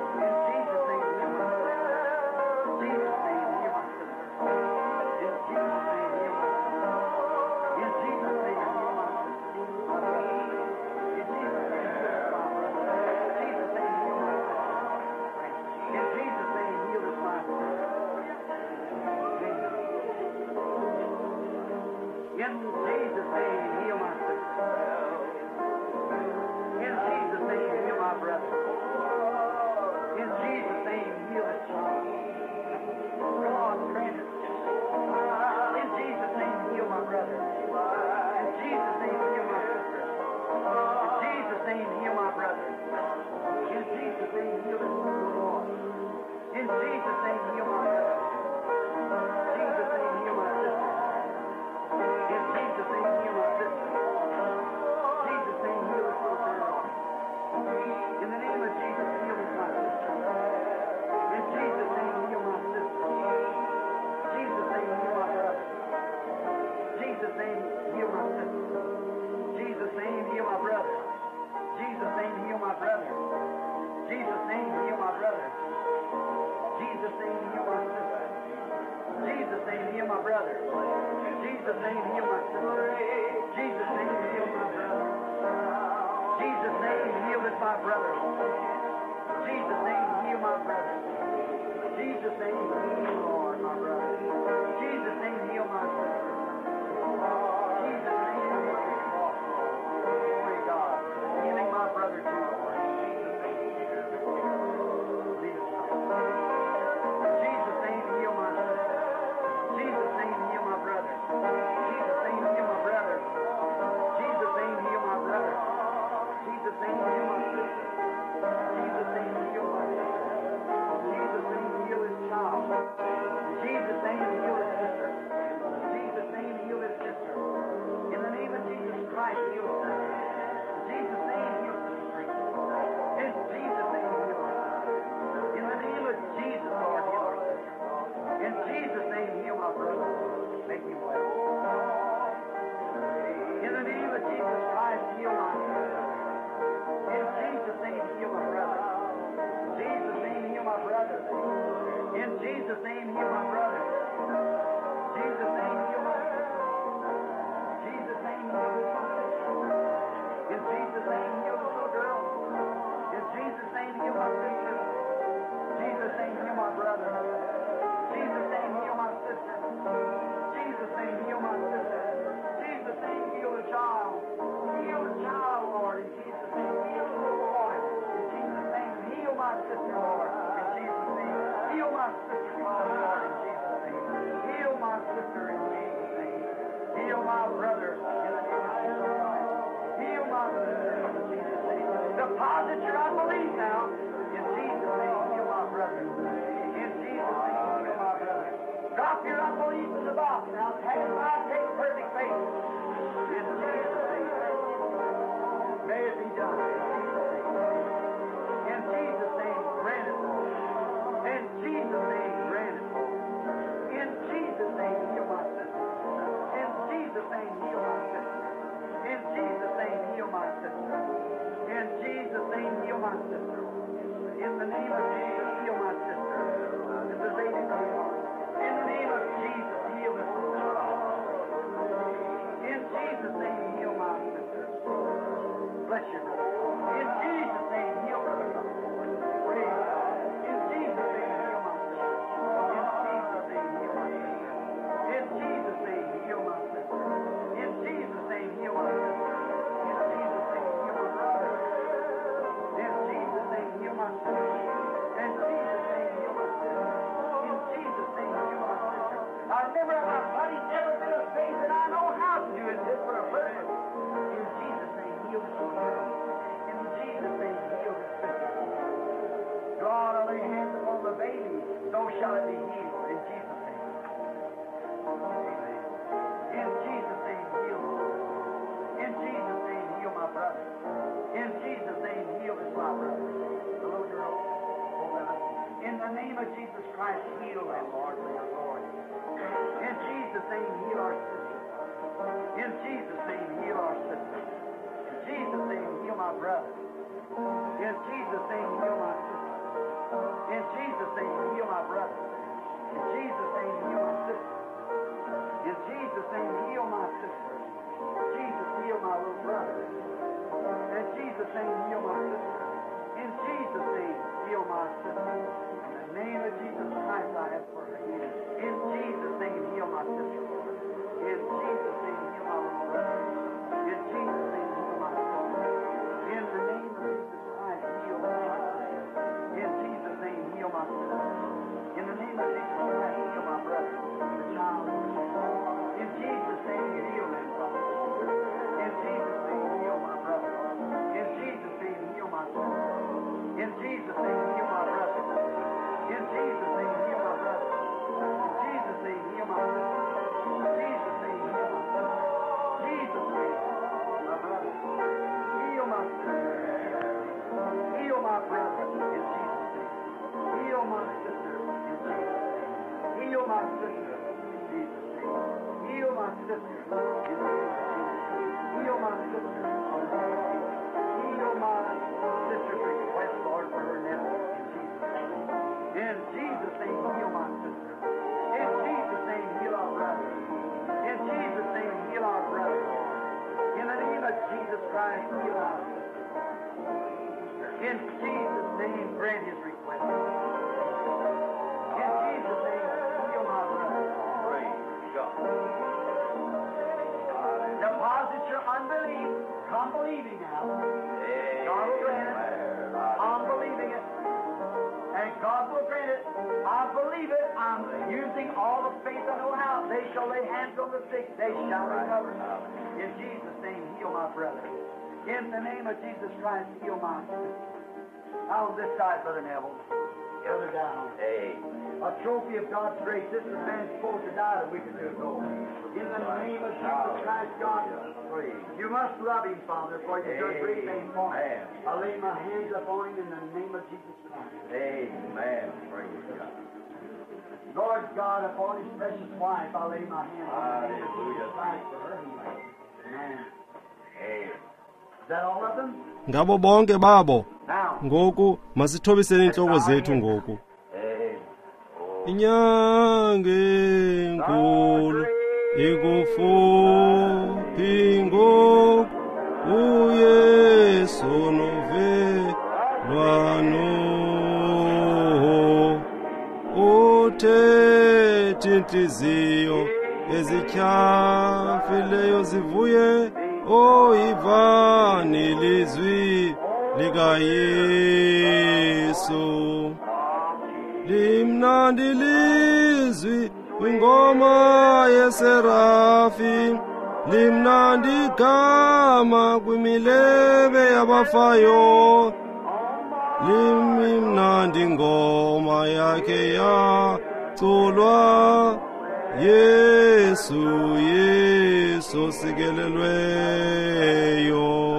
In Jesus' name, heal my sister. In Jesus' name, heal my sister. My brother. In Jesus' name, heal my brother. In Jesus' name, heal my sister. In Jesus' name, heal this my sister. In Jesus' name, heal my sister. In Jesus' name, heal my brother. In Jesus' name, heal this child. God grant it. In Jesus' name, heal my brother. In Jesus' name, heal my sister. In Jesus' name, heal my brother. In Jesus' name, heal this little Lord. In Jesus' name, heal my brother. In Jesus' name, heal my sister. In Jesus' name, heal my sister. Jesus' name, heal this little girl. In the name of Jesus, heal this my sister. In Jesus' name, heal my sister. Jesus' name, heal my brother. Jesus' name, heal my sister. Jesus' name, heal my brother. Jesus' name, heal my brother. Jesus' name, heal my brother. Jesus' name, heal my sister. Jesus' name, heal my brother. Jesus' name, heal my sister. Jesus' name, heal my brother. Jesus' name, heal this my brother. Jesus' name, heal my brother. Jesus' name, heal, Lord, my brother. Jesus' name, heal my sister. Jesus' name, heal my Lord. Glory God. Healing my brother too, Lord. Jesus' name. Lead us now. Jesus' name, heal my sister. Jesus' name, heal my brother. Jesus' name, heal my brother. Jesus' name, heal my brother. Jesus' name, heal my sister. Jesus' name, heal my sister. Jesus' name, heal his child. Jesus' name, heal his sister. Jesus' name, heal his sister. In the name of Jesus Christ, heal his sister. Jesus' name, heal sister. In Jesus' name, heal her sister. In the name of Jesus, Lord, heal our sister. In Jesus' name, heal my brother. Make him well. In the name of Jesus Christ, heal my sister. In Jesus' name, heal my brother. Jesus' name, heal my brother. In Jesus' name, heal my brother. Jesus' name, heal my sister. Jesus' name, heal my sister. In Jesus' name, heal the little girl. In Jesus' name, heal my sister. Jesus' name, heal my brother. Jesus' name, heal my sister. Jesus' name, heal my sister. Jesus' name, heal the child. Heal the child, Lord, in Jesus' name. Heal the little boy. In Jesus' name, heal my sister, Lord, in Jesus' name. Heal my sister, Lord, in Jesus' name. Heal my sister in Jesus' name. my brother in the name of Jesus Christ. Heal my sister in Jesus' name. Deposit your unbelief now. In Jesus' name, heal my brother. In Jesus' name, heal my brother. Drop your unbelief in the box now. Take perfect faith. In Jesus' name. May it be done. In Jesus' name. In Jesus' name, grant it, Lord. In Jesus' name, grant it, Lord. In Jesus' name, heal my sister. In Jesus' name, heal my sister. In Jesus' name, heal my sister. In Jesus' name, heal my sister. In the name of Jesus, heal my sister. This is Lady Brown. In the name of Jesus, heal this little child. In Jesus' name, heal my sister. Bless you, brother. In Jesus' name, heal brother. Praise God. In Jesus' name, heal my sister. In Jesus' name, heal my sister. In Jesus' name, heal my sister. In Jesus' name, heal my sister. In Jesus' name, heal my brother. In Jesus' name, heal my sister. In Jesus' name, heal my sister. In Jesus' name, heal my sister. I've never in my body never been a faith that I know how to do it just for a purpose. In Jesus' name, heal this little girl. In Jesus' name, heal this sister. God, I lay hands upon the baby, so shall it be healed. In Jesus' name. Amen. In Jesus' name, heal. In Jesus' name, heal my brother. In Jesus' name, heal this my brother. The little girl. In the name of Jesus Christ, heal them, Lord, for your glory. In Jesus' name, heal our sister. In Jesus' name, heal our sister. In Jesus' name, heal my brother. In Jesus' name, heal my sister. In Jesus' name, heal my brother. In Jesus' name, heal my sister. In Jesus' name, heal my sister. Jesus, heal my little brother. In Jesus' name, heal my sister. In Jesus' name, heal my sister. In the name of Jesus Christ, I ask for her healing. In Jesus' name, heal my sister, Lord. In Jesus' name, heal my little brother. In Jesus' name, heal my sister. In the name of Jesus Christ, heal my sister. In Jesus' name, heal my sister. In the name of Jesus Christ, heal my brother, the child. In Jesus' name, heal them, Father. In Jesus' name, heal my brother. In Jesus' name, heal my sister. In Jesus' name, heal my brother. In Jesus' name, heal my brother. In Jesus' name, heal my sister. In Jesus' name, heal my sister. Jesus' name, my brother. Heal my sister. Heal my brother in Jesus' name. Heal my sister in Jesus' name. Heal my sister in Jesus' name. Heal my sister in the name of Jesus. Heal my sister in the name of Jesus. Heal my sister's request, Lord, for her nephew in Jesus' name. In Jesus' name, heal my sister. In Jesus' name, heal our brother. In Jesus' name, heal our brother. In the name of Jesus Christ, heal our sister. In Jesus' name, grant his request. In Jesus' name, heal my brother. Praise God. Deposit your unbelief. Come believing now. God will grant it. I'm believing it. And God will grant it. I believe it. I'm using all the faith I know how. They shall lay hands on the sick. They shall recover. In Jesus' name, heal my brother. In the name of Jesus Christ, heal my sister. Out on this side, Brother Neville. Further down. Amen. A trophy of God's grace. This is man supposed to die a week or two ago. In the name of Jesus Christ, God, you must love him, Father, for you've done great things for him. I lay my hands upon him in the name of Jesus Christ. Amen. Praise God. Lord God, upon his precious wife, I lay my hands in the name of Jesus Christ for her healing. Amen. Amen. Is that all of them? Ngabo bonke babo. Now, Ngoku masithobiseni intloko zethu ngoku. Amen. Inyange enkulu ikufuphi ngoku uYesu novelwano uthethe intliziyo ezityhafileyo zivuye oyivani ilizwi likaYesu. Limnandi lizwi kwingoma yeserafi Limnandi igama kwimilebe yabafayo, limnandi ingoma yakhe yaculwa. Yesu, Yesu sikelelweyo.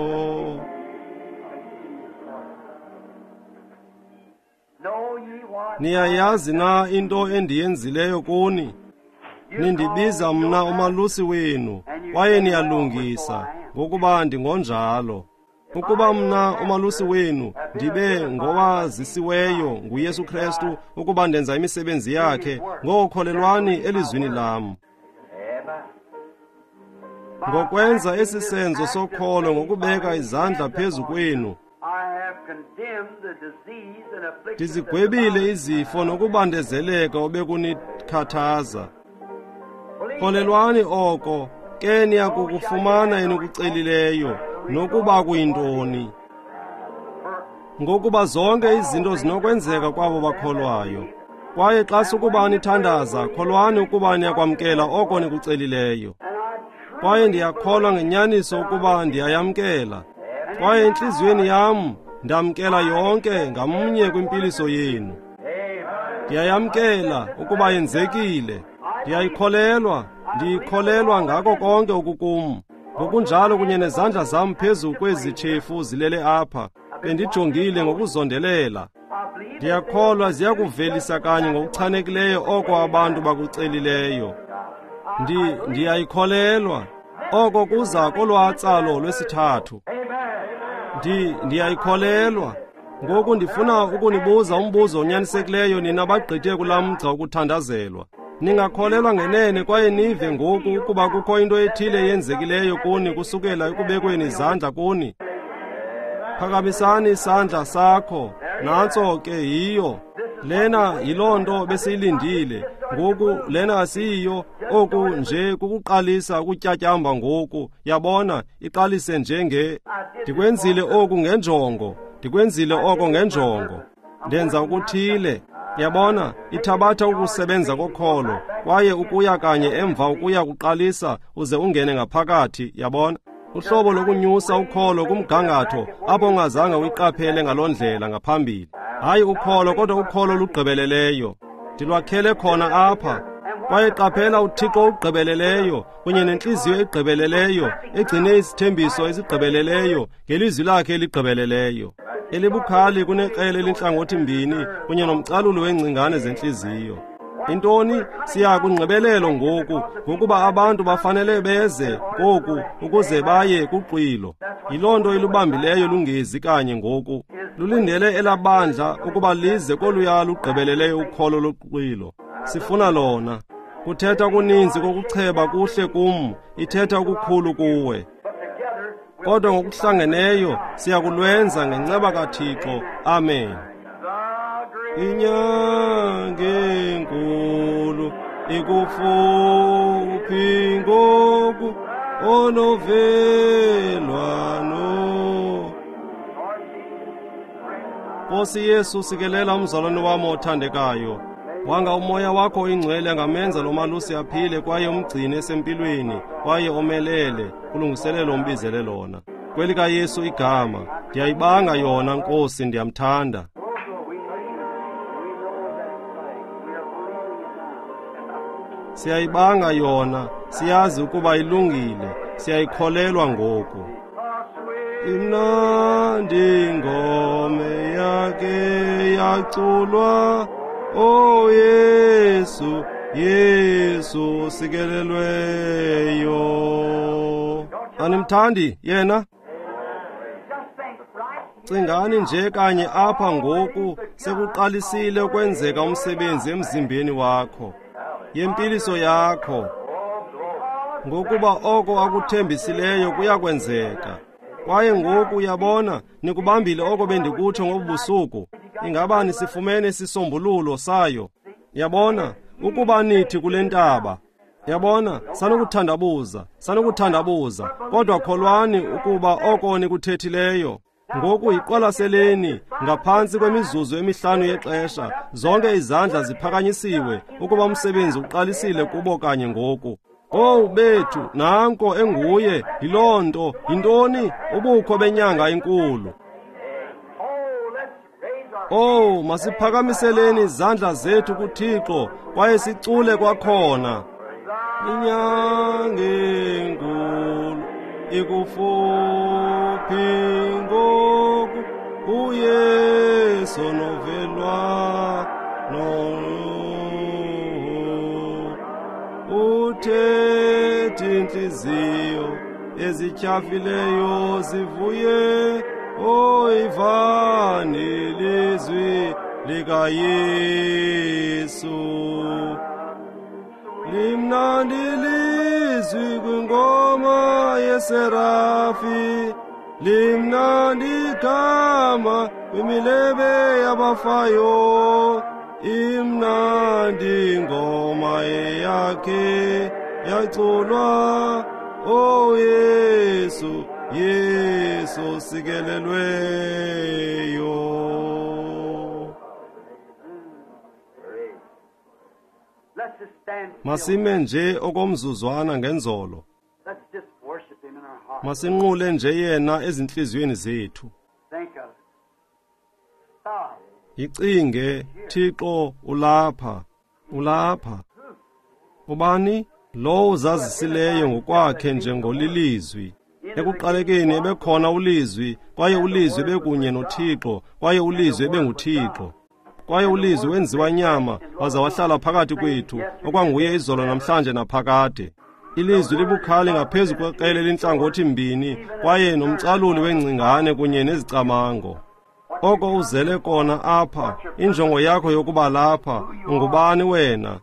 Niyayazi na into endiyenzileyo kuni? Nindibiza mna umalusi wenu, kwaye niyalungisa, ngokuba ndingonjalo. Ukuba mna umalusi wenu ndibe ngowazisiweyo nguYesu Kristu ukuba ndenza imisebenzi yakhe, ngokholelwani elizwini lam. Ngokwenza esi senzo sokholo ngokubeka izandla phezu kwenu, ndizigwebile izifo nokubandezeleka obekunikhathaza. Kholelwani oko, ke niyakukufumana enikucelileyo, nokuba kuyintoni. Ngokuba zonke izinto zinokwenzeka kwabo bakholwayo. Kwaye xa sukuba nithandaza, kholwani ukuba niyakwamkela oko nikucelileyo. Kwaye ndiyakholwa ngenyaniso ukuba ndiyayamkela. Kwaye entliziyweni yam ndamkela yonke ngamnye kwimpiliso yenu. Ndiyayamkela ukuba yenzekile. Ndiyayikholelwa, ndiyikholelwa ngako konke okukum. Ngokunjalo kunye nezandla zam phezu kwezi tshefu zilele apha, bendijongile ngokuzondelela. Ndiyakholwa ziyakuvelisa kanye ngokuchanekileyo oko abantu bakucelileyo. Ndiyayikholelwa. Oko kuza kolwatsalo lwesithathu. Ndiyayikholelwa. Ngoku ndifuna ukunibuza umbuzo onyanisekileyo nina bagqithe kulaa mgca wokuthandazelwa. Ningakholelwa ngenene kwaye nive ngoku ukuba kukho into ethile eyenzekileyo kuni kusukela ekubekweni izandla kuni. Phakamisani isandla sakho, nantso ke yiyo. Lena yiloo nto besiyilindile. Ngoku lena asiyiyo, oku nje kukuqalisa ukutyatyamba ngoku. Yabona, iqalise njenge ndikwenzile oku ngenjongo, ndikwenzile oko ngenjongo. Ndenza ukuthile. Yabona, ithabatha ukusebenza kokholo, kwaye ukuya kanye emva ukuya kuqalisa uze ungene ngaphakathi, yabona. Uhlobo lokunyusa ukholo kumgangatho apho ungazange uyiqaphele ngaloo ndlela ngaphambili. Hayi ukholo, kodwa ukholo olugqibeleleyo. Ndilwakhele khona apha. Kwaye qaphela uThixo ogqibeleleyo kunye nentliziyo egqibeleleyo egcine isithembiso esigqibeleleyo ngelizwi lakhe eligqibeleleyo, elibukhali kunekrele elintlangothi mbini kunye nomcalulo weengcingane zentliziyo. Intoni? Siya kungqibelelo ngoku, ngokuba abantu bafanele beze ngoku ukuze baye kuxwilo. Yiloo nto ilubambileyo lungezi kanye ngoku. Lulindele elabandla ukuba lize koluya lugqibeleleyo ukholo loxwilo. Sifuna lona. Kuthetha kuninzi kokucheba kuhle kum, ithetha okukhulu kuwe. Kodwa ngokuhlangeneyo siyakulwenza ngenceba kaThixo. Amen. Inyanga enkulu ikufuphi ngoku, onovelwano. Nkosi Yesu, sikelela umzalwane wam othandekayo. Wanga umoya wakho oyingcwele angamenza lo malusi aphile kwaye umgcine esempilweni kwaye omelele kulungiselelo umbizele lona. KwelikaYesu igama, ndiyayibanga yona Nkosi, ndiyamthanda. Siyayibanga yona, siyazi ukuba ilungile, siyayikholelwa ngoku. Imnandi ingoma yakhe yaculwa, O Yesu, Yesu sikelelweyo. Animthandi yena? Cingani nje kanye apha ngoku, sekuqalisile ukwenzeka umsebenzi emzimbeni wakho, yempiliso yakho, ngokuba oko akuthembisileyo kuyakwenzeka. Kwaye ngoku uyabona, nikubambile oko bendikutsho ngobubusuku. Ingaba nisifumene isisombululo sayo? Yabona, ukuba nithi kule ntaba, yabona, sanukuthandabuza, sanukuthandabuza, kodwa kholwani ukuba oko nikuthethileyo. Ngoku yiqwalaseleni ngaphantsi kwemizuzu emihlanu yexesha, zonke izandla ziphakanyisiwe ukuba umsebenzi uqalisile kubo kanye ngoku. Owu bethu, nanko enguye, yiloo nto, yintoni? Ubukho benyanga enkulu. Oh, masiphakamiseleni izandla zethu kuThixo kwaye sicule kwakhona. Inyanga enkulu ikufuphi ngoku, uYesu novelwano. Uthethe intliziyo ezityhafileyo zivuye, oyivani ilizwi likaYesu. Limnandi ilizwi kwingoma yeserafi, limnandi igama kwimilebe yabafayo. Imnandi ingoma eyakhe yaculwa, O Yesu, Yesu sikelelweyo. Masime nje okomzuzwana ngenzolo. Masinqule nje yena ezintliziyweni zethu. Yicinge, Thixo ulapha, ulapha. Ubani? Lowo uzazisileyo ngokwakhe njengolilizwi. Ekuqalekeni ebekhona ulizwi, kwaye ulizwi bekunye noThixo, kwaye ulizwi ebenguThixo. Kwaye ulizwi wenziwa nyama, waza wahlala phakathi kwethu, okwanguye izolo namhlanje naphakade. Ilizwi libukhali ngaphezu kwekrele elintlangothi mbini, kwaye nomcaluli wengcingane kunye nezicamango. Oko uzele kona apha, injongo yakho yokuba lapha, ungubani wena?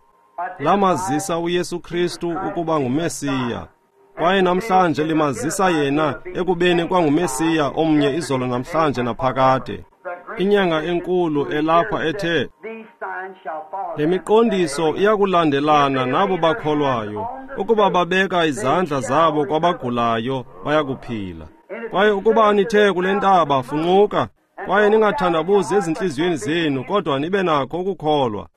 Lamazisa uYesu Kristu ukuba nguMesiya. Kwaye namhlanje limazisa yena ekubeni kwanguMesiya omnye izolo namhlanje naphakade. Inyanga enkulu elapha ethe, le miqondiso iyakulandelana nabo bakholwayo, ukuba babeka izandla zabo kwabagulayo bayakuphila. Kwaye ukuba nithe kule ntaba, funquka, kwaye ningathandabuzi ezintliziyweni zenu, kodwa nibe nakho ukukholwa.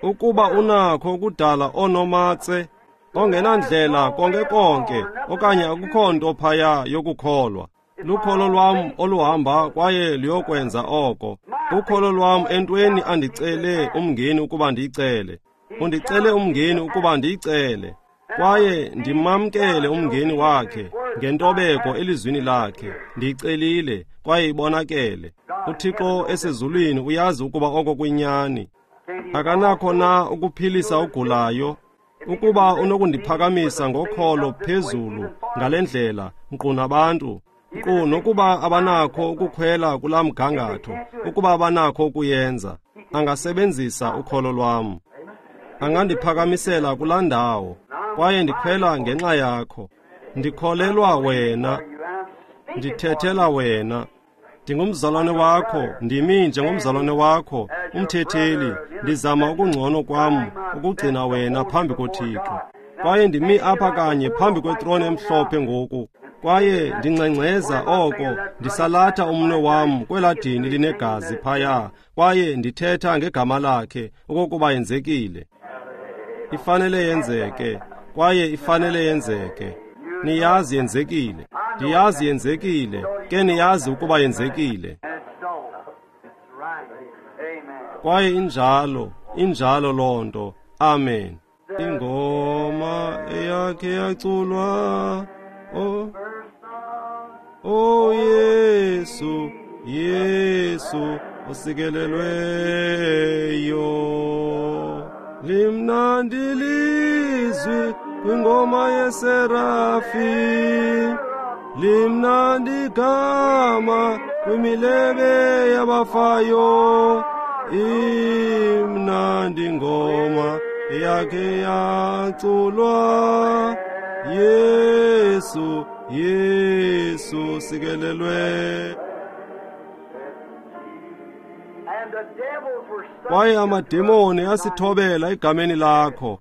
Ukuba unakho ukudala oonomatse ongenandlela konke konke, okanye akukho nto phaya yokukholwa. Lukholo lwam oluhamba kwaye luyokwenza oko. Ukholo lwam entweni andicele umngeni ukuba ndiyicele. Undicele umngeni ukuba ndiyicele, kwaye ndimamkele umngeni wakhe ngentobeko elizwini lakhe. Ndiyicelile kwaye ibonakele. UThixo esezulwini uyazi ukuba oko kuyinyani. Akanakho na ukuphilisa ogulayo? Ukuba unokundiphakamisa ngokholo phezulu ngale ndlela, nkqu nabantu, nkqu nokuba abanakho ukukhwela kulaa mgangatho, ukuba abanakho ukuyenza, angasebenzisa ukholo lwam. Angandiphakamisela kulaa ndawo, kwaye ndikhwela ngenxa yakho. Ndikholelwa wena, ndithethela wena. Ndingumzalwane wakho, ndimi njengomzalwane wakho, umthetheli. Ndizama ukungcono kwam ukugcina wena phambi koThixo. Kwaye ndimi apha kanye phambi kwetrone emhlophe ngoku, kwaye ndingxengxeza oko, ndisalatha umnwe wam kwelaa dini linegazi phaya, kwaye ndithetha ngegama lakhe okokuba yenzekile. Ifanele yenzeke, kwaye ifanele yenzeke. Niyazi yenzekile. Ndiyazi yenzekile, ke niyazi ukuba yenzekile. Kwaye injalo, injalo loo nto. Amen. Ingoma eyakhe yaculwa, oh Yesu, Yesu osikelelweyo. Limnandi ilizwi kwingoma yeserafi, limnandi igama kwimilebe yabafayo. Imnandi ingoma eyakhe yaculwa, Yesu, Yesu sikelelwe. Kwaye amademoni asithobela egameni lakho,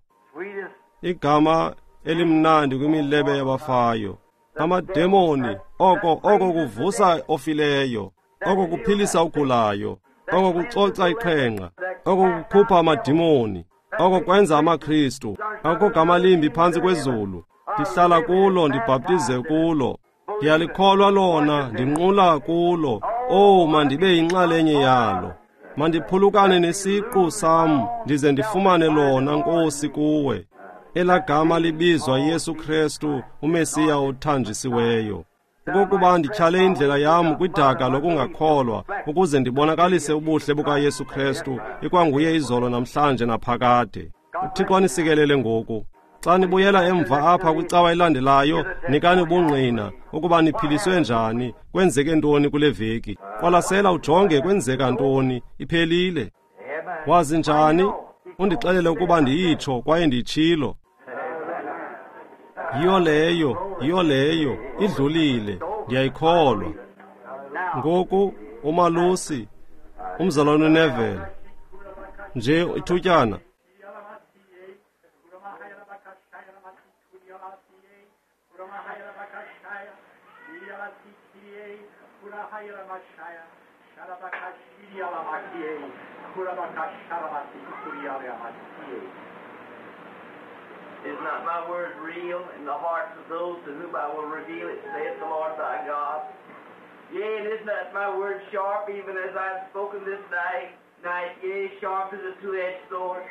igama elimnandi kwimilebe yabafayo. Amademoni, oko kuvusa ofileyo, oko kuphilisa ogulayo, oko kucoca iqhenqa, oko kukhupha amademoni, oko kwenza amaKristu. Akukho gama limbi phantsi kwezulu. Ndihlala kulo, ndibhaptize kulo. Ndiyalikholwa lona, ndinqula kulo. Owu, mandibe yinxalenye yalo. Mandiphulukane nesiqu sam, ndize ndifumane lona, Nkosi, kuwe. Elaa gama libizwa Yesu Krestu, uMesiya othanjisiweyo. Okokuba ndityhale indlela yam kwidaka lokungakholwa, ukuze ndibonakalise ubuhle bukaYesu Krestu, ikwanguye izolo namhlanje naphakade. UThixo anisikelele ngoku. Xa nibuyela emva apha kwicawa elandelayo, nikani ubungqina ukuba niphiliswe njani, kwenzeke ntoni kule veki. Qwalasela ujonge kwenzeka ntoni, iphelile. Wazi njani? Undixelele ukuba ndiyitsho kwaye ndiyitshilo. Yiyo leyo, idlulile, ndiyayikholwa. Ngoku, umalusi, umzalwane uNeville, nje ithutyana. Is not my word real in the hearts of those to whom I will reveal it, saith the Lord thy God? Yea, and is not my word sharp, even as I have spoken this night, yea, sharp as a two-edged sword?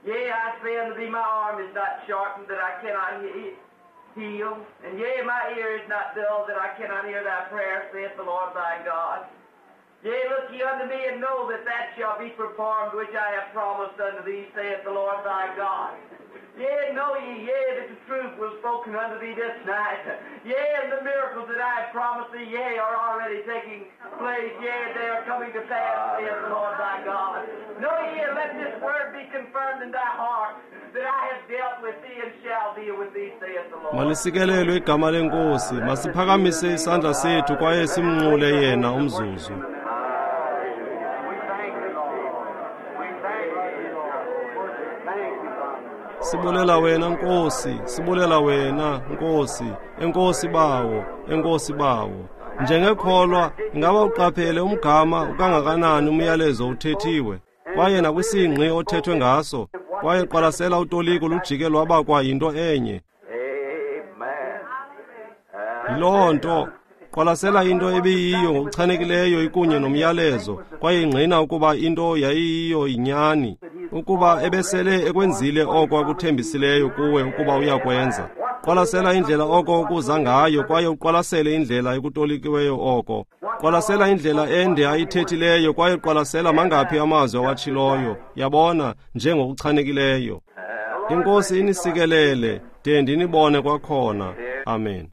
Yea, I say unto thee, my arm is not sharpened, that I cannot heal, and yea, my ear is not dull, that I cannot hear thy prayer, saith the Lord thy God. Yea, look ye unto me, and know that that shall be performed which I have promised unto thee, saith the Lord thy God. Yea, know ye, yea, that the truth was spoken unto thee this night. Yea, and the miracles that I have promised thee, yea, are already taking place. Yea, they are coming to pass, saith the Lord thy God. Know ye, and let this word be confirmed in thy heart, that I have dealt with thee and shall deal with thee, saith the Lord. Malisikelelwe igama leNkosi. Masiphakamise isandla sethu kwaye simnqule yena umzuzu. Sibulela wena Nkosi, sibulela wena Nkosi, enkosi bawo, enkosi bawo. Njengekholwa, ingaba uqaphele umgama ukangakanani umyalezo uthethiwe, kwaye nakwisingqi othethwe ngaso, kwaye qwalasela utoliko lujike lwaba kwa yinto enye. Yiloo nto. Qwalasela into ebiyiyo ngokuchanekileyo ikunye nomyalezo, kwaye ingqina ukuba into yayiyiyo yinyani, ukuba ebesele ekwenzile oko akuthembisileyo kuwe ukuba uyakwenza. Qwalasela indlela oko okuza ngayo, kwaye uqwalasele indlela ekutolikiweyo oko. Qwalasela indlela ende ayithethileyo, kwaye qwalasela mangaphi amazwi awatshiloyo, yabona, njengokuchanekileyo. INkosi inisikelele, de ndinibone kwakhona. Amen.